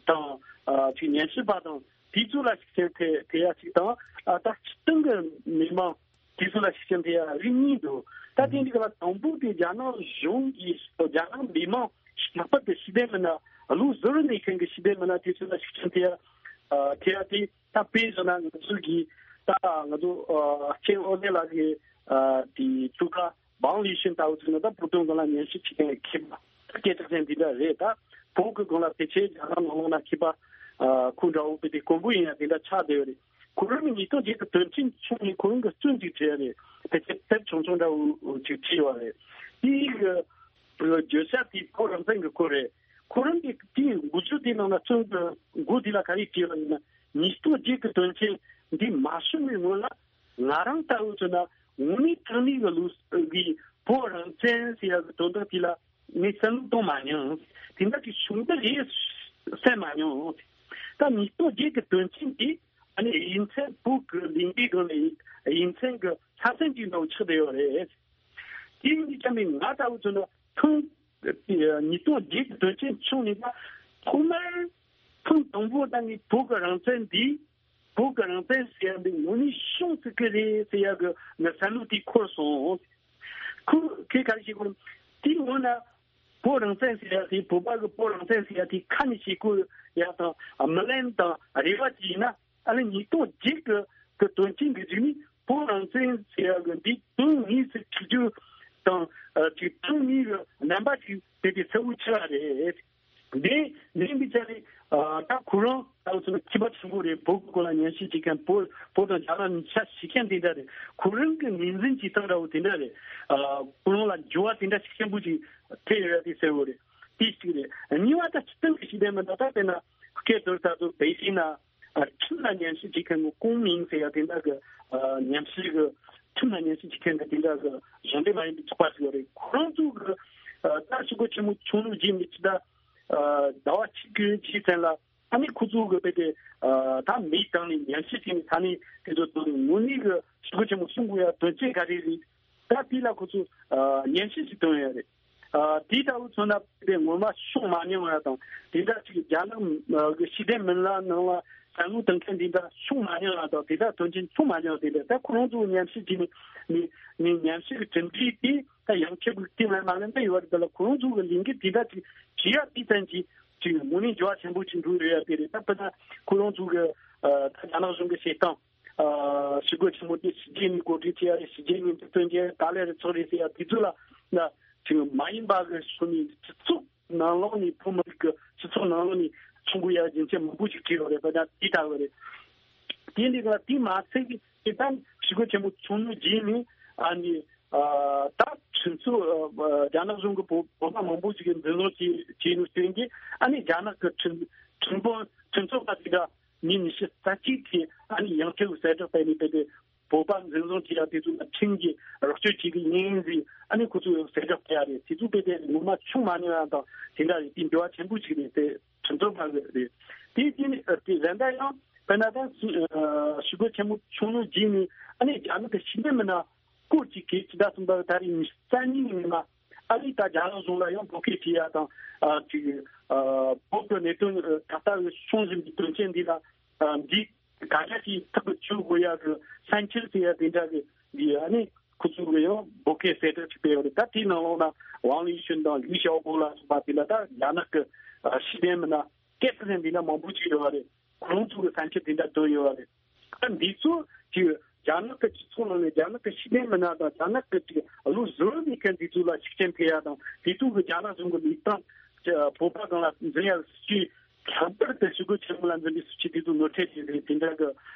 དང་ཨ་ཅིག་ཉམས་ཞིབ་པ་དང་དེ་ཚོ་ལ་ཤུགས་རྐྱེན་ཐེབས་ཐེབས་ཡ་ཅིག་དང་ཨ་ད་སྤྱི་བཏང་གི་མི་མང་དེ་ཚོ་ལ་ཤུགས་རྐྱེན་ཐེབས་ཡ་རིགས་གཉིས་འདུག་ད་དེ་འདི་ག་ལ་དང་པོ་དེ་རྒྱ་ནག་གཞུང་གིས་རྒྱ་ནག་མི་མང་ལྷག་པར་དུ་ཞི་བདེ་མི་སྣ་ལུགས་ཟུར་ནས་མཁན་གྱི་ཞི་བདེ་མི་སྣ་དེ་ཚོ་ལ་ཤུགས་རྐྱེན་ཐེབས་ཡ་ཐེབས་ཡ་དེ། ད་དཔེ་བཞག་ན་ང་ཚོ་གིས་ད་ང་ཚོ་ཨ་ཆེན་ཨོ་ལེ་ལགས་ཀྱི་ཨ་དེ་ཐུགས་ཁ་བང་ལི་ཤིན་ལྟ་བུ་ཚོ་ནི་ད་བོད་དོན་སྒང་ལ་ཉམས་ཞིབ་བྱེད་མཁན་མཁས་པ་སྐད་གྲགས་ཅན་དེ་འདྲ་རེད། ད་བོད་ཀྱི་སྒང་ལ་ཕལ་ཆེར་རྒྱ་ནག་ནང་ལོགས་ན་མཁས་པ་ཨ་ཁོ་འདྲ་བོ་དཔེ་དེ་དཀོན་པོ་ཡིན་ཡ་དེ་འདྲ་ཆགས་བསྡད་ཡོད་རེད། ཁོ་རང་གི་ཉིས་སྟོང་བརྒྱད་ཀྱི་དོན་རྐྱེན་བྱུང་ནས་ཁོ་རང་གི་རྩོམ་ཅིག་བྲིས་ཡ་རེད། ཕལ་ཆེར་དེབ་ཆུང་ཆུང་འདྲ་བོ་ཅིག་བྲིས་ཡོད་རེད། དེའི་གི་བརྗོད་བྱ་དེ་བོད་རང་བཙན་གྱི་སྐོར་རེད། ཁོ་རང་གིས་དེའི་འགོ་བརྗོད་དེའི་ནང་ན་རྩོམ་གྱི་འགོ་དེ་ལ་ག་རེ་བྲིས་པ་ཡིན་ན། ཉིས་སྟོང་བརྒྱད་ཀྱི་དོན་རྐྱེན་འདི་མ་བྱུང་བའི་སྔོན་ལ་ང་རང་ལྟ་བུ་ཚོ་ན་དངོས་གནས་དྲང་གནས་ཀྱི་ལུགས་ཀྱི་བོད་རང་བཙན་ཟེར་ཡ་གི་དོན་དག་དེ་ལ་ངས་བསམ་བློ་གཏོང་མ་མྱོང་། དེ་འདྲ་གི་བྱུང་ད་རེད་བསམ་མ་མྱོང་། ད་ཉིས་སྟོང་བརྒྱད་ཀྱི་དོན་རྐྱེན་དེ་ཨ་ནི་དབྱིན་ཚན་བོད་ཀྱི་ལས་འགུལ་སྒང་ལ་དབྱིན་ཚན་གྱི་ས་མཚམས་ཀྱི་ནང་ཆགས་བསྡད་ཡོད་རེད། དེ་ཡིན་དུས་ཙམ་པའི་ང་ལྟ་བུ་ཚོ་ནི་ཐེངས་ཉིས་སྟོང་བརྒྱད་ཀྱི་དོན་རྐྱེན་བྱུང་ནས་ད་ཐོག་མར་ཐེངས་དང་པོ་ད་ནི་བོད་ཀྱི་རང་བཙན་འདི་བོད་ཀྱི་རང་བཙན་ཟེར་ཡ་འདི་དངོས་གནས་བྱུང་སྲིད་ཀྱི་རེད་ཟེར་ཡ་གི་ང་བསམ་བློ་དེ་འཁོར་སོང་། ཁོ་ཁོས་ག་རེ་བྱེད་དགོས། དེའི་སྔོན་ན་བོད་རང་བཙན་ཟེར་ཡ་དེ་བོད་པ་གི་བོད་རང་བཙན་ཟེར་ཡ་དེ་ཁ་ནས་བྱེད་དགོས་ཡ་དང་སྨོན་ལམ་དང་རེ་བ་བྱས་ན། ཨ་ནི་ཉིས་སྟོང་བརྒྱད་གི་གི་དོན་རྐྱེན་གི་གཞུག་ནས་བོད་རང་བཙན་ཟེར་ཡ་གི་འདི་དོན་དངོས་སུ་འཁྱེར་རྒྱུ་དང་ཨ་ཅིག་དོན་དངོས་གི་རྣམ་པ་ཅིག་དེ་དེ་གསལ་བོ་ཆགས་རེད། འདི་འདི་འདི་ཆ་རེད། ཨ་ད་ཁོ་རང་ད་ཚོ་ན་ཁྱད་པར་ཆེན་པོ་རེད། བོད་ཀྱི་སྐོར་ལ་ཉམས་ཞིབ་བྱེད་མཁན་བོད་བོད་དང་རྒྱ་ནག་གཉིས་ཆ་ཤེས་མཁན་དེ་འདྲ་རེད། ཁོ་རང་གི་ངོས་འཛིན་བྱེད་སྟངས་འདྲ་བོ་དེ་འདྲ་རེད། ཨ་ཁོ་རང་ལ་འགྱུར་བ་དེ་འདྲ་ཤུགས་ཆེན་པོ་ཅིག་ཐེབས་ཡོད་རེད་དེ་གསལ་བོ་རེད། དེ་གཅིག་རེད། གཉིས་པ་ད་སྤྱི་བཏང་གི་ཤེས་ལྡན་མི་སྣ་ད་དཔེར་ན་སྐད་དོར་ད་ཚོ་བེ་ཤིང་ན། ཨ་ཁྲིམས་ལ་ཉམས་ཞིབ་བྱེད་མཁན་གྱི་ཀུང་མིང་ཟེར་ཡ་དེ་འདྲ་གི་ཨ་ཉམས་ཞིབ་གི་ཁྲིམས་ལ་ཉམས་ཞིབ་བྱེད་མཁན་གྱི་དེ་འདྲ་གི་གཞུང་འབྲེལ་མ་ཡིན་པའི་ཚོགས་པ་ཞིག་ཡོད་རེད། ཁོ་རང་ཚོ་གི་ཨ་ད་ཞི་རྒོལ་ཆེན་མོ་བྱུང་ལུགས་རྗེས་མི་ཅི་ད་ཨ་ཟླ་བ་གཅིག་གི་རྗེས་ཙམ་ལ་ཨ་ནི་ཁོ་ཚོ་གི་དཔེ་དེ་ཨ་ད་མི་བཏང་ནས་ཉམས་ཞིབ་བྱས་ནས་ས་གནས་དེ་ཚོ་བཏང་ནས་དངོས་གནས་གི་ཞི་རྒོལ་ཆེན་མོ་བྱུང་དགོས་ཡ་དོན་རྐྱེན་ག་རེ་རེད། ད་དེ་ལ་ཁོ་ཚོ་ཨ་ཉམས་ཞིབ་ཅིག་བཏོན་ཡོད་རེད། ཨ་དེ་ལྟ་བུ་མཚོན་ན་དེ་ངོ་མ་བྱུང་མ་མྱོང་ཡ་དང་དེ་འདྲ་ཅིག་རྒྱ་ནག་གི་ཤེས་ལྡན་མི་སྣ་ནང་ལ་བསམ་བློ་གཏོང་མཁན་དེ་འདྲ་བྱུང་མ་མྱོང་ཡ་དང་དེ་འདྲ་དོན་རྐྱེན་བྱུང་མ་མྱོང་དེ་འདྲ་ད་ཁོ་རང་ཚོ་ཉམས་ཞིབ་བྱས་ནས་ནས་ནས་ཉམས་ཞིབ་ཀྱི་གྲུབ་འབྲས་དེ་ད་ཡང་ཁྱབ་ཀྱི་དེ་ལ་མ་ལན་ད་ཡོད་རེད། དེ་ལ་ཁོ་རང་ཚོ་གི་ལས་འགུལ་དེ་འདྲ་ཅིག་བྱེད་ཡ་དེ་ཙམ་གྱིས་ཅིག་དངོས་གནས་འགྱུར་བ་ཆེན་པོ་ཅིག་འགྲོ་ཡོད་ཡ་དེ་རེད། ད་དཔེར་ན་ཁོ་རང་ཚོ་གི་ཨ་ད་རྒྱ་ནག་གཞུང་གི་བྱེད་སྟངས། ཨ་ཞི་རྒོལ་ཆེན་མོ་དེ་ཕྱི་རྒྱལ་ནས་གོ་སྒྲིག་བྱས་ཡ་རེད། ཕྱི་རྒྱལ་ནས་འཛུགས་སྐྲུན་བྱས་ཡ་ག་ལེ་རེད་ཚོགས་རེད་ཟེར་ཡ་དེ་ཚོ་ལ་ན་ཅིག་མ་ཡིན་པ་གི་ཕྱོགས་ནས་སྤྱི་ཚོགས་ནང་ལོགས་ནས་བོད་མི་རིགས་ཀྱི་སྤྱི་ཚོགས་ནང་ལོགས་ནས་བྱུང་དགོས་ཡ་རྒྱུ་མཚན་མང་པོ་ཞིག་བྲིས་ཡོད་རེད། དཔེར་ན་དེ་ལྟ་བུ་རེད། དེ་འདི་ལ་དེ་མ་ཚད་ཀྱི་དེ་ལྟར་ཞི་རྒོལ་ཆེན་མོ་བྱུང་ནས་རྗེས་ནས་ཨ་ནི་ཨ་ད་ཁྲིམས་རྩོད་ཨ་རྒྱ་ནག་གཞུང་གི་བོད་བོད་པ་མང་པོ་ཞིག་གིས་འཛིན་བཟུང་བྱས་བྱས་ནས་བསྟན་གྱི་ཨ་ནི་རྒྱ་ནག་གི་ཁྲིམས་ཁྲིམས་དཔོན་ཁྲིམས་རྩོད་པ་དེ་འདྲ། ཉིན་ཉི་ཤུ་རྩ་གཅིག་གི་ཨ་ནི་ཡང་སྒྲུབ་གསལ་བསྒྲགས་སྤེལ་ནས་སྤེལ་ཏེ་བོད་པ་འཛིན་བཟུང་བྱས་ཡ་དེ་ཚོ་ལ་ཁྲིམས་ཀྱིས་རོགས་སྐྱོར་བྱེད་ཀྱི་ཡིན་ཟེར་ཨ་ནི་ཁོ་ཚོས་གསལ་བསྒྲགས་སྤེལ་ཡ་རེད། དེ་ཚོ་སྤེལ་ཏེ་ངོ་མ་བྱུང་མ་མྱོང་ཡ་དང་དེ་འདྲ་རེད། དེ་འགྱུར་བ་ཆེན་པོ་ཞིག་རེད་དེ་ཁྲིམས་རྩོད་པ་གི་རེད། དེ་དེ་ནི་དེ་གཞན་དག་ཡང་དཔེར་ན་ད་ཞི་རྒོལ་ཆེན་མོ་བྱུང་ནོ་རྗེས་ནས་ཨ་ནི་རྒྱ་ནག་གི་ཤེས་ལྡན་མི་སྣ་སྐོར་གཅིག་གིས་ཕྱི་ཟླ་གསུམ་པ་ད་རེས་ཉི་ཤུ་རྩ་གཉིས་ཉིན་མ་ཨ་ནི་ད་རྒྱ་ནག་གཞུང་ལ་ཡང་འབོད་སྐུལ་བྱས་ཡ་དང་ཨ་ཅིག་ཨ་བོད་ཀྱི་གནད་དོན་ད་ལྟ་བྱུང་བཞིན་པའི་དོན་རྐྱེན་འདི་ལ་ཨ་འདི་ག་འདྲ་ཞིག་ཐག་གཅོད་དགོས་ཡ་གི་བསམ་འཆར་ཟེར་ཡ་དེ་འདྲ་གི་འདི་ཨ་ནི་ཁོ་ཚོ་གི་ཡང་འབོད་སྐུལ་གསལ་བསྒྲགས་ཅིག་སྤེལ་བ་རེད། ད་དེའི་ནང་ལོགས་ན་ཝང་ལི་ཞུན་དང་ལིའུ་ཞའོ་པོ་ལ་སོགས་པ་དེ་ལ་ད་རྒྱ་ནག་གི་ཨ་ཤེས་ལྡན་མི་སྣ་སྐད་ཆ་འདི་ན་མང་པོ་ཅིག་ཡོད་པ་རེད། ཁོང་ཚོ་གི་བསམ་འཆར་དེ་འདྲ་བཏོན་ཡོད་པ་རེད། ད་འདི་ཚོ་ཅིག་རྒྱ་ནག་གི་སྤྱི་ཚོགས་ནང་ནས་རྒྱ་ནག་གི་ཤེས་ལྡན་མི་སྣ་དང་རྒྱ་ནག་གི་ཅིག་བློ་གཟུ་བོ་མེད་མཁན་འདི་ཚོ་ལ་ཤུགས་རྐྱེན་ཐེབས་ཡ་དང་དེ་ཚོ་གི་རྒྱ་ནག་གཞུང་གི་ལུགས་སྟངས་ཀྱི་བོད་པ་སྒང་ལ་འཛིན་ཡ་སྲིད་ཇུས་ལྷག་པར་དུ་ཞི་རྒོལ་ཆེན་མོ་ལ་འཛིན་པའི་སྲིད་ཇུས་དེ་ཚོ་ངོ་འཕྲོད་བྱས་ཏེ་དེ་འདྲ་གི་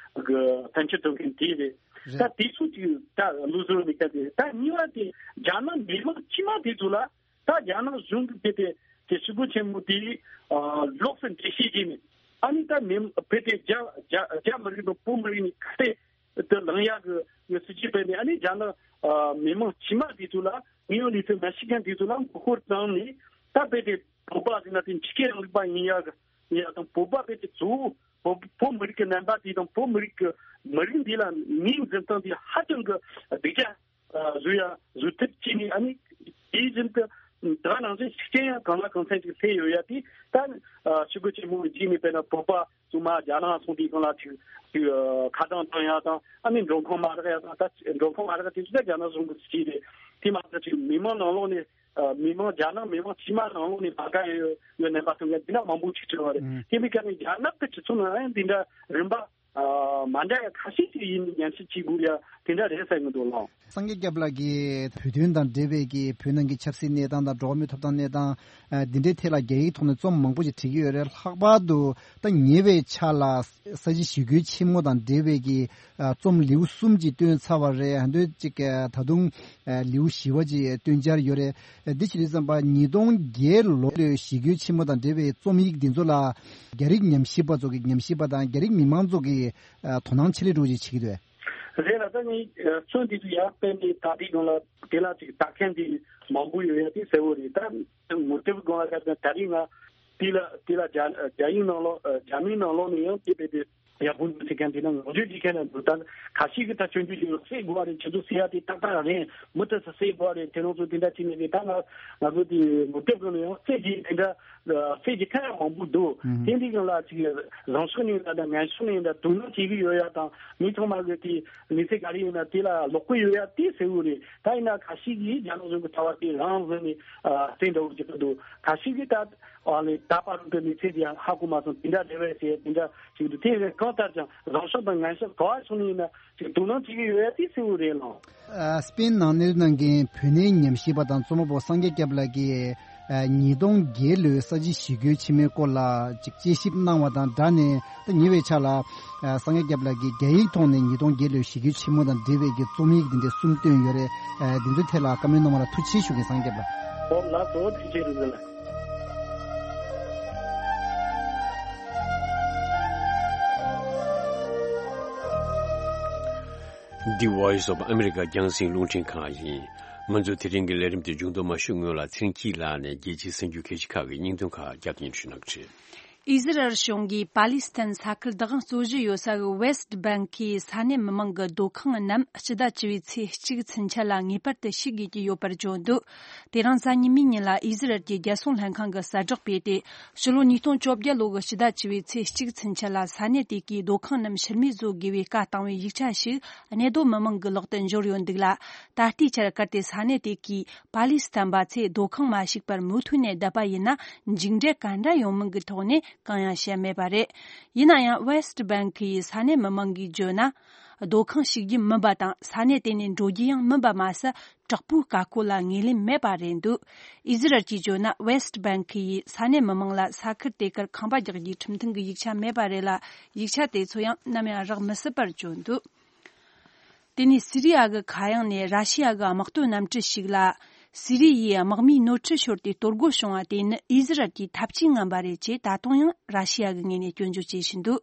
གི་བསམ་འཆར་བཏོན་མཁན་དེ་རེད། རེད། ད་དེ་ཚོ་ཅིག་ད་བློ་གཟུ་བོ་མེད་མཁན་དེ་རེད། ད་གཉིས་པ་དེ་རྒྱ་ནག་མི་མང་དཀྱུས་མ་དེ་ཚོ་ལ། ད་རྒྱ་ནག་གཞུང་གིས་དེ་དེ་དེ་ཞི་རྒོལ་ཆེན་མོ་དེ་ཨ་ལོགས་སུ་འགྲེལ་བཤད་བྱས་ནས་ཨ་ནི་ད་མི་ཕལ་ཆེར་རྒྱ་རྒྱ་རྒྱ་མི་རིགས་དང་བོད་མི་རིགས་ནས་ཁ་གཏད་དུ་ལངས་ཡག་གི་ཡོད་སྲིད་ཇུས་སྤེལ་ནས་ཨ་ནི་རྒྱ་ནག་ཨ་མི་མང་དཀྱུས་མ་དེ་ཚོ་ལ་དངོས་ཡོད་གནས་ཚུལ་མ་ཤེས་མཁན་དེ་ཚོ་ལ་མགོ་སྐོར་བཏང་ནས་ད་ཕལ་ཆེར་བོད་པ་ཟེར་ན་དེ་ཕྱི་རྒྱལ་རིང་ལུགས་པ་ཡིན་ཡག་གི་ཡིན་ཡག་དང་བོད་པ་ཕལ་ཆེར་གཙོ་བོ་བོད་བོད་མི་རིགས་ཀྱི་རྣམ་པ་དེ་དང་བོད་མི་རིགས་ཀྱི་མི་རིགས་འདི་ལ་ངོས་འཛིན་སྟངས་དེ་ཧ་ཅང་གི་སྡུག་ཅག་བཟོ་ཡ་བཟོ་ཐབས་བྱས་ནས་ཨ་ནི་དེ་བཞིན་དུ་ད་ནང་བཞིན་ཤུགས་རྐྱེན་ཡང་གང་ལ་གང་འཚམ་ཅིག་སླེབས་ཡོད་ཡ་དེ་ད་ཞི་རྒོལ་ཆེན་མོ་རྗེས་ནས་དཔེར་ན་བོད་པ་ཚང་མ་རྒྱ་ནག་སོང་དུས་སྒང་ལ་ཅིག་ཅིག་ཁ་གྲངས་བཏང་ཡ་དང་ཨ་ནི་མགྲོན་ཁང་མ་རག་ཡ་དང་ད་མགྲོན་ཁང་མ་རག་དེ་ཚོ་ད་རྒྱ་ནག་གཞུང་གི་སྲིད་ཇུས་རེད། དེ་མ་ཟད་ཅིག་མི་མང་ནང་ལོགས་ནས་མི་མང་རྒྱ་ནག་མི་མང་དཀྱུས་མ་ནང་ལོགས་ནས་མ་དགའ་ཡ་ཡོད་ཡོད་རྣམ་པ་སྟོན་མཁན་འདི་འདྲ་མང་པོ་ཅིག་བྱུང་བ་རེད། ཨང་། དེ་མིན་ཀ་ནས་རྒྱ་ནག་གི་སྤྱི་ཚོགས་ནང་ཡང་འདི་འདྲ་རིམ་པ། ཨ་མ་འདྲ་ཡ་ཁ་ཤས་ཅིག་ཡིན་ཉམས་ཞིབ་བྱེད་དགོས་ཡ་དེ་འདྲ་རེད་བསམ་གྱི་འདུག་ལགས། སངས་རྒྱས་སྐྱབས་ལགས་ཀྱིས་བོད་དོན་དང་འབྲེལ་བའི་གི་བོད་ནང་གི་ཆབ་སྲིད་གནས་སྟངས་དང་འགྲོ་བ་མིའི་ཐོབ་ཐང་གནས་སྟངས་ཨ་འདི་འདྲའི་ཐད་ལ་རྒྱ་ཡིག་ཐོག་ནས་རྩོམ་མང་པོ་ཞིག་བྲིས་ཀྱི་ཡོད་རེད། ལྷག་པར་དུ་ད་ཉེ་བའི་ཆར་ལ་ས་བྱི་ཞི་རྒོལ་ཆེན་མོ་དང་འབྲེལ་བའི་གི་ཨ་རྩོམ་ལེའུ་གསུམ་ཅིག་བཏོན་ཚར་བ་རེད། ཨ་འདོད་ཅིག་ཨ་ད་དུང་ཨ་ལེའུ་བཞི་བ་ཅིག་བཏོན་འཆར་ཡོད་རེད། འདི་བྱེད་དུས་ཙམ་པ་ཉིས་སྟོང་བརྒྱད་ལོ་ལོའི་ཞི་རྒོལ་ཆེན་མོ་དང་འབྲེལ་བའི་རྩོམ་ཡིག་འདི་ཚོ་ལ་རྒྱ་རིགས་ཉམས་ཞིབ་པ་ཚོ་གི་ཉམས་ཞིབ་པ་དང་རྒྱ་རིགས་མི་མང་ཚོ་གི་ཨ་དོ་སྣང་ཆེ་ལེ་འགྲོ་ཅིག་བྱེད་ཀྱི་འདུག་རེད་ལ། ད་ངས་ཨ་རྩོམ་འདི་ཚོ་ཡར་སྤེལ་ནས་ད་ལྟའི་སྒང་ལ་དེ་ལ་ཅིག་ལྟ་མཁན་འདི་མང་པོ་ཡོད་ཡ་དེ་གསལ་བོ་རེད། ད་ངོ་དེབ་སྒང་ལ་ད་ད་རེས་ང་ དེ་ལ་དེ་ལ་རྒྱ་རྒྱ་ཡིག་ནང་ལོགས་ཨ་རྒྱ་མིའི་ནང་ལོགས་ནས་ཡང་དེ་དཔེ་དེ་ཡག་པོ་འདུག་ཟེར་མཁན་དེ་ནི་ངོ་སྤྲོད་བྱེད་མཁན་ལ་འདུག་ད་ཁ་ཤས་ཀྱིས་ད་སྐྱོན་བརྗོད་བྱེད་རོགས་བསད་དགོས་པ་རེད། ཁྱེད་ཚོ་བསད་ཡ་དེ་ཏག་ཏག་རེད། མུ་མཐུད་དུ་བསད་དགོས་པ་རེད། དེ་རང་ཚོ་དེ་འདྲ་བྱས་ནས་རེད། ད་ང་ང་ཚོ་དེ་ངོ་དེབ་ཀྱི་ནང་ཡང་བསད་ཀྱི་དེ་འདྲ་བསད་ཀྱི་ཐབས་ཡག་མང་པོ་འདུག་ཨུ་དེ་འདི་གང་ལ་ཅིག་རང་ཕྱོགས་ནས་ཡིན་ན་དང་ངན་ཕྱོགས་ནས་ཡིན་ན་དོ་སྣང་བྱེད་ཀྱི་ཡོད་ཡ་དང་མི་ཚང་མ་གི་དེ་མི་ཚེ་ག་རེ་ཡིན་ན་དེ་ལ་ལོག་གི་ཡོད་ཡ་དེ་གསལ་བོ་རེད། ད་ཡིན་ན་ཁ་ཤས་ཀྱིས་རྒྱ་ནག་གཞུང་གི་ཐ་བ་དེ་རང་བཟོས་ནས་ཨ་བསད་འདྲ་བོ་བྱེད་ཀྱི་འདུག་ཁ་ཤས་ཀྱིས་ད་ཨ་ལས་ད་བར་དུ་མི་ཚེ་དེ་ཡང་ཧ་གོ་མ་སོང་། དེ་འདྲ་རེད་བས་ཟེར་དེ་འདྲ་ཞིག་འདུག་དེ་གང་ལྟར་ཀྱང་རང་ཕྱོགས་དང་ངན་ཕྱོགས་ག་བ་ཕྱོགས་ནས་ཡིན་ན་ཅིག་དོ་སྣང་བྱེད་ཀྱི་ཡོད་ཡ་དེ་གསལ་བོ་རེད་ལགས། ཨ་སྤེན་ནང་གནས་གནང་མཁན་བོད་གནས་ཉམས་ཞིབ་པ་དང་རྩོམ་པ་པོ་སངས་རྒྱས་སྐྱབས་ལགས་ཀྱིས་ཨ་ཉིས་སྟོང་བརྒྱད་ལོའི་ས་བྱི་ཞི་རྒོལ་ཆེན་མོའི་སྐོར་ལ་ཅིག་དཔྱད་ཞིབ་གནང་བ་དང་སྦྲགས་ནས། ད་ཉེ་བའི་ཆར་ལ་ཨ་སངས་རྒྱས་སྐྱབས་ལགས་ཀྱིས་རྒྱ་ཡིག་ཐོག་ནས་ཉིས་སྟོང་བརྒྱད་ལོའི་ཞི་རྒོལ་ཆེན་མོ་དང་འབྲེལ་བའི་གི་རྩོམ་ཡིག་འདི་འདྲ་གསུམ་བཏོན་ཡོད་རེད། ཨ་འདི་ཚོའི་ཐད་ལ་བཀའ་མོལ་གནང་བ་ལ་ཐུགས་རྗེ་ཆེ་ཞུ་གི་སངས་རྒྱས་ལགས། ཨོ་ལགས་སོ། ཐུགས་རྗེ་ཆེ་ལགས། The Voice of America རྒྱང་སྲིང་རླུང་འཕྲིན་ཁང་ཡིན། ང་ཚོ་དེ་རིང་གི་ལས་རིམ་དེ་མཇུག་བསྡོམས་མ་ཞུ་སྔོན་ལ་ཚེ་རིང་སྐྱིད་ལགས་ནས་རྒྱལ་སྤྱིའི་གསར་འགྱུར་གལ་ཆེ་ཁག་གི་སྙིང་དོན་ཁག་བསྐྱར་དུ་སྙན་སྒྲོན་ཞུ་གནང་གི་རེད། ཨི་ཟི་རལ་གཞུང་གིས་པ་ལི་སི་ཐན་ས་ཁུལ་བདག་དབང་རྩོད་གཞི་ཡོད་ས་གི་ཝེ་སི་ཊི་བྷེང་ཀི་ས་གནས་མི་མང་གི་སྡོད་ཁང་རྣམས་སྤྱི་ཟླ་བཅུ་པའི་ཚེས་གཅིག་ཚུན་ཆད་ལ་ངེས་པར་དུ་ཞིག་དགོས་ཀྱི་ཡོད་པར་བརྗོད་འདུག་དེ་རིང་གཟའ་ཉི་མའི་ཉིན་ལ་ཨི་ཟི་རལ་གྱི་རྒྱལ་སྲུང་ལྷན་ཁང་གིས་གསལ་བསྒྲགས་སྤེལ་ཏེ། ཕྱི་ལོ་ཉིས་སྟོང་བཅོ་བརྒྱད་ལོ་གི་ཕྱི་ཟླ་བཅུ་པའི་ཚེས་གཅིག་ཚུན་ཆད་ལ་ས་གནས་དེ་གའི་སྡོད་ཁང་རྣམས་ཕྱིར་མིག་བཟོ་དགོས་པའི་བཀའ་བཏང་བའི་ཡིག་ཆ་ཞིག་གནས་སྡོད་མི་མང་གི་ལག་ཏུ་འབྱོར་ཡོད་འདུག་ལ། ད་ལྟའི་ཆར་གལ་ཏེ་ས་གནས་དེ་གའི་པ་ལི་སི་ཐན་པ་ཚོས་སྡོད་ཁང་མ་ཞིག་པར་མུ་མཐུད་ནས་བསྡད་པ་ཡིན་ན། མཇུག་འབྲས་ག་འདྲ་ཡོང་མིན་གྱི་ཐོག་ནས་གང་ཡང་བཤད་མེད་པ་རེད། ཡིན་ན་ཡང་ཝེ་སི་ཊི་བྷེང་ཀི་ཡི་ས་གནས་མི་མང་གིས་བརྗོད་ན། སྡོད་ཁང་ཞིག་རྒྱུ་མིན་པ་དང་ས་གནས་དེ་ནས་འགྲོ་རྒྱུ་ཡང་མིན་པ་མ་ཟད། དྲག་པོའི་བཀའ་བཀོད་ལ་ངོས་ལེན་མེད་པ་རེད་འདུག་ཨི་ཟི་རལ་གྱིས་བརྗོད་ན། ཝེ་སི་ཊི་བྷེང་ཀི་ཡི་ས་གནས་མི་མང་ལ་ས་ཁུལ་དེ་གར་ཁང་པ་རྒྱག་རྒྱུའི་ཁྲིམས་མཐུན་གྱི་ཡིག་ཆ་མེད་པ་རེད་ལ། ཡིག་ཆ་དེ་ཚོ་ཡང་ནམ་ཡང་རག་མི་སྲིད་པར་བརྗོད་འདུག་དེ་ནས་སི་རི་ཡ་གི་མཁའ་དབྱིངས་ནས་ར་ཤི་ཡ་གི་དམག་དོན་གནམ་གྲུ་ཞིག་ལ། སི་རི་ཡའི་དམག་མིའི་ནོར་འཁྲུལ་ཤོར་ཏེ་གཏོར་རྒོལ་བྱུང་བ་དེ་ནི་ཨི་ཟི་རལ་གྱི་ཐབས་ཇུས་ངན་པ་རེད་ཅེས་ད་དུང་ཡང་ར་ཤི་ཡ་གི་ངོས་ནས་སྐྱོན་བརྗོད་བྱེད་བཞིན་འདུག་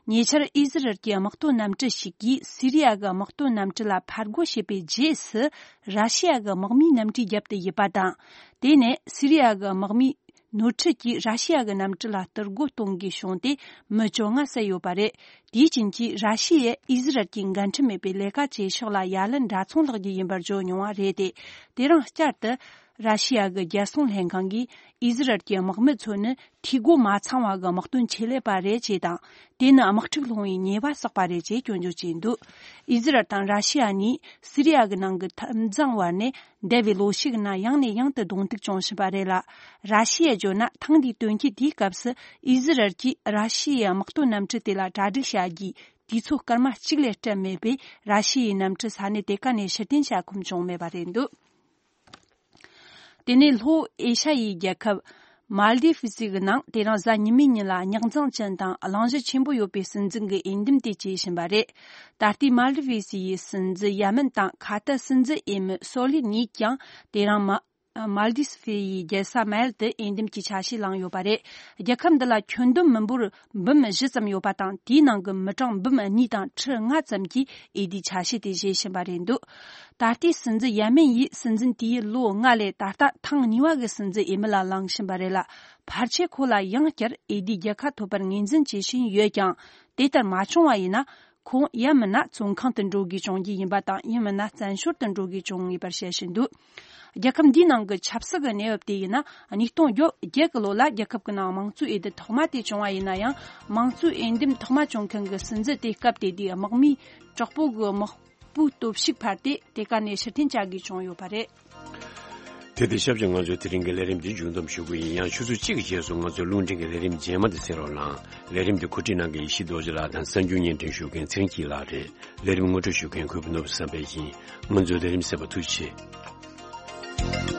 ཉེ་ཆར་ཨི་ཟི་རལ་གྱི་དམག་དོན་གནམ་གྲུ་ཞིག་གིས་སི་རི་ཡ་གི་དམག་དོན་གནམ་གྲུ་ལ་ཕར་རྒོལ་བྱས་པའི་རྗེས་སུ། ར་ཤི་ཡ་གི་དམག་མིའི་གནམ་གྲུའི་རྒྱབ་ཏུ་ཡིབ་པ་དང་། དེ་ནས་སི་རི་ཡ་གི་དམག་མིའི་ནོར་འཁྲུལ་གྱིས་ར་ཤི་ཡ་གི་གནམ་གྲུ་ལ་གཏོར་རྒོལ་གཏོང་དགོས་བྱུང་སྟེ། མི་བཅོ་ལྔ་བསད་ཡོད་པ་རེད། དེའི་རྐྱེན་གྱིས་ར་ཤི་ཡས་ཨི་ཟི་རལ་གྱི་འགན་འཁྲི་མེད་པའི་ལས་ཀ་བྱེད་ཕྱོགས་ལ་ཡ་ལན་འདྲ་མཚུངས་ལྷག་རྒྱུ་ཡིན་པར་བརྗོད་མྱོང་བ་རེད་དེ། དེ་རིང་བསྐྱར་དུ། ར་ཤི་ཡ་གི་རྒྱལ་སྲུང་ལྷན་ཁང་གིས་ཨི་ཟི་རལ་གྱི་དམག་མི་ཚོ་ནི་འཐུས་སྒོ་མ་ཚང་བ་གི་དམག་དོན་ཆེད་ལས་པ་རེད་ཅེས་དང་། དེ་ནི་དམག་འཁྲུག་སློང་བའི་ཉེས་པ་བསགས་པ་རེད་ཅེས་སྐྱོན་བརྗོད་བྱས་འདུག་ཨི་ཟི་རལ་དང་ར་ཤི་ཡ་གཉིས་སི་རི་ཡ་གི་ནང་གི་འཐབ་འཛིང་བར་ནས་འདས་པའི་ལོ་ཤས་ཀྱི་ནང་ཡང་ནས་ཡང་དུ་གདོང་ཐུག་བྱུང་བཞིན་པ་རེད་ལ། ར་ཤི་ཡས་བརྗོད་ན། ཐེངས་འདིའི་དོན་རྐྱེན་དེའི་སྐབས་སུ་ཨི་ཟི་རལ་གྱིས་ར་ཤི་ཡའི་དམག་དོན་གནམ་གྲུ་དེ་ལ་གྲ་སྒྲིག་བྱ་རྒྱུའི་དུས་ཚོད་སྐར་མ་གཅིག་ལས་སྤྲད་མེད་པས། ར་ཤི་ཡའི་གནམ་གྲུ་ས་གནས་དེ་ག་ནས་ཕྱིར་འཐེན་བྱ་ཁོམ་བྱུང་མེད་པ་རེད་འདུག་དེ་ནས་ལྷོ་ཨེ་ཤ་ཡའི་རྒྱལ་ཁབ་མཱལ་དི་ཕི་སི་གི་ནང་དེ་རིང་གཟའ་ཉི་མའི་ཉིན་ལ་རྙོག་འཛིང་ཅན་དང་གླེང་གཞི་ཆེན་པོ་ཡོད་པའི་སྲིད་འཛིན་གྱི་འོས་འདེམས་དེ་བྱེད་བཞིན་པ་རེད། ད་ལྟའི་མཱལ་དི་ཕི་སི་ཡི་སྲིད་འཛིན་ཡ་མན་དང་ཁ་ཏར་སྲིད་འཛིན་འོས་མི་སོ་ལི་གཉིས་ཀྱང་དེ་རིང་མ། མཱལ་དི་ཕི་ཡི་རྒྱལ་ས་མལ་དུ་འོས་འདེམས་ཀྱི་ཆ་ཤས་བླངས་ཡོད་པ་རེད། རྒྱལ་ཁབ་འདི་ལ་ཁྱོན་བསྡོམས་མི་འབོར་འབུམ་བཞི་ཙམ་ཡོད་པ་དང་། དེའི་ནང་གི་མི་གྲངས་འབུམ་གཉིས་དང་ཁྲི་ལྔ་ཙམ་གྱིས་འོས་བསྡུའི་ཆ་ཤས་དེ་བཞེས་བཞིན་པ་རེད་འདུག་ད་ལྟའི་སྲིད་འཛིན་ཡ་མན་ཡིས་སྲིད་འཛིན་དེའི་ལོ་ལྔ་ལས་ད་ལྟ་ཐེངས་གཉིས་པ་གི་སྲིད་འཛིན་འོས་མི་ལ་ལངས་བཞིན་པ་རེད་ལ། ཕལ་ཆེར་ཁོ་ལ་ཡང་བསྐྱར་འོས་བསྡུའི་རྒྱལ་ཁ་ཐོབ་པར་ངོས་འཛིན་བྱེད་བཞིན་ཡོད་ཀྱང་། དེ་ལྟར་མ་བྱུང་བ་ཡིན་ན། ཁོང་ཡང་མིན་ན་བཙོན་ཁང་དུ་འགྲོ་དགོས་བྱུང་རྒྱུ་ཡིན་པ་དང་། ཡང་མིན་ན་བཙན་བྱོལ་དུ་འགྲོ་དགོས་བྱུང་ངེས་པར་བཤད་བཞིན་འདུག་རྒྱལ་ཁབ་འདིའི་ནང་གི་ཆབ་སྲིད་ཀྱི་གནས་བབ་དེ་ཡིན་ན། ཉིས་སྟོང་བརྒྱད་ཀྱི་ལོ་ལ་རྒྱལ་ཁབ་ཀྱི་ནང་དམངས་གཙོའི་འོས་བསྡུ་ཐོག་མ་དེ་བྱུང་བ་ཡིན་ན་ཡང་། དམངས་གཙོའི་འོས་འདེམས་ཐོག་མ་བྱུང་མཁན་གྱི་སྲིད་འཛིན་དེ་སྐབས་དེ་དུས་དམག་མིས་དྲག་པོ་གི་དམག་པོའི་སྟོབས་ཤུགས་འཕར་ཏེ་དེ་ག་ནས་ཕྱིར་འཐེན་བྱ་དགོས་བྱུང་ཡོད་པ་རེད། དེ་དང་ཆབས་ཅིག་ང་ཚོའི་དེ་རིང་གི་ལས་རིམ་འདི་མཇུག་བསྡོམས་ཞུ་གི་ཡིན། ཡང་ཆུ་ཚོད་གཅིག་གི་རྗེས་སུ་ང་ཚོའི་རླུང་འཕྲིན་གྱི་ལས་རིམ་རྗེས་མ་དེ་གསན་རོགས་གནང་། ལས་རིམ་འདི་གོ་སྒྲིག་གནང་མཁན་ཡེ་ཤེས་རྡོ་རྗེ་ལགས་དང་གསར་འགྱུར་སྙན་སྒྲོན་ཞུ་མཁན་ཚེ་རིང་སྐྱིད་ལགས་རེད། ལས་རིམ་ངོ་སྤྲོད་ཞུ་མཁན་གུས་པ་ནོར་བུ་བསམ་འཕེལ་ཡིན། ང་ཚོའི་ལས་རིམ་གསན་པར་ཐུགས་རྗེ་ཆེ།